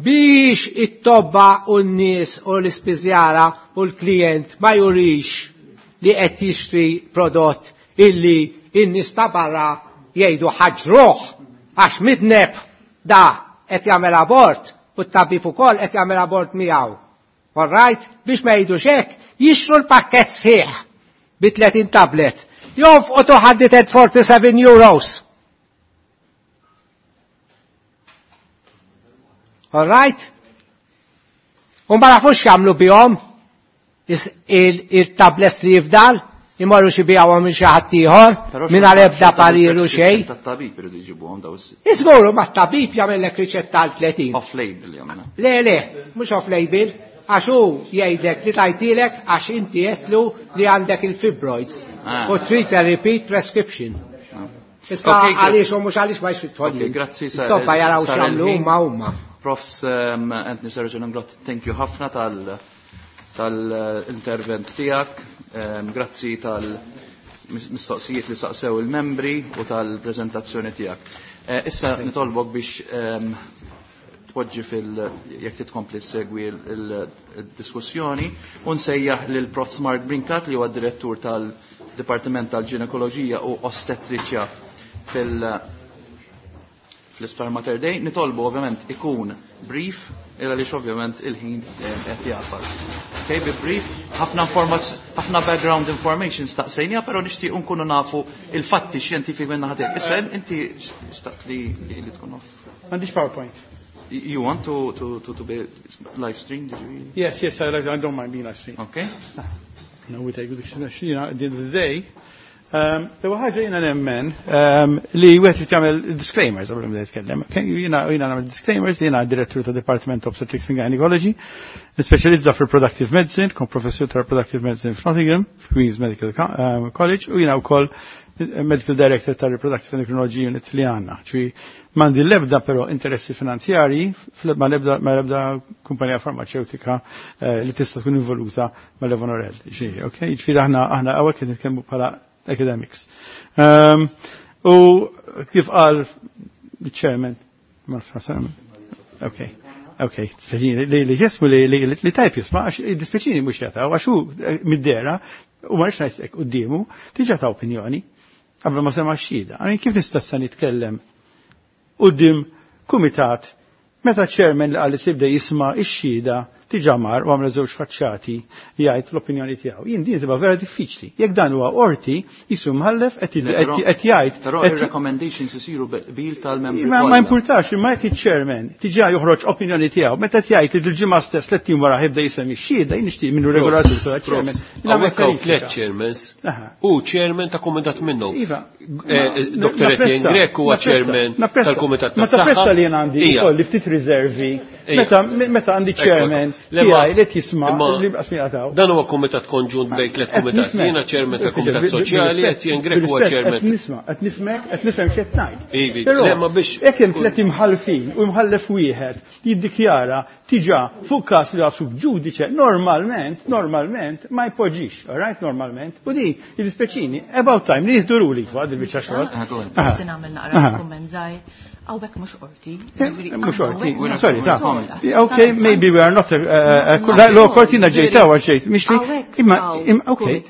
biex it-tobba u n-nies u l-ispiżjara u l-klient ma jurix li qed jixtri prodott illi n-nies ta' barra jgħidu ħaġruh għax midneb da qed jagħmel abort u t-tabib ukoll qed jagħmel abort miegħu. All right? Biex ma jgħidux hekk, jixtru l-pakkett sħiħ bi 30 tablet. Jonfqu 247 euros. All right? U ma nafux x'jagħmlu bihom il-tablets li jifdal, imorru xi bijawhom minn xi ħadd ieħor, minn ebda parir u xejn. Tat-tabib iridu jġibuhom daw is. Iżguru ma t-tabib jagħmellek riċetta għal 30. Off label jagħmilha. Le, le, mhux off label, għax hu jgħidlek li tajtilek għax inti għedtlu li għandek il-fibroids. U trid a repeat prescription. Issa għaliex u mhux għaliex ma jxritħolli. Ok, grazzi. Tobba jaraw x'jagħmlu huma huma. Profs Anthony Sergeant Inglott, thank you ħafna tal-intervent tiegħek. Grazzi tal-mistoqsijiet li saqsew il-membri u tal-preżentazzjoni tiegħek. Issa nitolbok biex tpoġġi fil jekk titkompli segwi il-diskussjoni u nsejjaħ lil Prof Mark Brincat li huwa direttur tal-Dipartiment tal-Ġinekoloġija u Ostetriċja fl-Isptar Mater Dei. Nitolbu ovvjament ikun brief, illa għaliex ovvjament il-ħin qed jafas. Okay, bi brief, ħafna background information staqsejnija, però nixtieq nkunu nafu il-fatti xjentifiki minn naħa tiegħek. Issa inti xtaqt li tkun off. M'għandix PowerPoint. You want to be live streamed? Did you really? Yes, yes, I don't mind being live streamed. Okay. No, we take the, at the end of the day. L-ewwel ħaġa jiena nemmen li wieħed irid jagħmel disclaimers qabel ma jitkellem. Jiena nagħmel disclaimers li jiena direttur ta' Department of Obstetrics and Gynecology, nispeċjalizza fil-Reproductive Medicine, kon professur ta' Reproductive Medicine f'Nottingham, f'Queen's Medical College, u jiena wkoll Medical Director ta' Reproductive Endocrinology Unit li għandna. Ċwi m'għandi l-ebda però interessi finanzjarji, ma l-ebda kumpanija farmaceutika li tista' tkun involuta ma' Levonorel. Okay? Ġifieri aħna hawnhekk qed nitkellmu bħala academics. U kif qal il-chairman, okay, okay, li jismu li tajb jisma, għax dispjaċini mhux jataw, għax hu mid-dera, u ma rridx ngħid quddiemu, diġà ta' opinjoni, qabel ma sema' xhieda. Għani kif nista' issa nitkellem quddiem kumitat meta chairman li qal li se jibda jisma' x-xhieda diġà mar u għamel żewġ faċċati jgħid l-opinjoni tiegħu. Jien din tibqa' vera diffiċli. Jekk dan huwa qorti, jisu mħallef qed jgħid. Però ir-recommendations isiru bil tal-membri. Ma importax, imma jekk iċ-chairman diġà joħroġ opinjoni tiegħu, meta jgħid li dil-ġimgħa stess tliet tim wara ħibda jisem ix-xhieda, jien nixtieq minnu regolatur tal-chairman. Hawnhekk hawn tliet chairmans u chairman ta' kumitat minnhom. Iva. Dr. Etienne Grech huwa chairman tal-kumitat tas-saħħa. Ma tapprezza li jien għandi ukoll ftit riservi. Meta għandi chairman tiegħi li jisma' li qasmi jaqtaw. Dan huwa kumitat konġunt bejn tliet kumitat. Jiena chairman tal-kumitat soċjali, Etienne Grech huwa chairman. Qed nisma', qed nifhmek, qed nifhem x'qed ngħid. Però jekk hemm tliet imħallfin u imħallef wieħed jiddikjara tiġa fuq każ li sub ġudice, normalment, normalment ma jpoġġix, all right, normalment. U di jidispeċini, about time li jieħdu ruling fuq il-biċċa xogħol. Forsi nagħmel naqra kumment żgħir. Hawnhekk mhux qorti. Mhux qorti, sorry, ta' Okay, maybe we are not law court jiena ġejt hawn ġejt, mhix li imma okay.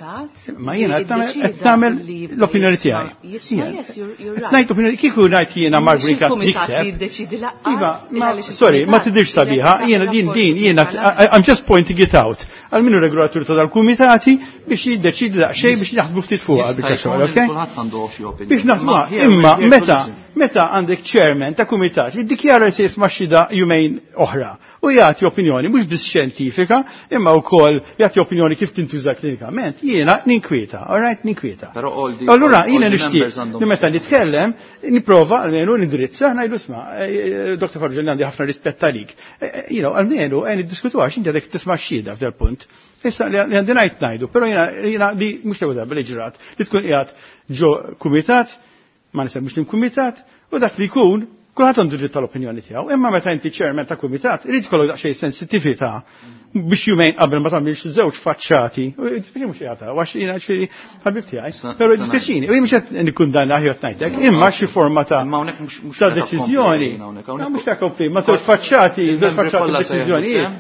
Ma jiena qed nagħmel l-opinjoni tiegħi. Ngħid opinjoni kieku ngħid jiena Mark Brincat nikteb. Iva, sorry, ma tidirx sabiħa, jiena din din jiena I'm just pointing it out. Għal minnu regolatur ta' dal-kumitati biex jiddeċidi daqsxejn biex naħsbu ftit fuqha biċċa xogħol, okay? Biex naħsbu imma meta meta għandek chairman ta' kumitat li ddikjara li se jisma' xhieda jumejn oħra u jagħti opinjoni mhux biss xjentifika imma wkoll jagħti opinjoni kif tintuża klinikament, jiena ninkwieta, all right, ninkwieta. Allura jiena nixtieq li meta nitkellem nipprova almenu nindirizza ngħidu isma' Dr. Farrugia li għandi ħafna rispett għalik. You know, almenu niddiskutu għax inti għadek tisma' xhieda f'dal punt. Issa li għandi ngħid ngħidu, però jiena di mhux l-ewwel darba li ġrat li tkun qiegħed ġo kumitat, ma nisemmux li kumitat, u dak li jkun kulħadd għandu dritt tal-opinjoni tiegħu, imma meta inti chairman ta' kumitat, irid ikollok daqsxejn sensittività biex jumejn qabel ma tagħmilx żewġ faċċati. U dispjaċini mhux qiegħed għax jiena ġifieri ħabib tiegħi, però dispjaċini, u jien mhux qed nikkundanna aħjar ngħidlek, imma xi forma ta' ta' deċiżjoni. Mhux ta' kompli, ma żewġ faċċati, żewġ faċċati deċiżjonijiet.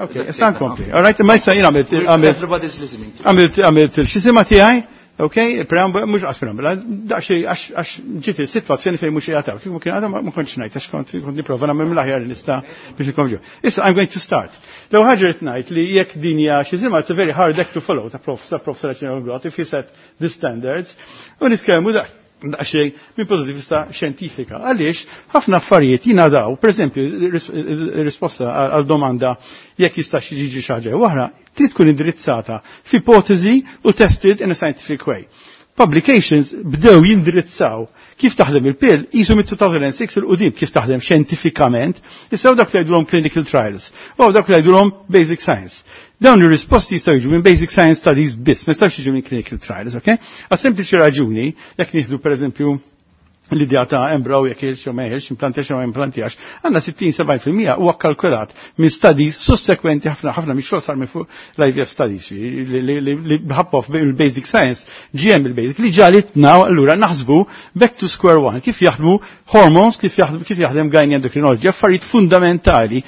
Ok, issa nkompli. All right, imma issa jien għamilt għamilt għamilt il-xisima tiegħi. Ok, preambula, mux għas preambula, daqxie għax ġiet il-situazzjoni fejn mux jgħataw. Kieku kien għadha ma kontx ngħid, għax kont nipprova nagħmel mill-aħjar li nista' biex nkomġu. Issa I'm going to start. L ħaġa qed ngħid li jekk din hija xi żimgħa it's a very hard act to follow ta' prof ta' prof Saraċino if he set the standards u nitkellmu daqsxejn minn punto di vista xjentifika. Għaliex ħafna affarijiet jingħadaw, pereżempju risposta għal domanda jekk jistax jiġi xi ħaġa oħra, trid tkun indirizzata f'ipotezi u tested in a scientific way. Publications bdew jindirizzaw kif taħdem il-pill jisu mit-2006 il-qudiem kif taħdem xjentifikament, issa dak li jgħidulhom clinical trials, u dak li jgħidulhom basic science. Dawn ir-risposti jistgħu jiġu minn basic science studies biss, ma jistgħux jiġu minn clinical trials, ok? Għas sempliċi raġuni, jekk nieħdu pereżempju l-idea ta' embryo jekk jeħilx jew ma jeħilx, implantax jew ma implantax, għandna 60-70% huwa kalkulat minn studies sussekwenti ħafna ħafna minn xogħol sar minn fuq l-IVF studies li bħabbof il-basic science GM il-basic li ġalitna allura naħsbu back to square one kif jaħdmu hormones, kif jaħdem gyne endocrinology, affarijiet fundamentali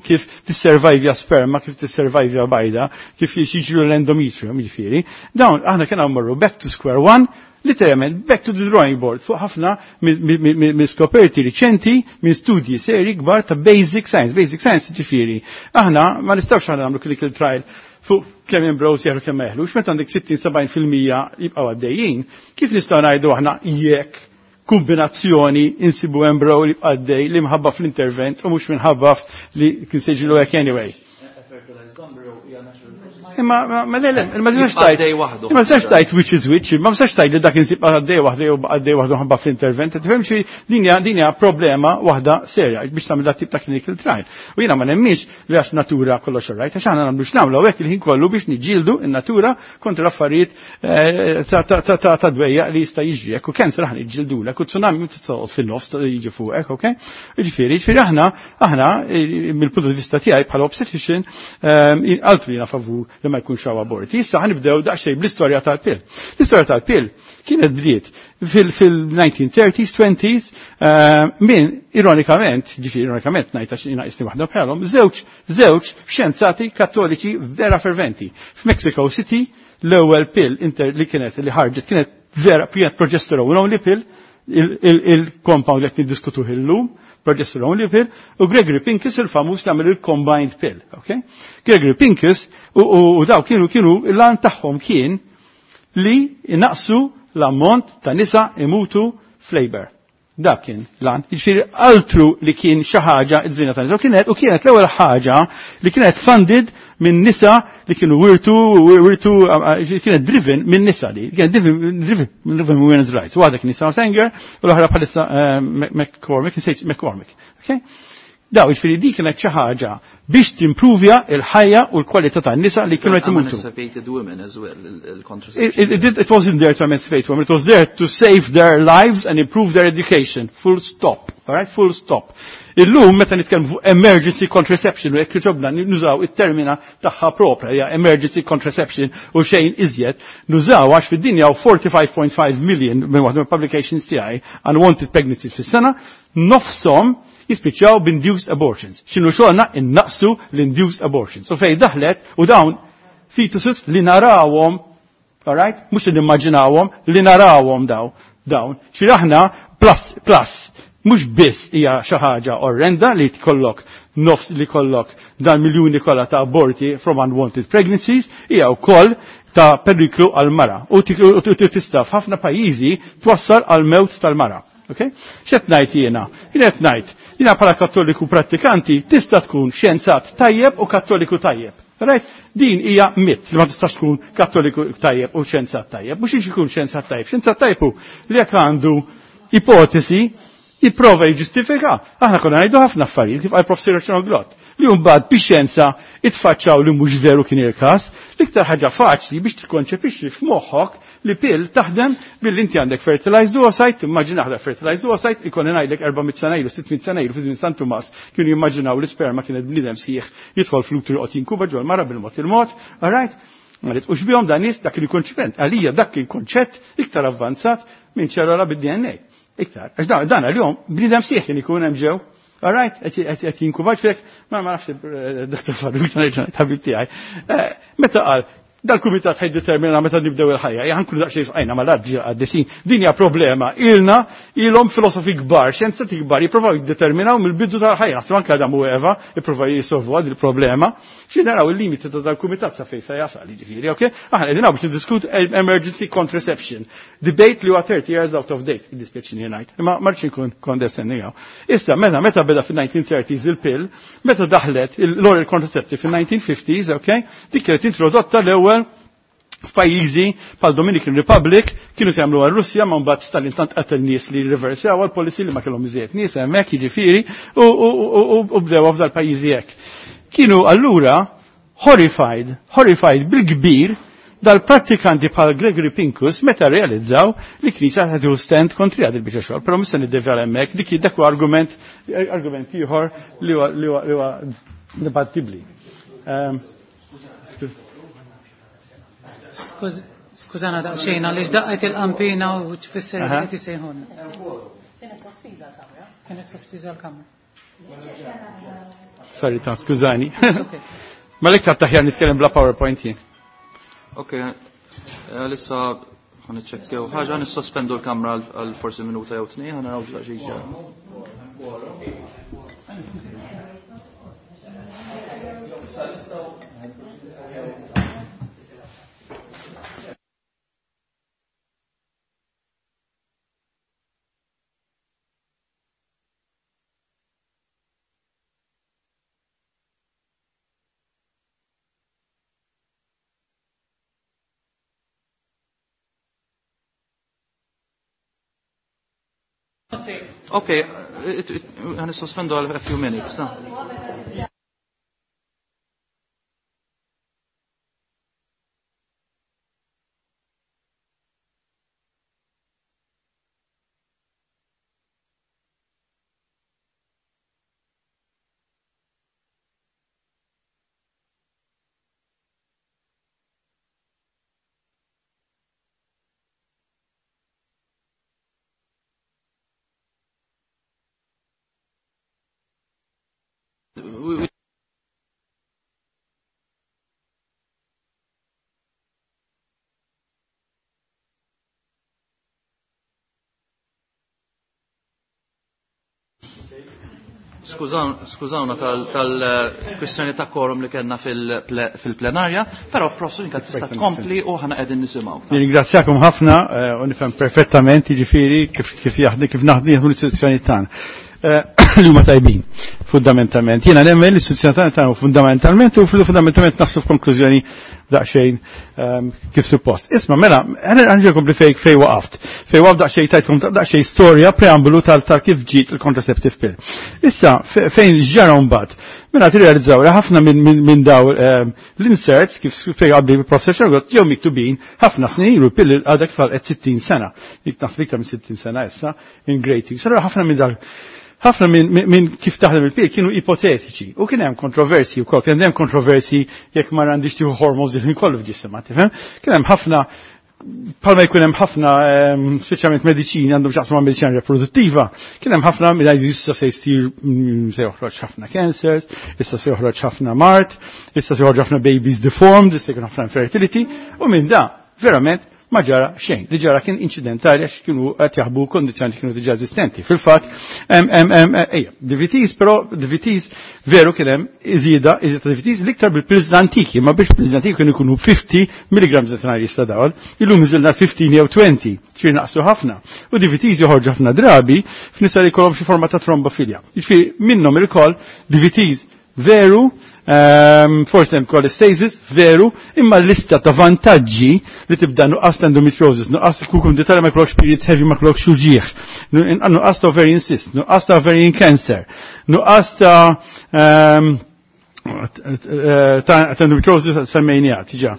kif tisservajvja sperma, kif tisservajvja bajda, kif jiġru l-endometrium, jiġifieri. Dawn aħna kien mmorru back to square one, literalment back to the drawing board fuq ħafna minn skoperti riċenti minn studji seri kbar ta' basic science. Basic science ġifieri. Aħna ma nistgħux aħna nagħmlu clinical trial fuq kemm embryos jeħlu kemm ma jeħlux, meta għandek 60-70% jibqgħu għaddejjin, kif nistgħu ngħidu aħna jekk kombinazzjoni insibu embryo li għaddej li mħabba fl-intervent u mhux minħabba li kien se jiġilu hekk anyway. Imma ma le ma tistax tgħid. Ma tistax tgħid which is which, ma tistax tgħid li dak insib għaddej waħda jew għaddej waħda ħabba fl-intervent. Tifhem xi din hija problema waħda serja biex tagħmel dat tip ta' clinical trial. U jiena ma nemmix li għax natura kollox right, għax aħna nagħmlu x'nagħmlu hekk il-ħin kollu biex niġġieldu in-natura kontra l-affarijiet ta' dwejja li jista' jiġri. Hekk u cancer aħna niġġieldulek u tsunami titsoqgħod fin-nofs jiġi fuqek, ok? Jiġifieri, jiġifieri aħna aħna mill-punt di vista tiegħi bħala obstetrician altru jiena favur li ma jkunx hawn aborti. Issa ħanibdew daqsxejn bl-istorja tal-pill. L-istorja tal-pill kienet bdiet fil-1930s, 20s, minn ironikament, ġifieri ironikament ngħid għax jiena qisni waħda bħalhom, żewġ xjenzati kattoliċi vera ferventi. F'Mexico City l-ewwel pill li kienet li ħarġet kienet vera kienet progesterone only pill. il-compound li qed niddiskutuh illum, progesterone only pill, u Gregory Pincus il-famuż li għamel il-combined pill. Okay? Gregory Pincus u daw kienu l-għan tagħhom kien li inaqsu l-ammont ta' nisa imutu f'labor. Dak kien lan. Jiġifieri altru li kien xi ħaġa iż-żina ta' nisa. U kienet l-ewwel ħaġa li kienet funded minn nisa li kienu wirtu, kienet driven minn nisa li, kienet driven minn women's rights. Waħda kien Nisa Sanger u l-oħra bħalissa McCormick, McCormick. Okay? Daw, jiġifieri di kienet xi ħaġa biex timpruvja il-ħajja u l-kwalità tan-nisa li kienu qed imutu. Emancipated women as well, il-contraception. It wasn't there to emancipate women, it was there to save their lives and improve their education. Full stop. All right? Full stop. Illum meta nitkellmu fuq emergency contraception u jekk ġobna nużaw it-termina tagħha propra hija emergency contraception u xejn iżjed, nużaw għax fid-dinja u 45.5 million minn waħda mill-publications tiegħi unwanted pregnancies fis-sena, nofshom jispiċċaw b'induced abortions. X'inhu xogħolna innaqsu l-induced abortions. U fejn daħlet u dawn fetuses li narawhom, all right? Mhux li nimmaġinawhom, li narawhom dawn. Xi aħna plus plus mhux biss hija xi ħaġa orrenda li tkollok nofs li kollok dan miljuni kollha ta' aborti from unwanted pregnancies, hija wkoll ta' periklu għal-mara. U tista' f'ħafna pajjiżi twassal għal mewt tal-mara. Okay? X'qed ngħid jiena? Jien qed ngħid, jiena bħala kattoliku prattikanti tista' tkun xjenzat tajjeb u kattoliku tajjeb. Right? Din hija mit li ma tistax tkun kattoliku tajjeb u xjenzat tajjeb. Mhux ikun xjenzat tajjeb. Xjenzat tajjeb hu li jekk għandu ipotesi jipprova jiġġustifika. Aħna konna ngħidu ħafna affarijiet kif qal Professor Glott li mbagħad bix-xjenza itfaċċaw li mhux veru kien il-każ. L-iktar ħaġa faċli biex tikkonċepixxi f'moħħok li pill taħdem billi inti għandek fertilized oocyte, timmaġina aħna fertilized oocyte, ikonni ngħidlek 400 sena ilu, 600 sena ilu fi żmien San Tumas kienu jimmaġinaw l-isperma kienet bniedem sieħ jidħol fl-utru joqgħod jinkuba ġol mara bil-mod il-mod, all right? Ma ritqux bihom dan nies dak il-konċipent. Għalija dak kien konċett iktar avvanzat minn ċellola bid-DNA. Iktar. Għax dan għal-jom bniedem sieħ kien ikun hemm ġew. All right, qed jinkubaġ fek, ma nafx Dr. Farrugia nerġa' ħabib tiegħi. Meta qal dal-kumitat ħaj determina meta nibdew il-ħajja, ja ħankunu daqsxejn sqajna mal-art għaddisin. Din hija problema. Ilna ilhom filosofi kbar, xjenzati kbar jippruvaw jiddeterminaw mill-bidu tal-ħajja. Naħseb anke Adam u Eva jippruvaw jisolvu għad il-problema. Xi naraw il-limiti ta' dal-kumitat sa fejn se jasal, jiġifieri, okay? Aħna qegħdin biex niddiskutu emergency contraception. Debate li huwa 30 years out of date, jiddispjaċini ngħid. Imma ma rridx inkun condescending hawn. Issa meta beda fin-1930s il-pill, meta daħlet l-oral contraceptive fin-1950s, okay? Dik kienet introdotta l-ewwel f'pajjiżi bħal Dominican Republic kienu se jagħmlu għal-Russja ma mbagħad Stalin tant qatel nies li riversjaw għall-policy li ma kellhom iżjed nies hemmhekk jiġifieri u bdew f'dal pajjiżi hekk. Kienu allura horrified bil-kbir dal-prattikanti bħal Gregory Pincus meta realizzaw li knisja ta' tieħu stand kontri għad il-biċċa xogħol, però mhux se niddevjal hemmhekk, dik dak huwa argument ieħor li huwa dibattibbli. Skużana daqsxejn għaliex daqqet il-qampina u tfisser li qed isejħulna. Kienet sospiża l-kamra. Kienet sospiża l-kamra. Sorry ta' skużani. Ma l-iktar taħjar nitkellem bla PowerPoint jien. Ok, għalissa ħan iċċekkjaw ħaġa, nissospendu l-kamra għal forsi minuta jew tnejn, ħa naraw xi ġara. Okay, għan sospendu għal a few minutes. No? Skużawna tal-kwistjoni ta' quorum li kellna fil-plenarja, però professor inka tista' tkompli u ħana qegħdin nisimgħu. Nirringrazzjakom ħafna u nifhem perfettament jiġifieri kif jaħdem kif naħdmu l-istituzzjoni tagħna. Li huma tajbin fundamentalment. Jiena nemmen l-istituzzjoni tagħna fundamentalment u fundamentalment naslu f'konklużjoni daqsxejn kif suppost. Isma' mela, ħanġilkom li fej waqaft. Fej waqaf daqsxejn tajtkom daqsxejn storja preambulu tal kif ġiet il-contraceptive pill. Issa fejn ġara mbagħad. Mela tirrealizzaw li ħafna minn daw l-inserts kif fej qabli professor Xargot ġew miktubin ħafna snin ilu pill għadha kif għal 60 sena. Jek naħseb iktar minn 60 sena issa in great. Sara ħafna minn dak ħafna minn kif taħdem il-pil kienu ipotetiċi u kien hemm kontroversi wkoll, kien hemm kontroversi jekk ma għandix tieħu hormones il-ħin kollu f'ġisimha, tifhem? Kien hemm ħafna palma jkun hemm ħafna speċjalment mediċini għandhom x'jaqsmu ma' mediċina riproduttiva, kien hemm ħafna minn jgħidu issa se jsir se joħroġ ħafna cancers, issa se joħroġ ħafna mart, issa se joħroġ ħafna babies deformed, issa jkun ħafna infertility, u minn da verament ma ġara xejn. Li ġara kien incidentali għax kienu qed jaħbu kondizzjoni kienu diġà eżistenti. Fil-fatt, ejja, DVTs, però DVTs veru kien hemm iżjeda ta' DVTs l-iktar bil-pills l-antiki, ma biex pills l-antiki kienu jkunu 50 mg ta' jista' dawl, illum iżilna 15 jew 20, ċir naqsu ħafna. U DVTs joħorġu ħafna drabi f'nisa li jkollhom xi forma ta' trombofilja. Jiġifieri minnhom il-koll DVTs veru, forse hemm cholestasis, veru, imma l-lista ta' vantaġġi li tibda nuqqas ta' endometriosis, nuqqas kukum detali ma jkollokx periods heavy ma jkollokx uġieħ, nuqqas ta' ovarian cyst, nuqqas ta' ovarian cancer, nuqqas ta' endometriosis semmejnija, tiġa.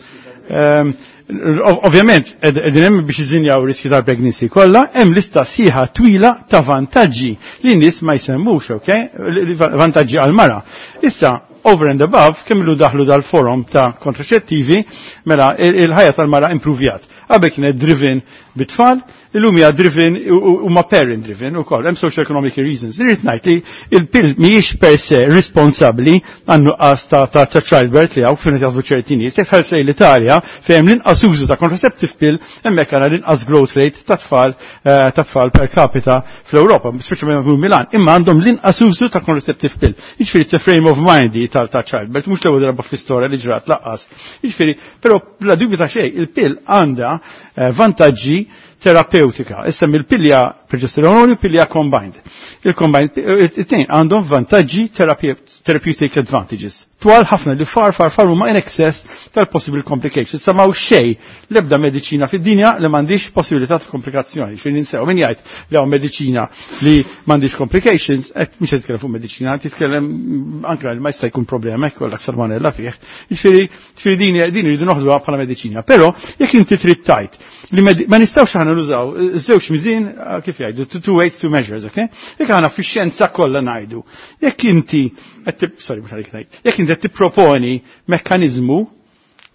Ovvjament, qegħdin hemm biex iżinjaw riskju tal-pregnancy kollha, hemm lista sħiħa twila ta' vantaġġi li n-nies ma jsemmux, ok? Vantaġġi għal-mara. Issa, over and above, kemm ilu daħlu dal-forum ta' kontraċettivi, mela il-ħajja tal-mara improvjat. Qabel kienet driven bit-tfal, illum hija driven u ma parent driven ukoll, hemm social economic reasons. Irrid ngħid li il-pill mhijiex per se responsabbli għan nuqqas ta' childbirth li hawn fejn jaħsbu ċerti nies. Jekk ħares lejn l-Italja fejn hemm l-inqas użu ta' contraceptive pill, hemmhekk għandna l-inqas growth rate ta' tfal ta' tfal per capita fl-Ewropa, speċjalment Milan, imma għandhom l-inqas użu ta' contraceptive pill. Jiġifieri it's a frame of mind tal ta' childbirth, mhux l-ewwel darba fl-istorja li ġrat laqqas. Jiġifieri, però bla dubju ta' xejn, il-pill għandha vantaġġi terapeutika. Issa mill-pilja progesterone u pilja combined. Il-combined, it-tnejn għandhom vantaġġi therapeutic advantages. Twal ħafna li far far far huma in excess tal-possible complications. Issa m'hawn xejn l-ebda mediċina fid-dinja li m'għandix possibilità ta' komplikazzjoni. Xejn ninsew min jgħid li hawn mediċina li m'għandix complications, qed mhux qed titkellem fuq mediċina, titkellem anke li ma jista' jkun problema hekk kollha salmonella fih. Jiġifieri din din irridu noħduha bħala mediċina. Però jekk inti trid tajt li ma nistgħux aħna nużaw żewġ miżin kif jgħidu two weights two measures, okay? Jekk aħna fix-xjenza kollha ngħidu. Jekk inti qed sorry mhux għalik ngħid. Jekk inti qed tipproponi mekkaniżmu,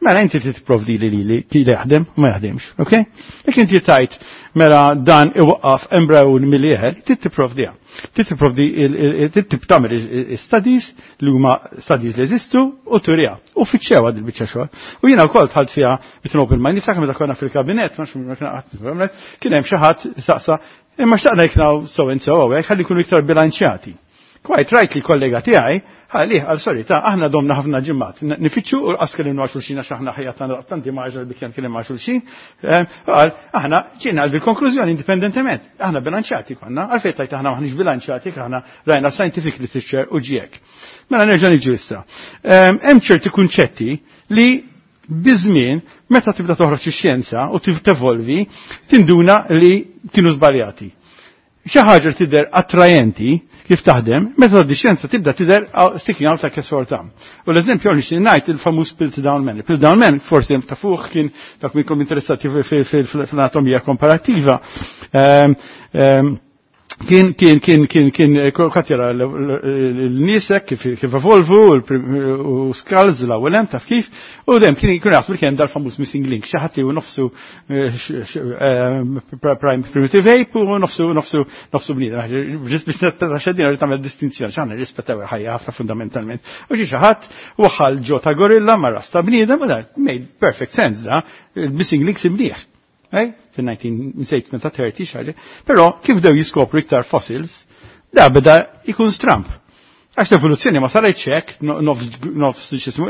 mela inti trid tipprovdi li li li jaħdem u ma jaħdimx, okay? Jekk inti tajt mela dan iwaqqaf embryon mill-ieħer, trid tipprovdiha. Trid tipprovdi trid tagħmel studies li huma studies li jeżistu u turiha. U fittxewha din biċċa xogħol. U jiena wkoll dħalt fiha with an open mind, niftakar meta konna fil-kabinett, ma nafx kien hemm xi ħadd saqsa, imma xtaqna jekk so and so hawnhekk ħalli jkunu iktar bilanċjati. Quite right li kollega tiegħi, ħalli għal sorry ta' aħna domna ħafna ġimgħat. Nifittxu u qas kellimna ma' xulxin għax aħna ħajja tagħna tanti maġel bi kemm kellim ma' xulxin. Qal aħna ġejna għal konklużjoni indipendentement. Aħna bilanċjati konna, għalfejn tajt aħna maħniex bilanċjati aħna rajna scientific literature u ġiek. Mela nerġa' niġu issa. Hemm ċerti kunċetti li biżmien meta tibda toħroġ ix-xjenza u tevolvi tinduna li kienu żbaljati. Xi ħaġa tidher attrajenti kif taħdem, meta di xjenza tibda tidher sticking out like a sore thumb. U l-eżempju għal nixtieq ngħid il-famuż Piltdown Man. Piltdown Man forsi hemm tafuh kien dak minnkom interessati fl-anatomija komparattiva. Kien kien kien kien kien kat jara l-nisek kif kif evolvu u skulls l-ewwel hemm taf kif u dem kien kien jaħsbu li kien dal-famuż missing link xi ħadd li hu nofsu prime primitive ape u nofsu nofsu nofsu bniedem. Ġis biex xeddin rrid tagħmel distinzjoni x'aħna nirrispettaw il-ħajja ħafna fundamentalment. U ġi xi ħadd waħħal ġo ta' gorilla ma' ras ta' bniedem u dan made perfect sense da il-missing link simliħ. Fil-1930 xaġa. Però kif dew jiskopru iktar fossils, Da beda ikun stramp. Għax l-evoluzzjoni ma saritx hekk, nofs x'ismu,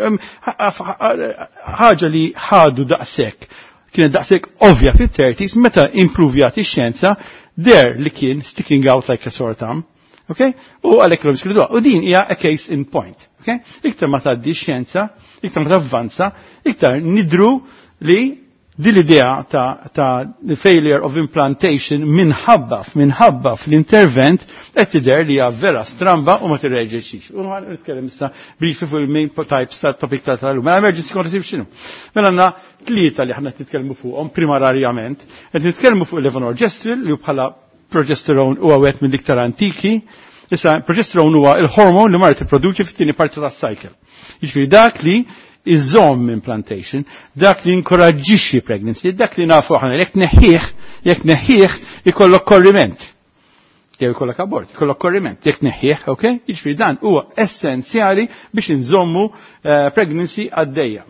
ħaġa li ħadu daqshekk kienet daqshekk ovvja fit-30s meta improvjat ix-xjenza der li kien sticking out like a sore thumb. Okay? U għalhekk l U din hija a case in point. Okay? Iktar ma tgħaddi x-xjenza, iktar ma tavvanza, iktar nidru li din l-idea ta', ta failure of implantation minħabba minħabba fl-intervent qed tidher li hija vera stramba u ma tirreġixxix. U ħa nitkellem issa briefly fuq il-main types ta' topic ta' tal-lum. Mela emergency contraception x'inhu? Mela għandna tlieta li aħna nitkellmu fuqhom primarjament. Qed nitkellmu fuq il-levonorgestrel li bħala progesterone huwa wieħed mill-iktar antiki. Issa progesterone huwa il-hormone li mara tipproduċi fit-tieni parti tas-cycle. Jiġifieri dak li iżomm implantation, dak li inkoraġġixxi pregnancy, dak li nafu aħna jekk neħħih, jekk neħħih ikollok korriment. Jew ikollok abort, ikollok korriment, jekk neħħih, ok? Jiġifieri dan huwa essenzjali biex inżommu pregnancy għaddejja.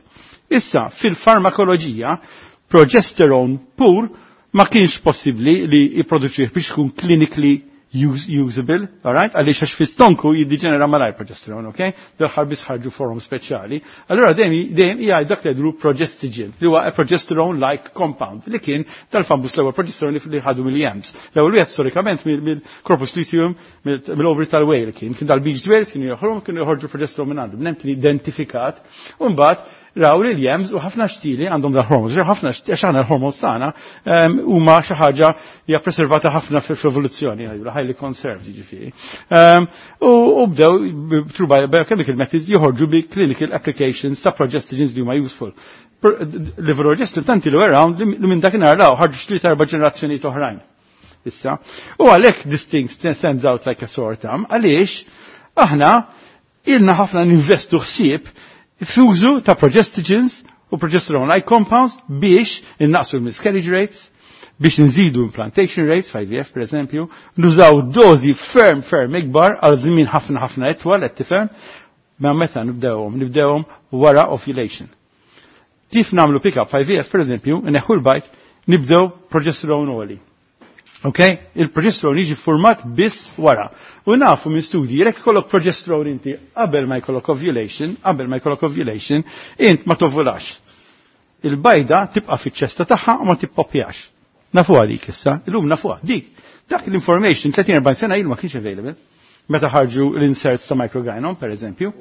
Issa fil-farmakoloġija progesterone pur ma kienx possibbli li jipproduċih biex ikun clinically usable, alright? Għaliex għax fi-stonku jiddiġenera malajr progesterone, ok? Dal-ħar biss ħarġu forom speċjali. Allora dejjem dejjem hija dak li jgħidu progestogen, li huwa progesterone-like compound, li kien dal-fambus l-ewwel progesterone li ħadu mill-yams. L-ewwel wieħed storikament mill-corpus luteum, mill-ovary tal-whale kien, kien dal-beached whales kienu joħorġu kienu joħorġu progesterone minn għandhom, nem kien identifikat, u mbagħad raw li l-yams u ħafna xtili għandhom dal-hormones, ħafna għax aħna l-hormones tagħna huma xi ħaġa hija preservata ħafna fl-evoluzzjoni, highly conserved jiġifieri. U bdew through biochemical methods joħorġu bi clinical applications ta' progestogens li huma useful. Levonorgestrel tanti li around li minn dakinhar law ħarġu xi erba' ġenerazzjonijiet oħrajn. Issa. U għalhekk this thing stands out like a sore thumb, għaliex aħna ilna ħafna ninvestu ħsieb f'użu ta' progestogens u progesterone-like compounds biex innaqsu l-miscarriage rates, biex nżidu implantation rates, IVF per eżempju, nużaw dozi ferm ferm ikbar għal żmien ħafna ħafna etwal qed tifhem, ma meta nibdewhom, nibdewhom wara ovulation. Kif nagħmlu pick-up IVF per eżempju, neħu l-bajd, nibdew progesterone only. Ok? Il-progesterone jiġi format biss wara. U nafu minn studji, jekk ikollok progesterone inti qabel ma jkollok ovulation, qabel ma jkollok ovulation, int ma tovulax. Il-bajda tibqa' fiċ-ċesta tagħha u ma tippopjax. Nafuha dik issa, illum nafuha dik. Dak l-information 30-40 sena ilu ma kienx available. Meta ħarġu l-inserts ta' microgynon, per eżempju.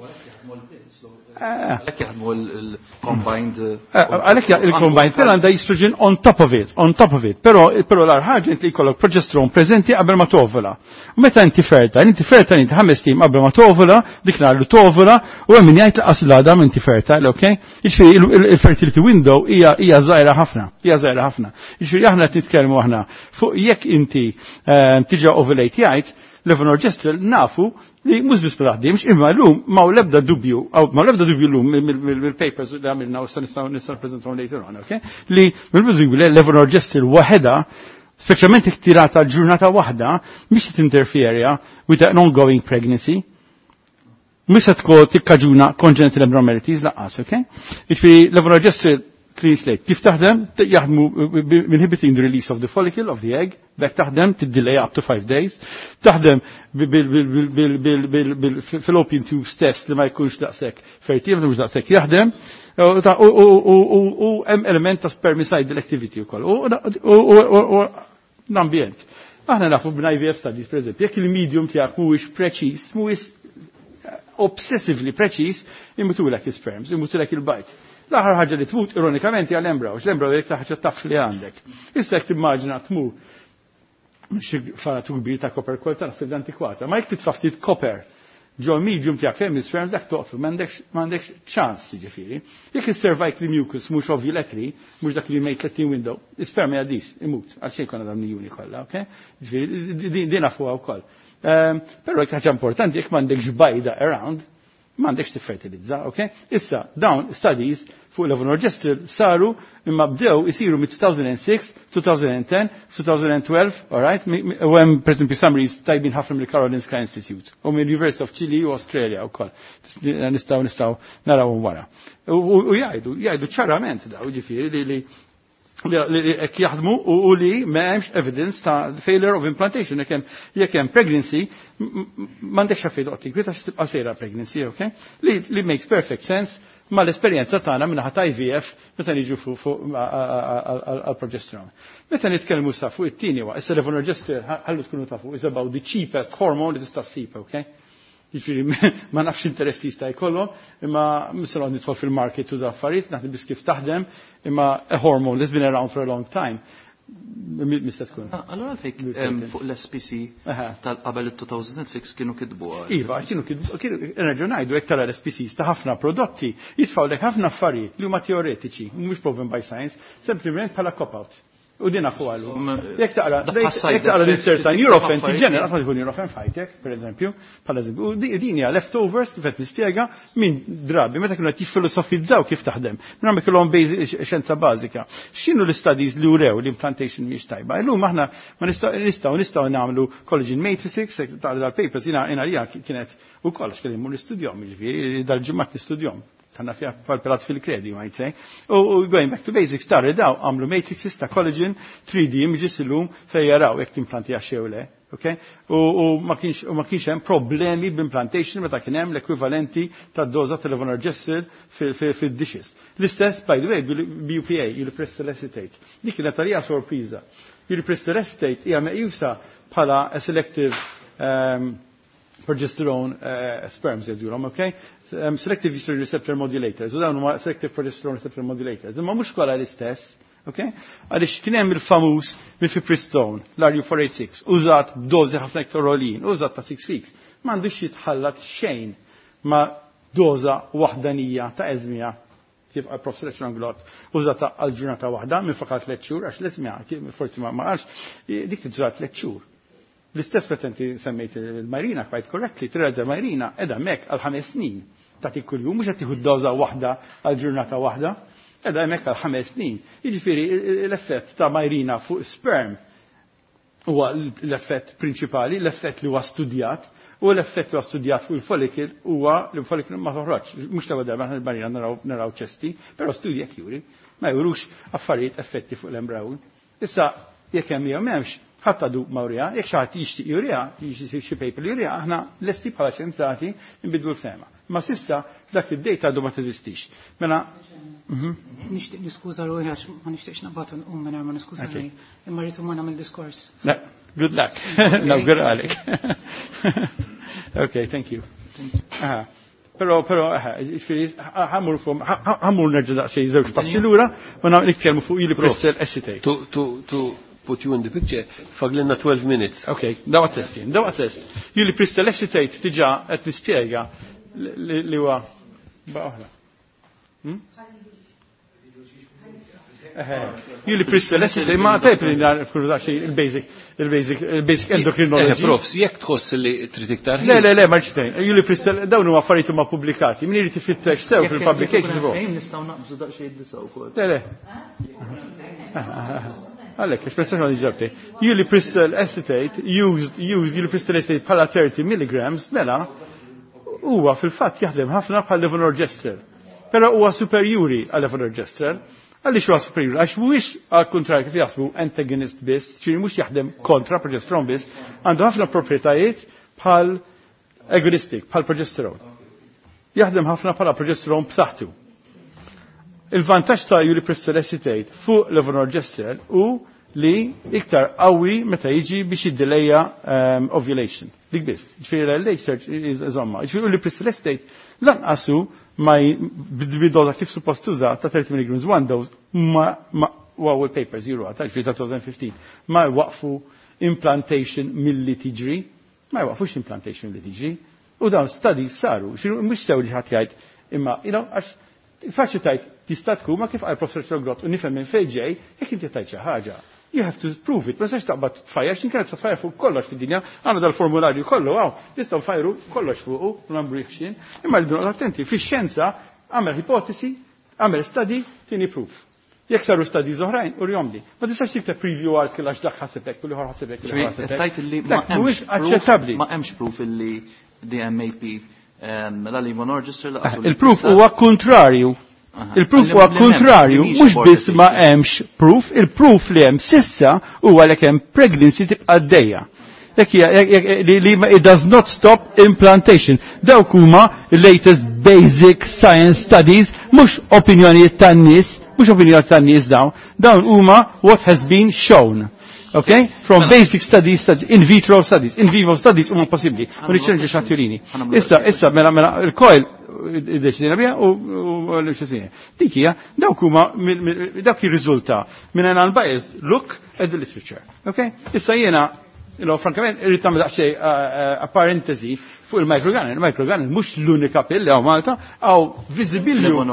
Għalhekk jaħdmu l-combined. Għalhekk il-combined pill għandha estrogen on top of it, on top of it. Però però l ħaġa inti jkollok progesterone preżenti qabel ma tovula. Meta inti fertile, inti fertile inti 5 ijiem qabel ma tovula, dik nhar li tovula, u hemm min jgħid laqas l-għada inti fertile, ok? Jiġifieri il-fertility window hija hija żgħira ħafna, hija żgħira ħafna. Jiġifieri aħna qed nitkellmu aħna fuq jekk inti tiġa ovulate jgħid, levonorgestrel nafu li mhux biss ma taħdimx, imma llum ma l-ebda dubju, ma l-ebda dubju llum mill-papers li għamilna u nistgħu nistgħu nippreżentawhom later on, okay? Li mill-dubju li levonorgestrel waħedha, speċjalment jekk tirata ġurnata waħda, mhix tinterferja with an ongoing pregnancy. Mhux se tkun tikkaġuna congenital abnormalities lanqas, okay? Jiġifieri levonorgestrel clean slate. Kif taħdem? Jaħdmu inhibiting the release of the follicle of the egg, bek taħdem tiddelay up to 5 days. Taħdem bil-fallopian tubes test li ma jkunx daqshekk fertile, ma jkunx daqshekk jaħdem. U hemm element ta' spermicidal activity wkoll. U l-ambjent. Aħna nafu b'IVF studies, per eżempju, jekk il-medium tiegħek mhuwiex preċiż, mhuwiex obsessively preċiż, imutulek l-sperms, imutulek il-bajd. L-aħħar ħaġa li tmut ironikament hija l-embryo, l-embryo jekk ħaġa taf li għandek. Issa jekk timmaġina tmur xi faratu kbir ta' copper coil ta' fil antikwata, ma jekk titfa' ftit copper ġo medium tiegħek fejn sperm dak toqtlu m'għandekx ċans jiġifieri. Jekk is-cervical mucus mhux ovulatory, mhux dak li May 30 window, is-sperm jgħaddix, imut, għal xejn konna dawn juni kollha, ok? Ġifieri din nafuha wkoll. Però jekk ħaġa importanti jekk m'għandekx bajda around, m'għandekx tiffertilizza, ok? Issa, dawn studies fuq levonorgestrel saru imma bdew isiru mit-2006, 2010, 2012, all right? U hemm per esempio summaries tajbin ħafna mill-Karolinska Institute u mill-University of Chile u Australia wkoll. Nistgħu nistgħu narawhom wara. U jgħidu, jgħidu ċarament daw ġifieri li li hekk jaħdmu u li ma hemmx evidence ta' failure of implantation jekk hemm jekk hemm pregnancy m'għandekx għalfejn toqgħod tinkwieta għax tibqa' sejra pregnancy, okay? Li makes perfect sense mal-esperjenza tagħna minnaħa ta' IVF meta niġu fuq għall-progesterone. Meta nitkellmu sa fuq it-tieni wa, issa levonorgestrel ħallu tkunu tafu is about the cheapest hormone li tista' ssib, okay? Jiġifieri ma nafx interess jista' jkollhom, imma mhux nidħol fil-market u affarijiet, naħdem biss kif taħdem, imma a hormone that's been around for a long time. Mista tkun. Allora fejk fuq l-SPC tal-qabel il-2006 kienu kitbu għal. Iva, kienu kitbu, kienu nerġgħu ngħidu hekk tara l-SPCs ta' ħafna prodotti jitfgħu lek ħafna affarijiet li huma teoretiċi, mhux proven by science, sempliċement bħala cop-out. U din nafu għallu. Jekk taqra, jekk taqra l-inserta Nurofen, tiġenera, qatt ma tkun Nurofen fajtek, per eżempju, bħala eżempju. U din hija leftovers kif qed nispjega minn drabi meta kienu qed jiffilosofizzaw kif taħdem. Minn ma kellhom xjenza bażika. X'inhu l-studies li urew l-implantation mhix tajba. Illum aħna ma nistgħu nistgħu nagħmlu collagen matrices, taqra dal-papers jiena jiena kienet ukoll għax kelli mmur nistudjom, jiġifieri dal-ġimgħat nistudjom tanna fija palpelat fil-kredi, might say. U going back to basics, tarri daw għamlu matrices ta' collagen 3D images illum fej jaraw jekk timplanti jew le. Okay? U ma kienx hemm problemi b'implantation meta kien hemm l-ekwivalenti ta' doża ta' levonorgestrel fil-dishes. L-istess, by the way, BUPA, ulipristal acetate. Dik kienet għalija sorpriża. Ulipristal acetate hija meqjusa bħala a selective progesterone sperms jgħidulhom, okay? Selective estrogen receptor modulators, u dawn huma selective progesterone receptor modulators. Imma mhux kollha l-istess, okay? Għaliex kien hemm il-famuż mifepristone, l-RU486, użat b'dożi ħafna iktar għoljin, użat ta' 6 weeks. M'għandux jitħallat xejn ma' doża waħdanija ta' Esmya kif għal professor Anglot, użata għal ġurnata waħda minn fakat 3 xhur, għax l-Esmya forsi ma qalx, dik tiżat 3 xhur. L-istess meta inti semmejt il-Mirena quite correctly, tirrealizza Mirena qiegħda hemmhekk għal 5 snin. Tagħti kuljum mhux qed tieħu doża waħda għal ġurnata waħda, qiegħda hemmhekk għal 5 snin. Jiġifieri l-effett ta' Mirena fuq sperm huwa l-effett prinċipali, l-effett li huwa studjat, u l-effett li huwa studjat fuq il-follicle huwa li l-follicle ma toħroġ. Mhux l-ewwel darba aħna l-Mirena naraw ċesti, però studji jekk juri, ma jurux affarijiet effetti fuq l-embryon. Issa jekk hemm jew m'hemmx, ħadd għadu ma wriha, jekk xi ħadd jixtieq juriha, jixtieq xi paper li juriha, aħna lesti bħala xjenzati nbidlu l-fehma. Ma s'issa dak id-data għadu ma teżistix. Mela, Nixtieq niskuża ruħi għax ma nixtieqx naqbad nqum mingħajr ma niskuża ruħi. Imma rrid imur nagħmel diskors. Le, good luck. Nawguralek. Okay, thank you. Aha. Però, però, ġifieri, ħa mmur fuq, ħa mmur nerġa' daqsxejn żewġ passi lura, ma nitkellmu fuq ulipristal acetate. To put you in the picture, fadlilna 12 minutes. Okay, dawa test jien, dawa test. Ulipristal acetate diġà qed nispjega li huwa ba' oħra. Ulipristal acetate, ma tajb li nagħrfu daqsxejn il-basic, il-basic, il-basic endocrinology. Profs, jekk tħoss li trid iktar Le, le, le, ma rridx Ulipristal, dawn huma affarijiet huma pubblikati. Min irid ifittex sew fil-publication. Fejn nistgħu naqbżu daqsxejn id-disa wkoll. Le, le. Għalek, espressjoni għandi ġabti. Ulipristal acetate, used ulipristal acetate bħala 30 milligrams, mela, huwa fil-fatt jaħdem ħafna bħal levonorgestrel. Però huwa superjuri għal levonorgestrel. Għaliex huwa superjuri? Għax mhuwiex għal kontrarju kif jaħsbu antagonist biss, ċiri mhux jaħdem kontra progesteron biss, għandu ħafna proprjetajiet bħal agonistic, bħal progesteron. Jaħdem ħafna bħala progesteron b'saħħtu. Il-vantaġġ ta' ulipristal acetate fuq levonorgestrel u li iktar qawwi meta jiġi biex jiddelejja ovulation. Dik biss. Ġifieri l-LH surge iżomma. Ġifieri ulipristal acetate lanqasu ma b'doża kif suppost tuża ta' 30 milligrams one dose ma wow il-papers juru għata, ġifieri ta' 2015, ma jwaqfu implantation milli tiġri, ma jwaqfux implantation milli tiġri, u dawn studies saru, ġifieri mhux sew li ħadd jgħid imma, għax faċli tajt tista' tkun ma kif qal Professor Trogrot u nifhem minn fejn ġej, jekk inti tajt xi ħaġa. You have to prove it. Ma tistax taqbad tfajjar, x'in kienet tfajjar fuq kollox fid-dinja, għandna dal-formularju kollu, għaw, nistgħu nfajru kollox fuqu, u nagħmlu x'in. Imma rridu noqgħod attenti, fix-xjenza għamel ipotesi, għamel study, tieni proof. Jekk saru studies oħrajn, urjom li. Ma tistax tikteb preview article għax dak ħaseb hekk, u l-ieħor ħaseb hekk, u l-ieħor ħaseb hekk. Tajt illi ma Dak mhuwiex hemmx proof, aċċettabbli. Ma hemmx proof illi DMAP la levonorgestrel la Il-proof huwa kontrarju. Il-proof huwa kontrarju, mhux biss ma hemmx proof, il-proof li hemm sissa huwa li hemm pregnancy tibqa' għaddejja. Li it does not stop implantation. Dawk huma latest basic science studies, mhux opinjonijiet tan-nies, mhux opinjonijiet tan-nies dawn, dawn huma what has been shown. Okay? From basic studies, studies, in vitro studies, in vivo studies huma possibbli. U niċċelġu xatturini. Issa, issa, mela, mela, il-coil iddeċidina biha u l-xisini. Dik hija dawk huma dawk jirriżulta minn an unbiased look at the literature. Okay? Issa jiena you frankament, irrid tagħmel daqsxejn eh, eh, parentesi fuq il-microgun. Il-microgun mhux l-unika pill li hawn Malta, hawn visibilju.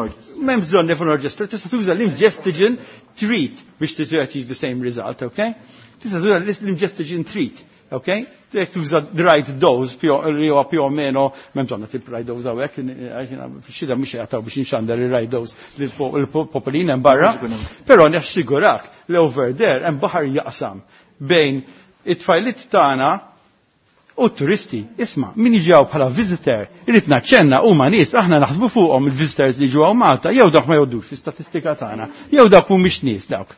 M'hemm bżonn levonorgestrel, tista' tuża l-ingestigen treat biex achieve the same result, okay? Tista' tuża l-ingestigen treat. Ok? Jekk tuża the right dose li huwa più o meno, m'hemm bżonn nagħti right dose hawnhekk, fix-xita mhux jagħtaw biex inxandar il-right dose lill-popolin hemm barra. Però nassigurak li over there hemm baħar jaqsam bejn it-tfajlit tagħna u t-turisti. Isma' min jiġi bħala visitor, irid naċċenna huma nies aħna naħsbu fuqhom il-visitors li ġew Malta, jew dawk ma jgħoddux fl-istatistika tagħna, jew dawk mhumiex nies dawk.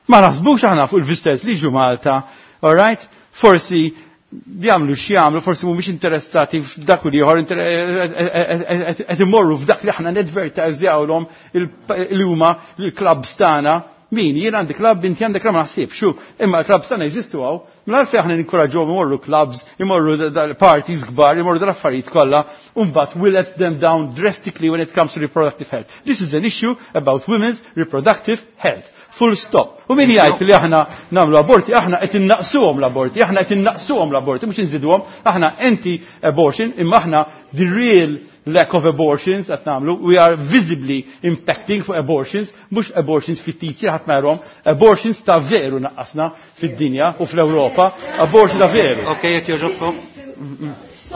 Ma naħsbux aħna fuq il-visitors li ġu Malta, all right? Forsi jagħmlu x'jagħmlu, forsi mhumiex interessati f'dak u ieħor qed imorru f'dak li aħna nedvertizjawlhom li huma l-clubs tagħna. Min, jien għandi club, inti għandek club ma naħsibx, xu, imma l-clubs tagħna jeżistu hawn. Mela għalfejn aħna ninkoraġġuhom imorru clubs, imorru parties kbar, imorru dal-affarijiet kollha, u mbagħad we let them down drastically when it comes to reproductive health. This is an issue about women's reproductive health. Full stop. U min jgħid li aħna nagħmlu aborti, aħna qed innaqsuhom l-aborti, aħna qed innaqsuhom l-aborti, mhux inżiduhom, aħna anti-abortion, imma aħna the real lack of abortions qed nagħmlu, we are visibly impacting fuq abortions, mhux abortions fittizji ħadd ma jarhom, abortions ta' veru naqqasna fid-dinja u fl-Ewropa, abortion ta' veru. Ok, jekk jogħġobkom.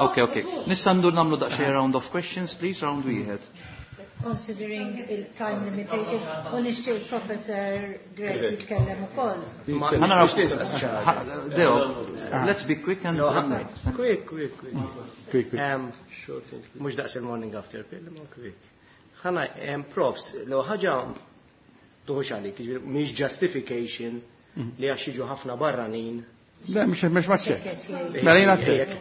Ok, ok. Nista' ndur nagħmlu daqsxejn round of questions, please, round wieħed. Considering il-time limitation, u nixtieq il-Professor Grech jitkellem ukoll. Ħa naraw. Deo, let's be quick and Quick, quick, quick. Quick, quick. Mhux daqs il-morning after pill, ma quick. Ħana, profs, l ħaġa tuħux għalik, mhix justification li għax jiġu ħafna barranin. Le, mhux mhux maċċek. Mela jiena għattek.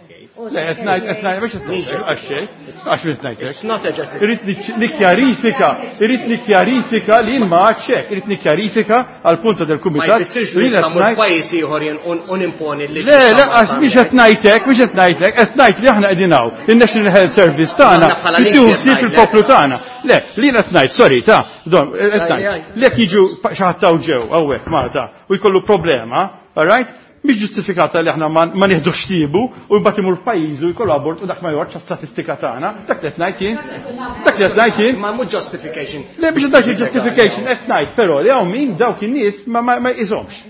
Le, qed ngħid qed ngħid mhux qed ngħid għax xejn, għax mhux ngħidlek. It's not a justification. Irrid nikkjarifika, irrid nikkjarifika li jien ma għadx irrid nikkjarifika għal punta del Ma kumitat. jfissirx li nista' mmur pajjiż ieħor jien u nimponi l-liġi. Le, le, għax mhix qed ngħidlek, mhux qed ngħidlek, qed ngħid li aħna qegħdin hawn. Il-National Health Service tagħna Aħna bħala tieħu Lindsay qed ħsieb ngħidlek. il-poplu tagħna. Le, li jien qed ngħid, sorry, ta' don, qed ngħid. Lek jiġu xi ħadd hawn ġew hawnhekk Malta u jkollu problema, all right? Mhix ġustifikata li aħna ma nieħdux ħsiebu u mbagħad imur f'pajjiżu jkollu abort u dak ma joqgħodx għas-statistika tagħna. Dak li qed ngħid jien. Dak li qed ngħid jien. Ma mhux justification. Le biex dak justification qed ngħid, però li hawn min dawk in-nies ma jqishomx.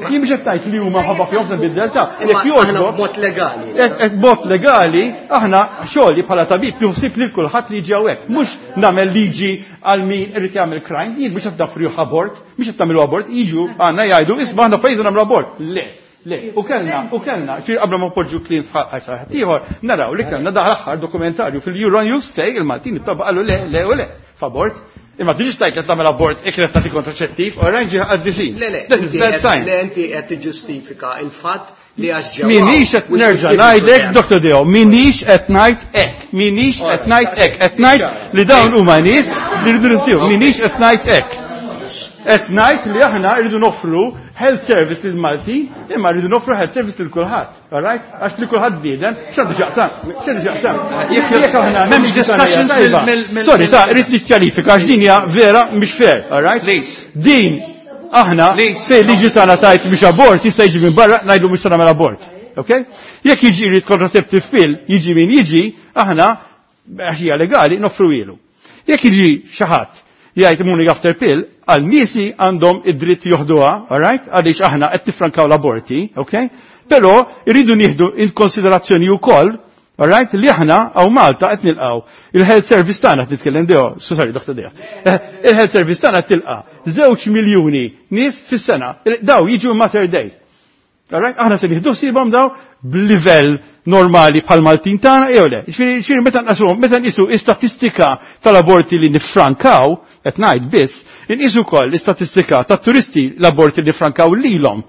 Jien biex qed ngħid li huma ħabba fihom se nbiddel ta' Imma jekk aħna jogħġbok. b'mod legali. B'mod legali, aħna xogħli bħala tabib tieħu ħsieb lil kulħadd li jiġi hawnhekk. Mhux nagħmel liġi għal min irid jagħmel crime, jien mhux qed nafrih abort, mhux qed nagħmlu abort, jiġu għandna jgħidu isma' aħna pajjiżna nagħmlu abort. Le. Le, u kellna, u kellna, ġifieri qabel ma poġġu kliem f'ħadd ieħor, naraw li kellna daħal aħħar dokumentarju fil-Euronews fej il-Maltin it-tobba qalu le, le u le, f'abort. Imma tiġix tajt li tagħmel abort ikret tagħti kontraċettiv, oranġi għaddisin. Le, le, That is inti bad sign. Le, inti qed tiġġustifika il-fatt li għax ġewwa. Minix qed nerġa' ngħidlek, Dr. Deo, minix qed ngħid hekk, minix qed ngħid hekk, qed ngħid li dawn huma nies li rridu nsiru, minix qed ngħid hekk. Qed ngħid li aħna rridu noffru health service lil Maltin, imma rridu noffru health service lil kulħadd, all right? Għax li kulħadd bniedem, x'għandu x'jaqsam, x'għandu x'jaqsam. Jekk aħna M'hemmx discussions Sorry, ta' rrid nikkjarifika għax din hija vera mhix fair, all right? Please. Din aħna Please. fej liġi tagħna tajt biex abort jista' jiġi minn barra ngħidu mhux se nagħmel abort. Okay? Jekk jiġi jrid contraceptive pill, jiġi min jiġi, aħna għax hija legali noffru ilu. Jekk jiġi xi ħadd jgħid morning after pill, għal niesi għandhom id-dritt joħduha, all right? Għaliex aħna qed nifrankaw l-aborti, okay? Però irridu nieħdu in konsiderazzjoni wkoll, all right, li aħna hawn Malta qed nilqgħu. Il-health service tagħna qed nitkellem Deo, sorry, Dr. Deo. Il-health service tagħna qed tilqa' 2 miljuni nies fis-sena. Daw jiġu Mater Dei. Alright? Aħna se nieħdu ħsiebhom daw b'livell normali bħal Maltin tagħna jew le. Ġifieri meta nqasuhom, meta nqisu istatistika tal-aborti li nifrankaw, qed ngħid biss, inqisu wkoll l-istatistika tat-turisti l-aborti li frankaw lilhom.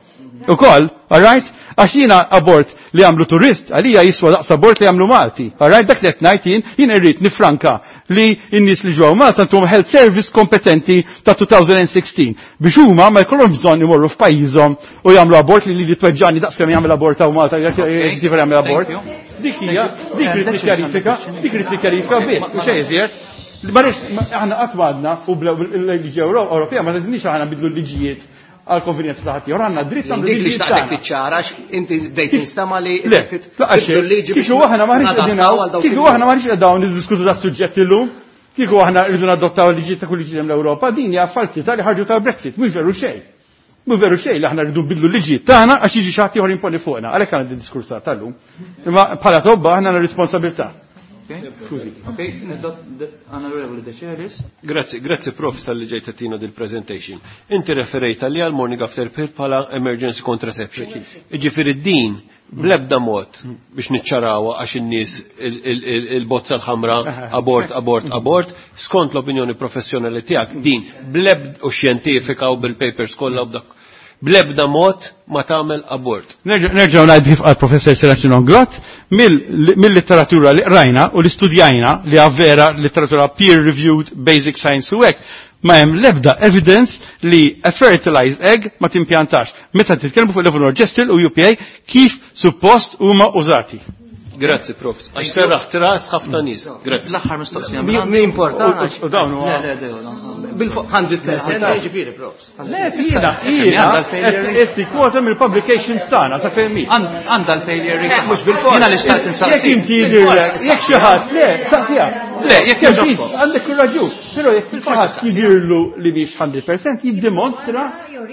Ukoll, alright? Għax jiena abort li għamlu turist, għalija jiswa daqs abort li għamlu Malti. Alright, dak li qed ngħid jien, jien irrid nifranka li n-nies li ġew Malta ntuhom health service kompetenti ta' 2016 biex huma ma jkollhomx bżonn imorru f'pajjiżhom u jagħmlu abort li li tweġġani daqs kemm jagħmel abort hawn Malta jekk jagħmel abort. Dik hija, dik rid nikkjarifika, dik rid nikkjarifika biss, u xejn iżjed. Ma aħna qatt m'għadna u l-liġi Ewropea ma tgħidniex aħna bidlu l-liġijiet għal konvenjenza ta' ħaddieħor għandna dritt nagħmlu Dik li xtaqtek tiċċara inti bdejt tinstama li Le, kieku aħna maħniex qegħdin kieku aħna maħniex qegħdin niddiskutu da' suġġett illum, kieku aħna rridu nadottaw liġi ta' kull liġi l-Ewropa, din hija falsità li ħarġu tal-Brexit, mhux veru xejn. Mhux veru xejn li aħna rridu nbidlu liġi tagħna għax jiġi xi ħadd ieħor imponi fuqna, għalhekk għandna din diskurs tal-lum. Imma bħala tobba aħna għandna responsabilità. Skużi. Ok, Onorevoli De Celis. Grazzi, grazzi prof tal-li ġejt tina dil-presentation. Inti referejt li għal morning after pill bħala emergency contraception. Ġifieri din blebda mod biex niċċarawa għax in-nies il-bozza l-ħamra abort, abort, abort, skont l-opinjoni professjonali tiegħek din blebda u xjentifika u bil-papers kollha u b'dak blebda mod ma tagħmel abort. Nerġgħu ngħid kif qal professor Serafino Glott, mill-litteratura li qrajna u li studjajna li vera litteratura peer reviewed basic science u hekk, ma hemm l-ebda evidence li a fertilized egg ma timpjantax. Meta titkellmu fuq levonorgestrel u UPA kif suppost huma użati. Grazzi, prof. Għax serraħ ras ħafna nies. Grazzi. L-aħħar mistoqsija. Mi importa. U dawn huwa. Bil-fuq 100% ġifieri, profs. Le, jiena, jiena, qed tikkwota mill-publications tagħna sa fejn Għandha l-failure rate. Mhux bil-fors. Jiena li xtaqt insaqsi. Jekk inti jidhirlek, jekk xi ħadd, le, saqsija. Le, jekk jogħġobok. Għandek ir-raġun, però jekk xi ħadd jidhirlu li mhix 100% jiddimonstra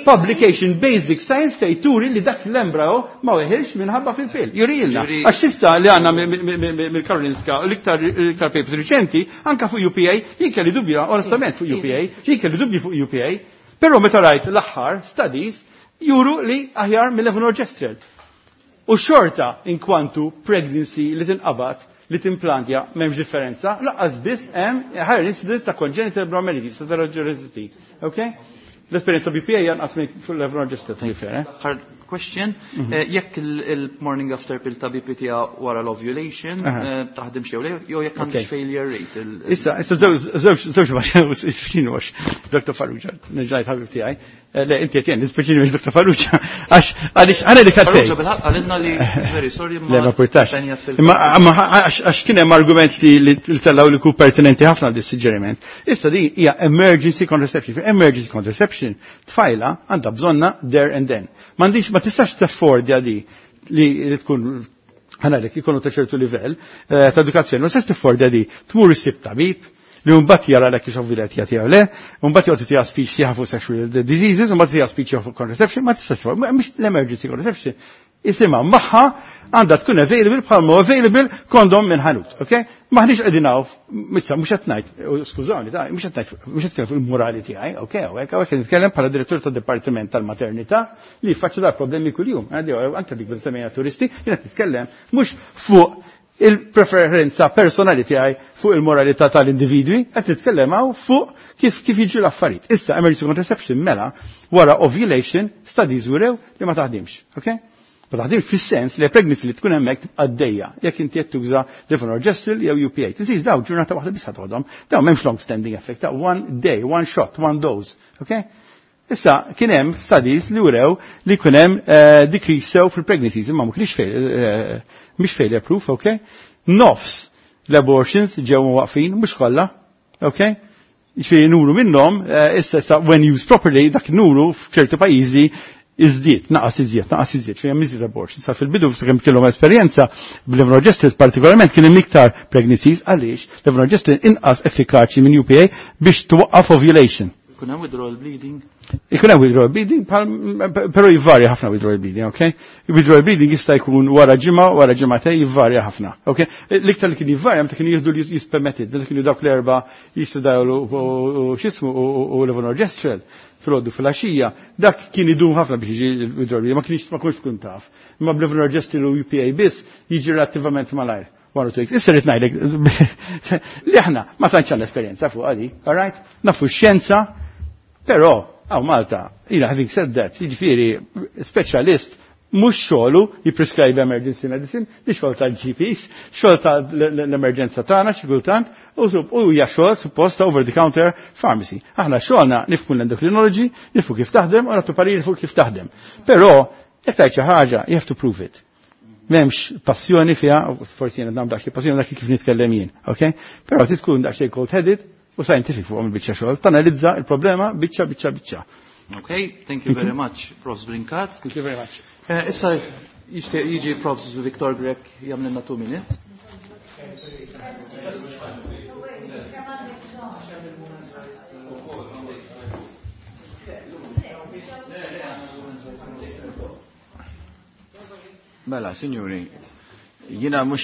publication basic science fejn turi li dak l-embryo ma weħilx minħabba fil-pil. Jurilna. Għax issa li għandna mill-Karolinska l-iktar papers riċenti, anka fuq UPA, jien kelli dubju onestament fuq UPA, jien kelli dubju fuq UPA, però meta rajt l-aħħar studies juru li aħjar mill-levonorgestrel. U xorta inkwantu pregnancy li tinqabad li timplantja m'hemmx differenza, laqqas biss hemm higher incidence ta' congenital abnormalities, ta' teratology. Okay? L-esperienza BPA janqas minn fuq levonorgestrel, to be fair. Aħħar question, jekk il-morning after pill ta' BPT wara l-ovulation, taħdem xew le, jew jekk għandix failure rate. Issa, issa żewġ xinu għax, Dr. Farrugia, nerġajt ħabib tiegħi. Le, inti qed jien, nispeċini biex Dr. Farrugia, għax għaliex għana li Farrugia bil-ħaqq qalilna li very sorry Le, ma portax. Imma għax kien hemm argument li tellaw li ku pertinenti ħafna dis suġġeriment. Issa din hija emergency contraception. Emergency contraception tfajla għandha bżonna there and then. M'għandix ma tistax taffordja di li tkun ħanalek ikunu ta' ċertu livell ta' edukazzjoni, ma tistax tiffordja di tmur issib tabib li mbagħad jara lek kif ovvilet jagħti jew le, mbagħad joqgħod tiegħu speech sieħa fuq sexual diseases, mbagħad tiegħu speech fuq contraception, ma tistax mhux l-emergency contraception. Isimha magħha għandha tkun available bħalma available kondom minn ħanut, ok? Maħniex qegħdin hawn, issa mhux qed ngħid, skużawni, ta' mhux qed ngħid, mhux qed nitkellem fuq il-morali tiegħi, ok, hawnhekk hawnhekk nitkellem bħala direttur tad-dipartiment tal-maternità li jfaċċu dar problemi kuljum, anke dik bil-semmejja turisti, jien qed nitkellem mhux fuq il-preferenza personali tiegħi fuq il-moralità tal-individwi, qed nitkellem hawn fuq kif kif jiġu l-affarijiet. Issa emergency contraception mela wara ovulation studies wrew li ma taħdimx, ok? Ma taħdimx fis-sens li pregnancy li tkun hemmhekk għaddejja jekk inti qed tuża levonorgestrel jew UPA. Tinsiex daw ġurnata waħda biss ħadhom, daw m'hemmx long standing effect, ta' one day, one shot, one dose, ok? Issa kien hemm studies li wrew li kien hemm decrease sew fil-pregnancies, imma ma kienx mhix failure proof, ok? Nofs l-abortions ġew waqfin, mhux kollha, ok? Ġifieri nuru minnhom, issa when used properly, dak nuru f'ċertu pajjiżi iżdiet, naqas iżjed, naqas iżjed, fejn hemm iżjed abortions. Sa fil-bidu sakemm kellhom esperjenza bl-levonorgestrel partikolarment kien hemm iktar pregnancies għaliex levonorgestrel inqas effikaċi minn UPA biex twaqqaf ovulation. Ikun hemm withdrawal bleeding? Ikun hemm withdrawal bleeding, però jvarja ħafna withdrawal bleeding, ok? Withdrawal bleeding jista' jkun wara ġimgħa, wara ġimgħatej jvarja ħafna, ok? L-iktar li kien jvarja meta kienu jieħdu li jispermetted, meta kienu dawk l-erba' jistudawlu u x'ismu u levonorgestrel filgħodu fil-għaxija, dak kien idum ħafna biex jiġi withdrawal bleeding, ma kienx ma kontx tkun taf. Imma b'levonorgestrel u UPA biss jiġi relattivament malajr. 1 or 2 weeks. Issa rrid ngħidlek li aħna ma tantx għandna esperjenza fuq għadi, all right? Nafu x-xjenza, però hawn Malta, jiena having said that, jiġifieri specialist mhux xogħlu jipprescribe emergency medicine, di xogħol tal-GPs, xogħol tal-emerġenza tagħna xi kultant, u hija xogħol suppost ta' over the counter pharmacy. Aħna xogħolna nifhmu l-endocrinology, nifhmu kif taħdem u nagħtu pariri fuq kif taħdem. Però jekk tgħid xi ħaġa, you have to prove it. M'hemmx passjoni fiha, forsi jiena nagħmel daqsxejn passjoni dak kif nitkellem jien, ok? Però trid tkun daqsxejn cold-headed u scientific fuq il-biċċa xogħol, tanalizza il-problema biċċa biċċa biċċa. Okay, thank you very much, Prof. Brincat. Thank you very much. Issa jixtieq jiġi Prof. Victor Grech jagħmlilna 2 minutes. Mela, signori, jina mux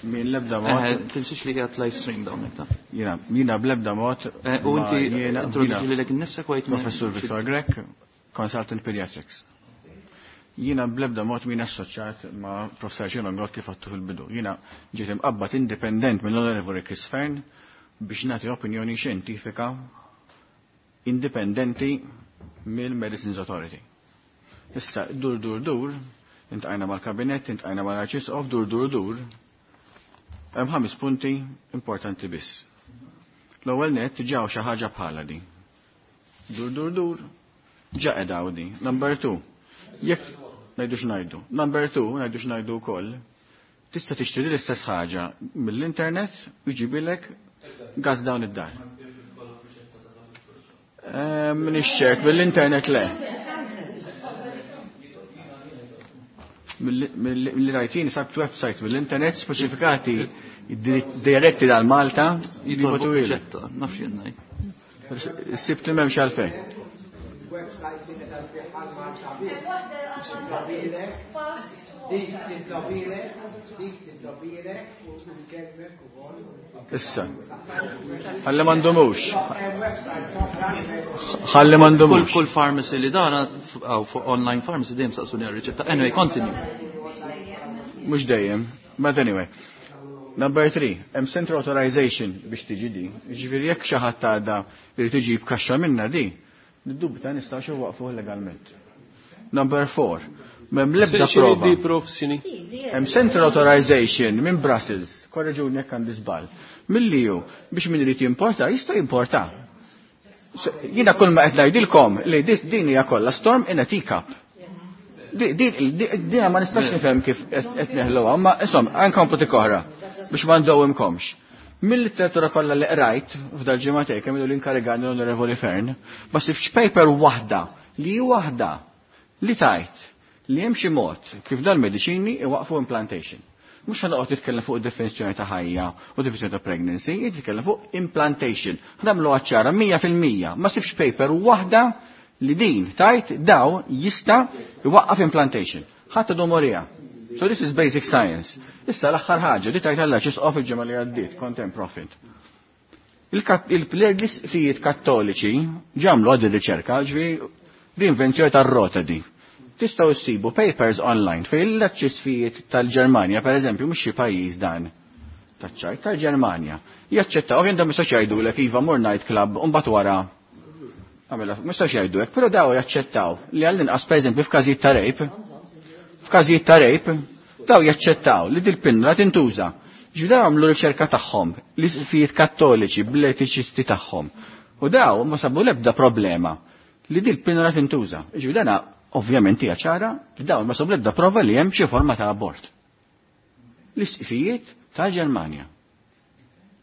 minn lebda mod. Tinsiex li qiegħed live stream dawn ta. Jina bl-ebda mod. U inti introduċi lilek innifsek u għid Professur Victor Grech, Consultant Pediatrics. Jina bl-ebda mod min assoċjat ma' Professor Gino Grott kif għattu fil-bidu. Jina ġiet imqabbad independent mill-Onorevoli Chris Fearne biex nagħti opinjoni xjentifika indipendenti mill-Medicines Authority. Issa, dur, dur, dur, intqajna mal-kabinet, intqajna mal-arċisqof, dur, dur, dur. Hemm 5 punti importanti biss. L-ewwel nett ġew xi ħaġa bħala di. Dur, dur, dur, ġa qegħda di. Number 2, jekk ngħidu x'ngħidu. Number 2, ngħidu x'ngħidu wkoll, tista' tixtri l-istess ħaġa mill-internet u jġibilek gas dawn id-dar. M'iniex ċert, mill-internet le. Mill-li rajtin sabt website mill-internet speċifikati diretti dal Malta Jitolbu jibgħatu ilek. riċetta, nafx jien ngħid. Sibt li m'hemmx għalfejn. Website li qed għal Malta biss. Dik titlobilek, dik titlobilek u tkellmek ukoll. Issa. Ħalli m'għandhomux. Ħalli m'għandhomux. Kull pharmacy li dana, aw, fuq online pharmacy dejjem saqsuni għar-riċetta. Anyway, continue. Mhux dejjem, but anyway. Number 3, hemm central authorization biex tiġi di. Jiġifieri jekk xi ħadd għadha irid iġib kaxxa minna di, niddubita nistgħux iwaqfuh legalment. Number 4, m'hemm l-ebda X'inhi prova. di, Prof, x'inhi? Hemm central authorization minn Brussels, korreġuni jekk għandi żball. Milli hu biex min irid jimporta jista' jimporta. Jiena kull ma qed ngħidilkom li din hija kollha storm in a teacup. Dina ma nistax nifhem kif qed neħluha, ma insomma, anke tik oħra biex ma ndowimkomx. Mill-literatura kollha li qrajt f'dal ġimgħatej kemm ilu l-inkarigani l-Onorevoli Fearne, ma sibx paper waħda li waħda li tajt li hemm xi mod kif dal-mediċini iwaqfu implantation. Mhux ħanoqgħod nitkellem fuq id-definizzjoni ta' ħajja u definizzjoni ta' pregnancy, jitkellem fuq implantation. Nagħmlu ċara mija fil-mija, ma sibx paper waħda li din tajt daw jista' iwaqqaf implantation. Ħadd domorija. So this is basic science. Issa l-aħħar ħaġa li tajt Alla x'isqof il-ġimgħa li għaddiet, content profit. Il-isqfijiet kattoliċi ġamlu għad ir-riċerka, ġifieri l-invenzjoni tar-rota di. Tistgħu ssibu papers online fejn l-arċisqfijiet tal-Ġermanja, per eżempju, mhux xi pajjiż dan taċ-ċajt tal-Ġermanja. Jaċċettaw, ovvjament ma jistax jgħidulek iva mur night club u mbagħad wara. Għamela, ma jistax jgħidu hekk, però daw jaċċettaw li għall-inqas pereżempju f'każijiet ta' rape, f'każijiet ta' rape, daw jaċċettaw li dil-pinna tintuża. Ġifieri daw għamlu riċerka tagħhom, l-isqfijiet kattoliċi bl-etiċisti tagħhom. U daw ma sabu l-ebda problema li dil-pinna tintuża. Ġifieri dana ovvjament hija ċara li dawn ma sabu l-ebda prova li hemm xi forma ta' abort. L-isqfijiet tal-Ġermanja.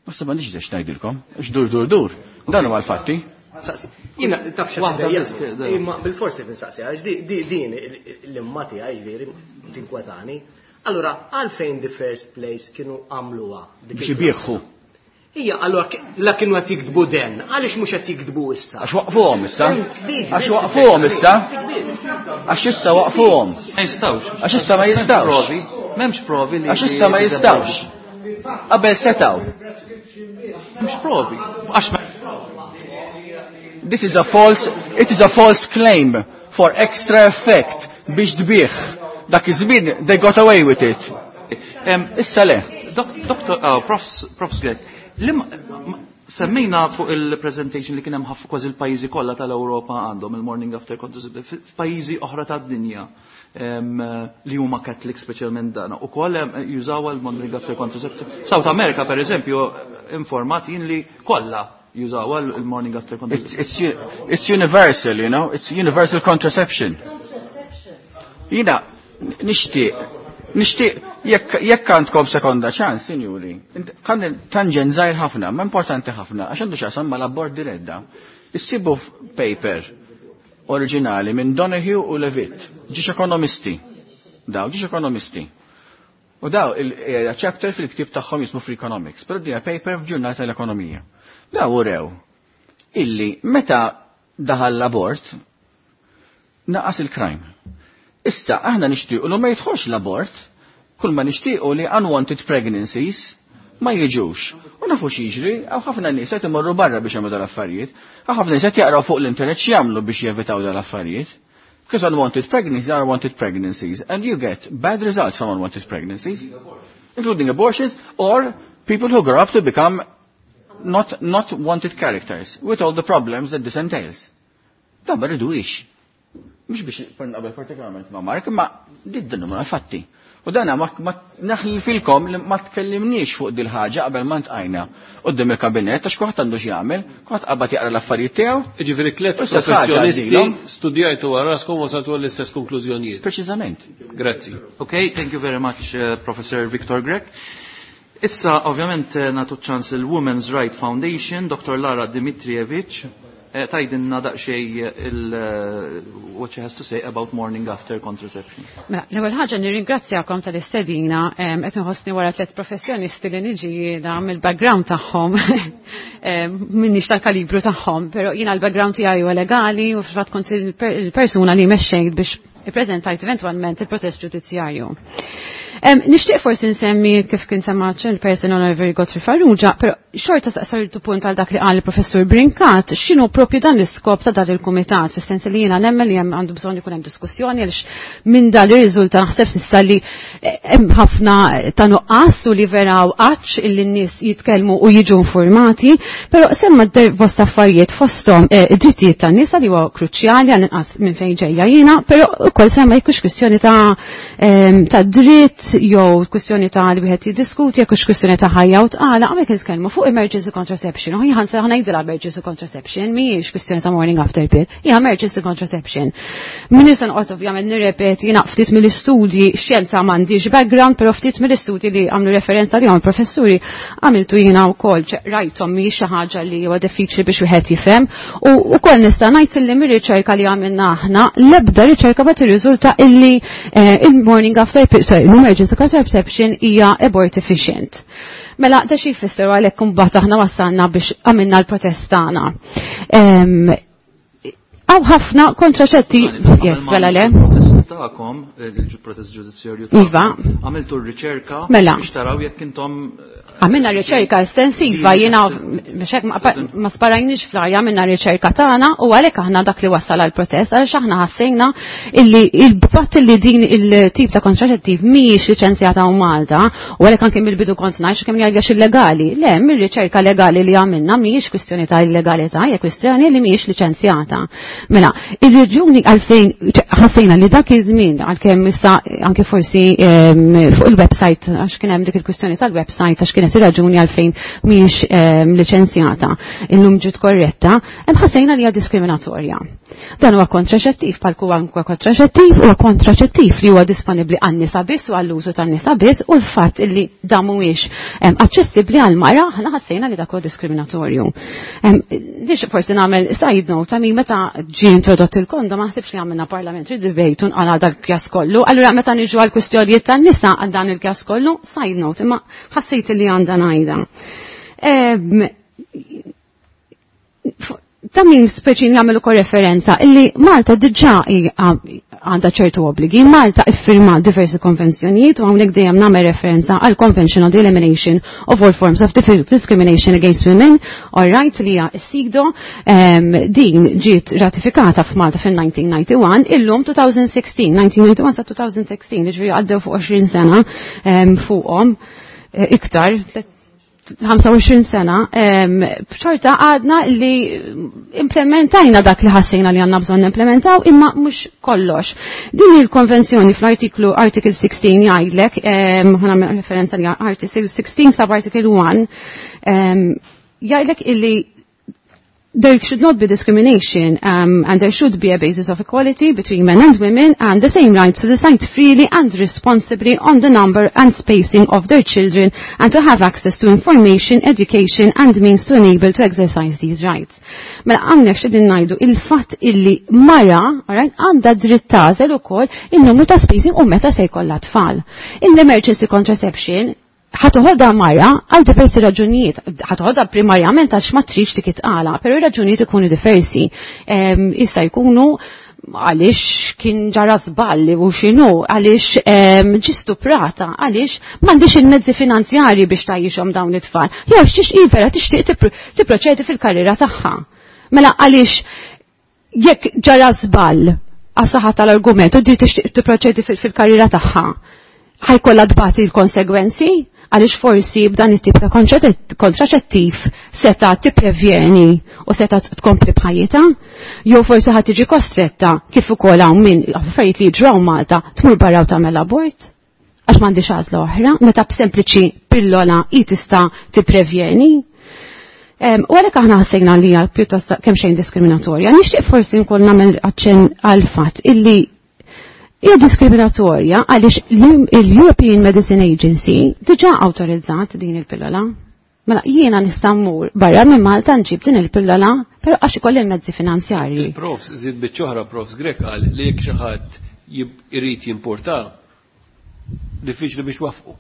Ma sa m'għandix biex ngħidilkom, x'dur dur dur, dan huwa l-fatti. Saqsi, jiena taf xi Waħda ħaġa, biss, kif, imma bil-forsi tinsaqsi, għax din l-imma tiegħi ġifieri tinkwetani. Allura, għalfejn the first place kienu għamluha dik Biex il-prassi? ibieħu. Ija, allora la kienu qed jiktbu den, għaliex mhux qed jiktbu issa? Għax waqfuhom issa. Għax waqfuhom issa. Għax issa waqfuhom. Ma jistgħux. Għax issa ma jistgħux. M'hemmx provi li. Għax issa ma jistgħux. Qabel setgħu. M'hemmx provi. Għax This is a false, it is a false claim for extra effect biex tbigħ. Dak iż-żmien they got away with it. Issa le. Doktor, oh, Profs Grech, semmejna fuq il-presentation li kien hemm ħafna kważi l-pajjiżi kollha tal-Ewropa għandhom il-morning after contraceptive f'pajjiżi oħra tad-dinja li huma Catholic speċjalment dana. Ukoll jużaw il-morning after contraceptive. South America per eżempju informat jien li kollha jużaw il-morning after contraceptive. It's universal, you know, it's universal contraception. Jina, nixtieq jekk għandkom sekonda ċans, sinjuri, kan tangent żgħir ħafna, ma importanti ħafna, għax għandu x'jaqsam mal-abort diretta. Issibu paper oriġinali minn Donoghue u Levitt, ġiex ekonomisti. Daw, ġiex ekonomisti. U daw il-chapter fil-ktib tagħhom jismu Freakonomics, però dina paper f'ġurnal tal-ekonomija. Daw urew illi meta daħal l-abort naqas il-crime. Issa aħna nixtiequ li ma jidħolx l-abort, kull ma nixtiequ li unwanted pregnancies ma jiġux. U nafu x'jiġri, hawn ħafna nies qed imorru barra biex jagħmlu dal-affarijiet, hawn ħafna nies qed jaqraw fuq l-internet x'jagħmlu biex jevitaw dal-affarijiet. Because unwanted pregnancies are unwanted pregnancies, and you get bad results from unwanted pregnancies, including abortions or people who grow up to become not wanted characters, with all the problems that this entails. Dan ma rridux. Mhux biex naqbel partikolarment ma' Mark, ma din huma fatti. U dana ma naħlifilkom li ma tkellimniex fuq dil ħaġa qabel ma ntqajna quddiem il-kabinett għax kulħadd għandu x'jagħmel, kulħadd qabad jaqra l-affarijiet tiegħu. Jiġifieri tliet U istess ħaġa professjonisti għaddilhom. studjajtu għal raskom wasaltu għall-istess konklużjonijiet. Preċiżament. Grazzi. Okay, thank you very much, Professor Victor Grech. Issa, ovvjament, nagħtu ċans il-Women's Right Foundation, Dr. Lara Dimitrijevic, tgħidilna daqsxejn what she has to say about morning after contraception. Mela, l-ewwel ħaġa nirringrazzjakom tal-istedina, qed inħossni wara tliet professjonisti li niġi jiena mill-background tagħhom, minniex tal-kalibru tagħhom, però jiena l-background tiegħi huwa legali u fil-fatt kont il-persuna li mexxejt biex ippreżentajt eventwalment il-protest ġudizzjarju. Nixtieq forsi nsemmi kif kien semma il-person Honorary Godfrey Farrugia, però xorta saqsartu punt għal dak li qal il-professur Brincat, x'inhu propju dan l-iskop ta' dan il-kumitat, fis-sens li jiena nemmen li hemm għandu bżonn ikun hemm diskussjoni għaliex minn dan ir-riżulta naħseb s'issa li hemm ħafna ta' nuqqas u li vera għatx illi n-nies jitkellmu u jiġu informati, però semma bosta affarijiet fosthom id-drittijiet tan-nisa li huwa kruċjali għal inqas minn fejn ġejja jiena, però ukoll semma jekk hux kwistjoni ta' dritt jew kwistjoni ta' li wieħed jiddiskuti, jekk hux kwistjoni ta' ħajja u tqala, hawnhekk nitkellmu fuq emergency contraception. U jien ħa ngħidilha emergency contraception, mhijiex kwistjoni ta' morning after pill, hija emergency contraception. Min se noqgħod ovvjament nirrepeti jiena ftit mill-istudji, xjenza m'għandix background, però ftit mill-istudji li għamlu referenza li għam professuri għamiltu jiena wkoll, rajthom mhijiex xi ħaġa li huwa diffiċli biex wieħed jifhem. U wkoll nista' ngħid illi mir-riċerka li għamilna aħna, l-ebda riċerka ma tirriżulta illi il-morning after pill, sorry, l-emergency contraception hija abortifacient. Mela, da xi jfisser għalhekk imbagħad aħna wasalna biex għamilna l-protest tagħna. Hawn ħafna kontraċetti, yes, mela le. Il-protest tagħkom, il-protest ġudizzjarju tagħkom. Iva. Għamiltu r-riċerka Mela. biex taraw jekk intom Għamilna riċerka estensiva, jiena biex hekk ma sparajniex fl-arja, għamilna riċerka tagħna u għalhekk aħna dak li wassal għall-protest, għaliex aħna ħassejna illi il-fatt li din il-tip ta' kontraċettiv mhijiex liċenzjata u Malta, u għalhekk anke mill-bidu kont ngħid kemm jgħidx illegali. Le, mir-riċerka legali li għamilna mhijiex kwistjoni ta' illegalità, hija kwistjoni li mhijiex liċenzjata. Mela, ir-reġjuni għalfejn ħassejna li dak iż-żmien għalkemm issa anke forsi fuq il-website, għax kien hemm dik il-kwistjoni tal-website, għax kienet ir-raġuni għalfejn mhijiex liċenzjata, illum ġiet korretta, hemm ħassejna li hija diskriminatorja. Dan huwa kontraċettiv, bħal kwalunkwe kontraċettiv, huwa kontraċettiv li huwa disponibbli għan-nisa biss u għall-użu tan-nisa biss, u l-fatt li dan mhuwiex aċċessibbli għall-mara, aħna ħassejna li dak huwa diskriminatorju. Dix forsi nagħmel side note, għami meta ġie introdott il-kondom, ma naħsibx li għamilna parliamentary debate u nqala dal-kjas kollu. Allura meta niġu għall-kwistjonijiet tan-nisa għal dan il-kjas kollu, side note, imma ħassejt li għandha ngħidha. Ta' min speċi jagħmel ukoll referenza illi Malta diġà għandha ċertu obbligi. Malta iffirma diversi konvenzjonijiet u hawnhekk dejjem nagħmel referenza għal Convention on the Elimination of All Forms of Discrimination Against Women, all right, li hija s-SIDO, din ġiet ratifikata f'Malta fil-1991, illum 2016, 1991 sa 2016, jiġifieri għaddew fuq 20 sena fuqhom iktar, 25 sena, xorta għadna li implementajna dak li ħassejna li għanna bżonn implementaw, imma mhux kollox. Din il-konvenzjoni fl-artiklu article 16 jgħidlek, ħana referenza li article 16 sub article 1, jgħidlek illi there should not be discrimination and there should be a basis of equality between men and women and the same right to decide freely and responsibly on the number and spacing of their children and to have access to information, education and means to enable to exercise these rights. Mela hawnhekk x'qegħdin ngħidu il-fatt illi mara, alright, għandha dritt tagħżel ukoll in-numru ta' spacing u meta se jkollha tfal. In-emergency contraception ħatoħodha mara għal diversi raġunijiet, ħatoħodha primarjament għax ma tridx dik itqala, però ir-raġunijiet ikunu diversi. Issa jkunu għaliex kien ġara żballi u x'inhu, għaliex ġi stuprata, għaliex m'għandix il-mezzi finanzjarji biex tgħixhom dawn it-tfal. Jew xiex hi vera tixtieq tipproċedi fil-karriera tagħha. Mela għaliex jekk ġara żball għas-saħħa tal-argument u di tixtieq tipproċedi fil-karriera tagħha, ħajkollha tbati l-konsegwenzi? Għaliex forsi b'dan it-tip ta' kontraċettiv seta' tipprevjeni u seta' tkompli b'ħajjitha, jew forsi ħad tiġi kostretta kif ukoll hawn min affarijiet li jiġraw Malta tmur barra u tagħmel abort għax m'għandix għażla oħra, meta b'sempliċi pillola hi tista' tipprevjeni. U għalhekk aħna ħassejna li hija pjuttost kemm xejn diskriminatorja. Nixtieq forsi nkoll nagħmel aċċenn għal fatt illi hija diskriminatorja għaliex l-European Medicine Agency diġà awtorizzat din il-pillola. Mela jiena nista' mmur barra minn Malta nġib din il-pillola, però għax ikolli l-mezzi finanzjarji. Il-profs żied biċċa oħra profs Grech qal li jekk xi ħadd irid jimporta diffiċli biex wafqu.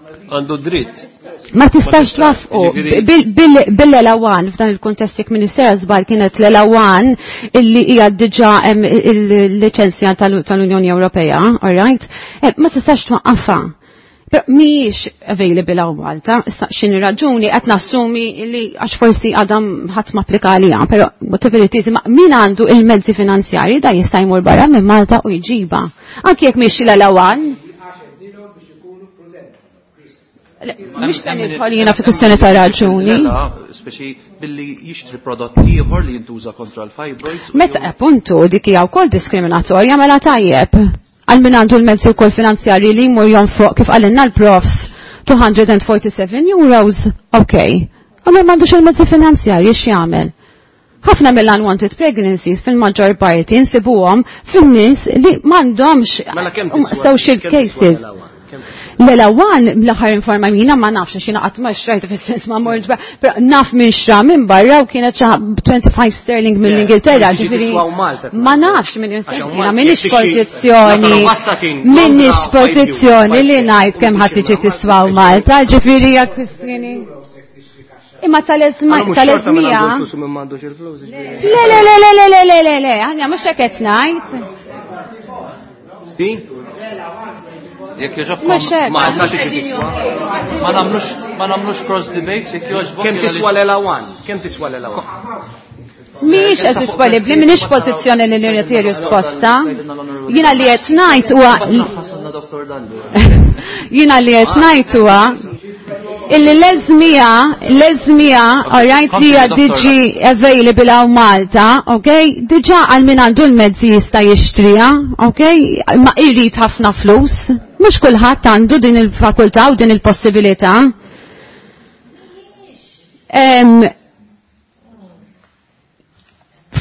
Għandu dritt. Ma tistax twaffqu. Bil-Elawan, f'dan il-kuntest jekk Ministera żball kienet l-Elawan illi hija diġà hemm il-liċenzja tal-Unjoni Ewropea, all right? Ma tistax twaqqafha. Però mhijiex available hawn Malta, issa x'inhi raġuni qed nassumi li għax forsi għadha ħadd ma applika għaliha, però whatever it is, ma min għandu il-mezzi finanzjarji da jista' jmur barra minn Malta u jġibha. Anki jekk mhix l-Elawan. Mhux se nidħol jiena fi kwistjoni ta' raġuni. Speċi billi jixtri prodott ieħor li jintuża kontra l-fibroids. Meta appuntu dik hija wkoll diskriminatorja mela tajjeb. Għal min għandu l-mezzi wkoll finanzjarji li jmur jonfoq kif qalilna l-profs 247 euros, ok. Għamel m'għandux il-mezzi finanzjarji x'jagħmel? Ħafna mill-unwanted pregnancies fil-maġġor parti nsibuhom fin-nies li m'għandhomx social cases. L-elawan l-aħħar informajina ma nafx għax jiena qatt ma xrajt fis-sens ma mortx però naf minn xra minn barra u kienet xi 25 sterling mill-Ingilterra, ġifieri ma nafx minn jiena m'iniex pożizzjoni m'iniex pożizzjoni li ngħid kemm ħadd tiġi tiswa Malta, ġifieri hija kwistjoni. Imma tal-eżmija. Le, le, le, le, le, le, le, le, aħna mhux hekk qed ngħid. Jekk jogħġobkom, Malta tiġi tiswa. Ma nagħmlux ma nagħmlux cross debates jekk jogħġbok. Kemm tiswa l-elawan? Kemm tiswa l-elawan? Mhijiex qed disponibbli, m'iniex pożizzjoni li nirriti risposta. Jiena li qed ngħid huwa Jiena li qed ngħid huwa illi l-eżmija, l-eżmija, all right, li hija diġi available hawn Malta, ok? Diġà għal min għandu l-mezzi jista' jixtriha, ok? Ma jrid ħafna flus. Mhux kulħadd għandu din il-fakultà u din il-possibilità.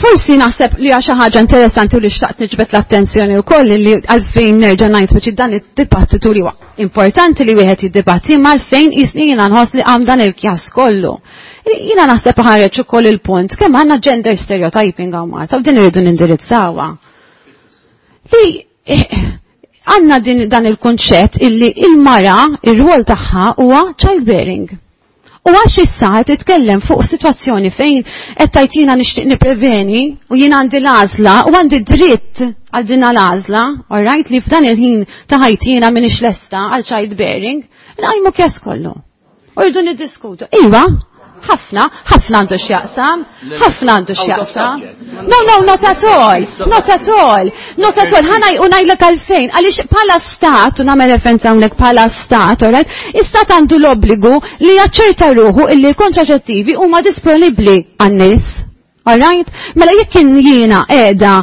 Forsi naħseb li xi ħaġa interessanti u li xtaqt niġbed l-attenzjoni wkoll li għalfejn nerġa' ngħid biex dan id-dibattitu li huwa importanti li wieħed jiddibatti ma għalfejn jisni jiena nħoss li qam dan il-kjas kollu. Jiena naħseb ħareġ ukoll il-punt kemm għandna gender stereotyping hawn Malta u din irridu nindirizzawha. Li għandna din dan il-kunċett illi il-mara ir-rwol tagħha huwa childbearing. U għax issa qed titkellem fuq sitwazzjoni fejn qed tgħid jiena nixtieq nippreveni u jiena għandi l-għażla u għandi dritt għal din l-għażla, all right, li f'dan il-ħin ta' ħajti jiena m'iniex lesta għal child bearing, nqajmu kjes kollu. U rridu niddiskutu. Iva, ħafna, ħafna għandu x'jaqsam, ħafna għandu x'jaqsam. No, no, not at all, not at all, not at all. Ħana u ngħidlek għalfejn, għaliex bħala stat, u nagħmel referenza hawnhekk bħala stat, all right, istat għandu l-obbligu li jaċċerta ruħu illi l-kontraċettivi huma disponibbli għan-nies. All right? Mela jekk kien jiena qiegħda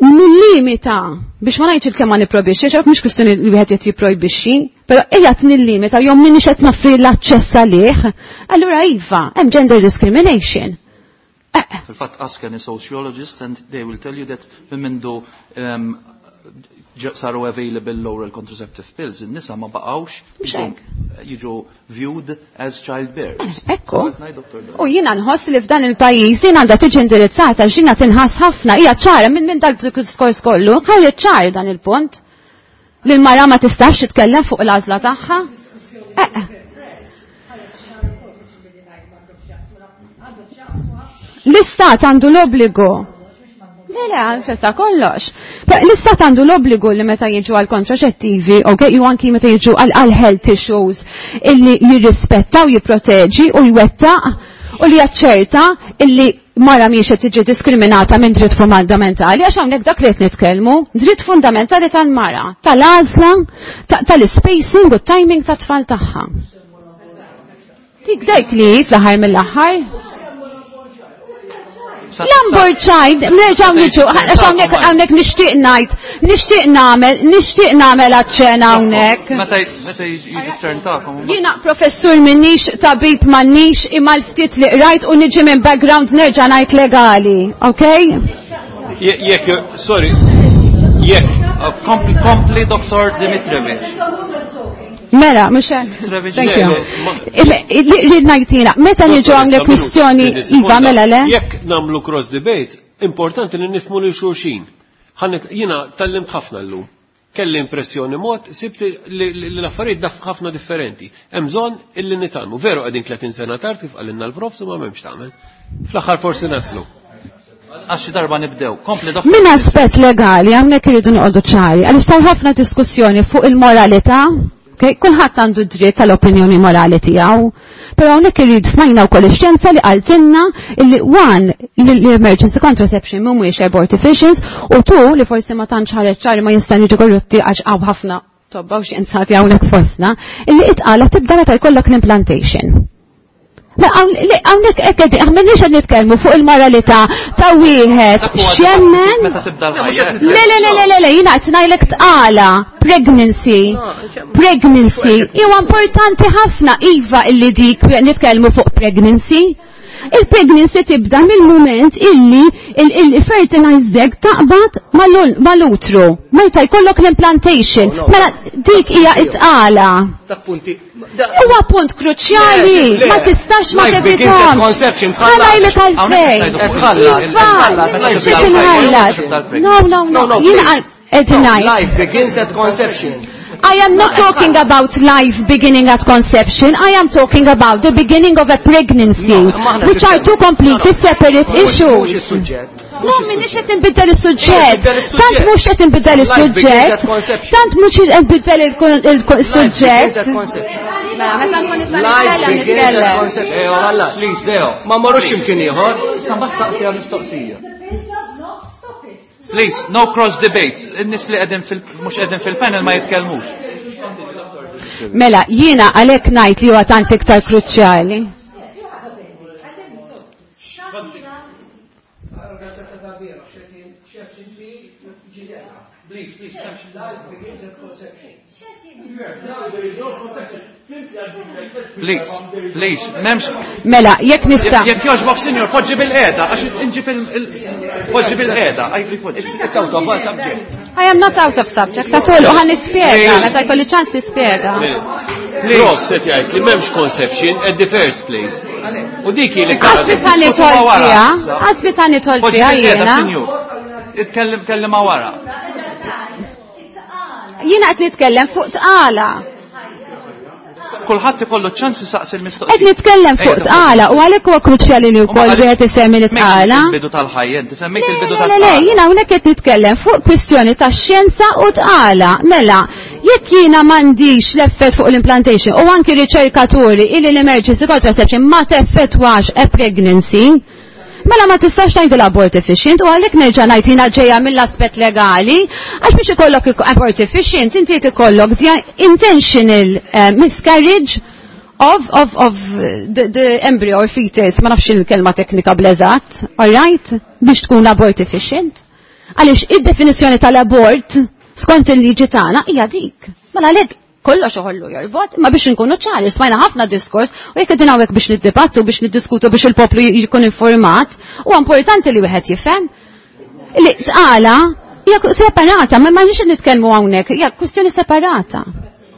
nillimita biex ma ngħidx il-kemm ma nipprojbixxi, għax mhux kwistjoni li wieħed qed jipprojbixxi, però qiegħed nillimita jew m'iniex qed noffri l-aċċess għalih, allura iva, hemm gender discrimination. Fil-fatt ask any sociologist and they will tell you that minn mindu saru available oral contraceptive pills, in-nisa ma baqgħux jiġu viewed as childbearers. Ekku. U jiena nħoss li f'dan il-pajjiż din għandha tiġi indirizzata x'jiena tinħass ħafna hija ċara minn dak diskors kollu, ħareġ ċar dan il-punt. Li l-mara ma tistax titkellem fuq l-għażla tagħha. L-istat għandu l-obbligu. Le, le, festa kollox. L-istat għandu l-obbligu li meta jiġu għal kontraċettivi, ok, ju anki meta jiġu għal health issues, illi jirrispetta u jipproteġi u jwettaq u li jaċċerta illi mara mhijiex qed tiġi diskriminata minn dritt fundamentali, għax hawnhekk dak li qed nitkellmu, dritt fundamentali tal-mara, tal-għażla, tal-spacing u timing tat-tfal tagħha. Dik dik li fl-aħħar mill-aħħar. L-unborn child, nerġaw niġu, għax hawnhekk nixtieq ngħid, nixtieq nagħmel, nixtieq nagħmel aċċena hawnhekk. Meta jiġi t-turn tagħkom. Jiena professur minnix, tabib m'għandix, imma l-ftit li qrajt u niġi minn background nerġa' ngħid legali, ok? Jekk, sorry, jekk. Kompli Dr. Dimitrijevic. Mela, mhux hekk. Thank you. Rrid ngħidilha, meta niġu hawnhekk kwistjoni iva mela le? Jekk nagħmlu cross debates, importanti li nifhmu lil xulxin. Jiena tallimt ħafna llum. Kelli impressjoni mod, sibt li l-affarijiet daf ħafna differenti. Hemm bżonn illi nitgħallmu. Veru qegħdin 30 sena tard kif qalilna l-profs ma m'hemmx tagħmel. Fl-aħħar forsi naslu. Għax xi darba nibdew. Kompli doktor. Minn aspett legali hawnhekk irridu noqogħdu ċari, għaliex sar ħafna diskussjoni fuq il-moralità. Okay? Kulħadd għandu dritt tal-opinjoni morali tiegħu. Però hawnhekk irrid smajna wkoll ix-xjenza li qaltilna illi one li l-emergency contraception mhumiex abortifacients u two li forsi ma tantx ħareġ ċari ma jista' jiġu korrotti għax hawn ħafna tobba u xjenzati hawnhekk fostna, illi itqala tibda meta jkollok l-implantation. Hawnhekk hekk qegħdin, aħna m'għandniex qed nitkellmu fuq il-moralità ta' wieħed x'jemmen. Meta tibda l-ħajja. Le, le, le, le, le, le, jiena qed ngħidlek tqala, pregnancy. Pregnancy. Huwa importanti ħafna iva illi dik nitkellmu fuq pregnancy. Il-pregnancy tibda mill-moment illi il-fertilized egg taqbad mal-utru. Meta jkollok l-implantation. Mela dik hija it-tqala. Dak punti. Huwa punt kruċjali, ma tistax ma Life begins at tevitomx. conception, Ħa ngħidlek għalfejn. Tħallas. Iva, xi tinħallas. No, no, no, jiena qed ngħid. Life begins at conception. I am not talking about life beginning at conception, I am talking about the beginning of a pregnancy, which are two completely separate issues. Mhux is-suġġett. No, minix qed inbiddel is-suġġett. Tant mhux qed inbiddel is-suġġett. Tant mhux qed inbiddel il-suġġett. Mela, meta nkun nista' nitkellem nitkellem. Leo, ħallas, please, Leo. Ma marrux x'imkien ieħor. Issa mbagħad saqsi għal mistoqsija. Please, no cross debates. In-nies li qegħdin fil mhux qegħdin fil-panel ma jitkellmux. Mela, jiena għalhekk ngħid li huwa tant iktar kruċjali. Please, please, life begins at conception. Please, please, memx. Mela, jekk nista'. Jekk jogħġbok, sinjor, poġġi bil-qiegħda, għax inġi fil- poġġi bil-qiegħda. It's out of subject. I am not out of subject at all, u ħa nispjega, meta jkolli ċans nispjega. Prof se jgħid li m'hemmx conception at the first place. U dik hi li Qasbi ta' nitol fiha, qasbi ta' nitol fiha jiena. Itkellem kellima wara. Jiena qed nitkellem fuq tqala. Kulħadd ikollu ċans isaqsi l-mistoqsija. Qed nitkellem fuq tqala u għalhekk huwa kruċjali li wkoll wieħed isemmi li tqala. Il-bidu tal-ħajja, inti semmejt il-bidu tal-ħajja. Le, le, jiena hawnhekk qed nitkellem fuq kwistjoni ta' xjenza u tqala. Mela, jekk jiena m'għandix l-effett fuq l-implantation u anki riċerkaturi illi l-emergency contraception ma teffettwax a pregnancy, Mela ma tistax tgħid l-abort efficient u għalhekk nerġa' ngħid jiena ġejja mill-aspett legali għax biex ikollok abort efficient inti ikollok intentional eh, miscarriage of, of, of the, the embryo or fetus, ma nafx il-kelma teknika bleżat, all right? Biex tkun abort efficient. Għaliex id-definizzjoni tal-abort skont il-liġi tagħna hija dik. Mela għalhekk kollox uħollu jorbot, ma biex nkunu ċari, smajna ħafna diskors, u jekk qegħdin hawnhekk biex niddibattu, biex niddiskutu biex il-poplu jkun informat, u importanti li wieħed jifhem. Li tqala hija separata, ma nix nitkellmu hawnhekk, hija kwistjoni separata.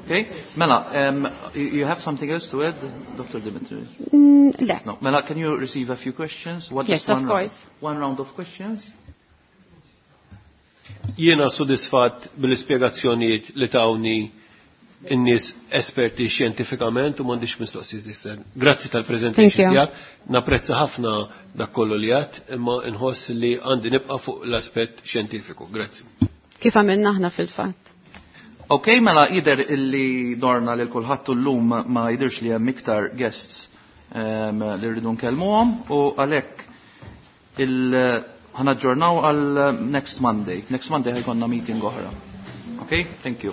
Okay, Mela, um, you have something else to add, Dr. Dimitri? Mm, le. No. Mela, can you receive a few questions? What yes, of course. Round? One round of questions. Jiena sodisfatt bil-ispjegazzjonijiet li tawni in-nies esperti xjentifikament u m'għandix mistoqsijiet issa. Grazzi tal-presentation tiegħek, napprezza ħafna dak kollu li għadt, imma nħoss li għandi nibqa' fuq l-aspett xjentifiku. Grazzi. Kif għamilna aħna fil-fatt? Ok, mela jider illi dorna lil kulħadd llum ma jidirx li hemm iktar guests um, li rridu nkellmuhom u għalhekk il ħanaġġornaw għal next Monday. Next Monday ħajkonna meeting oħra. Ok, thank you.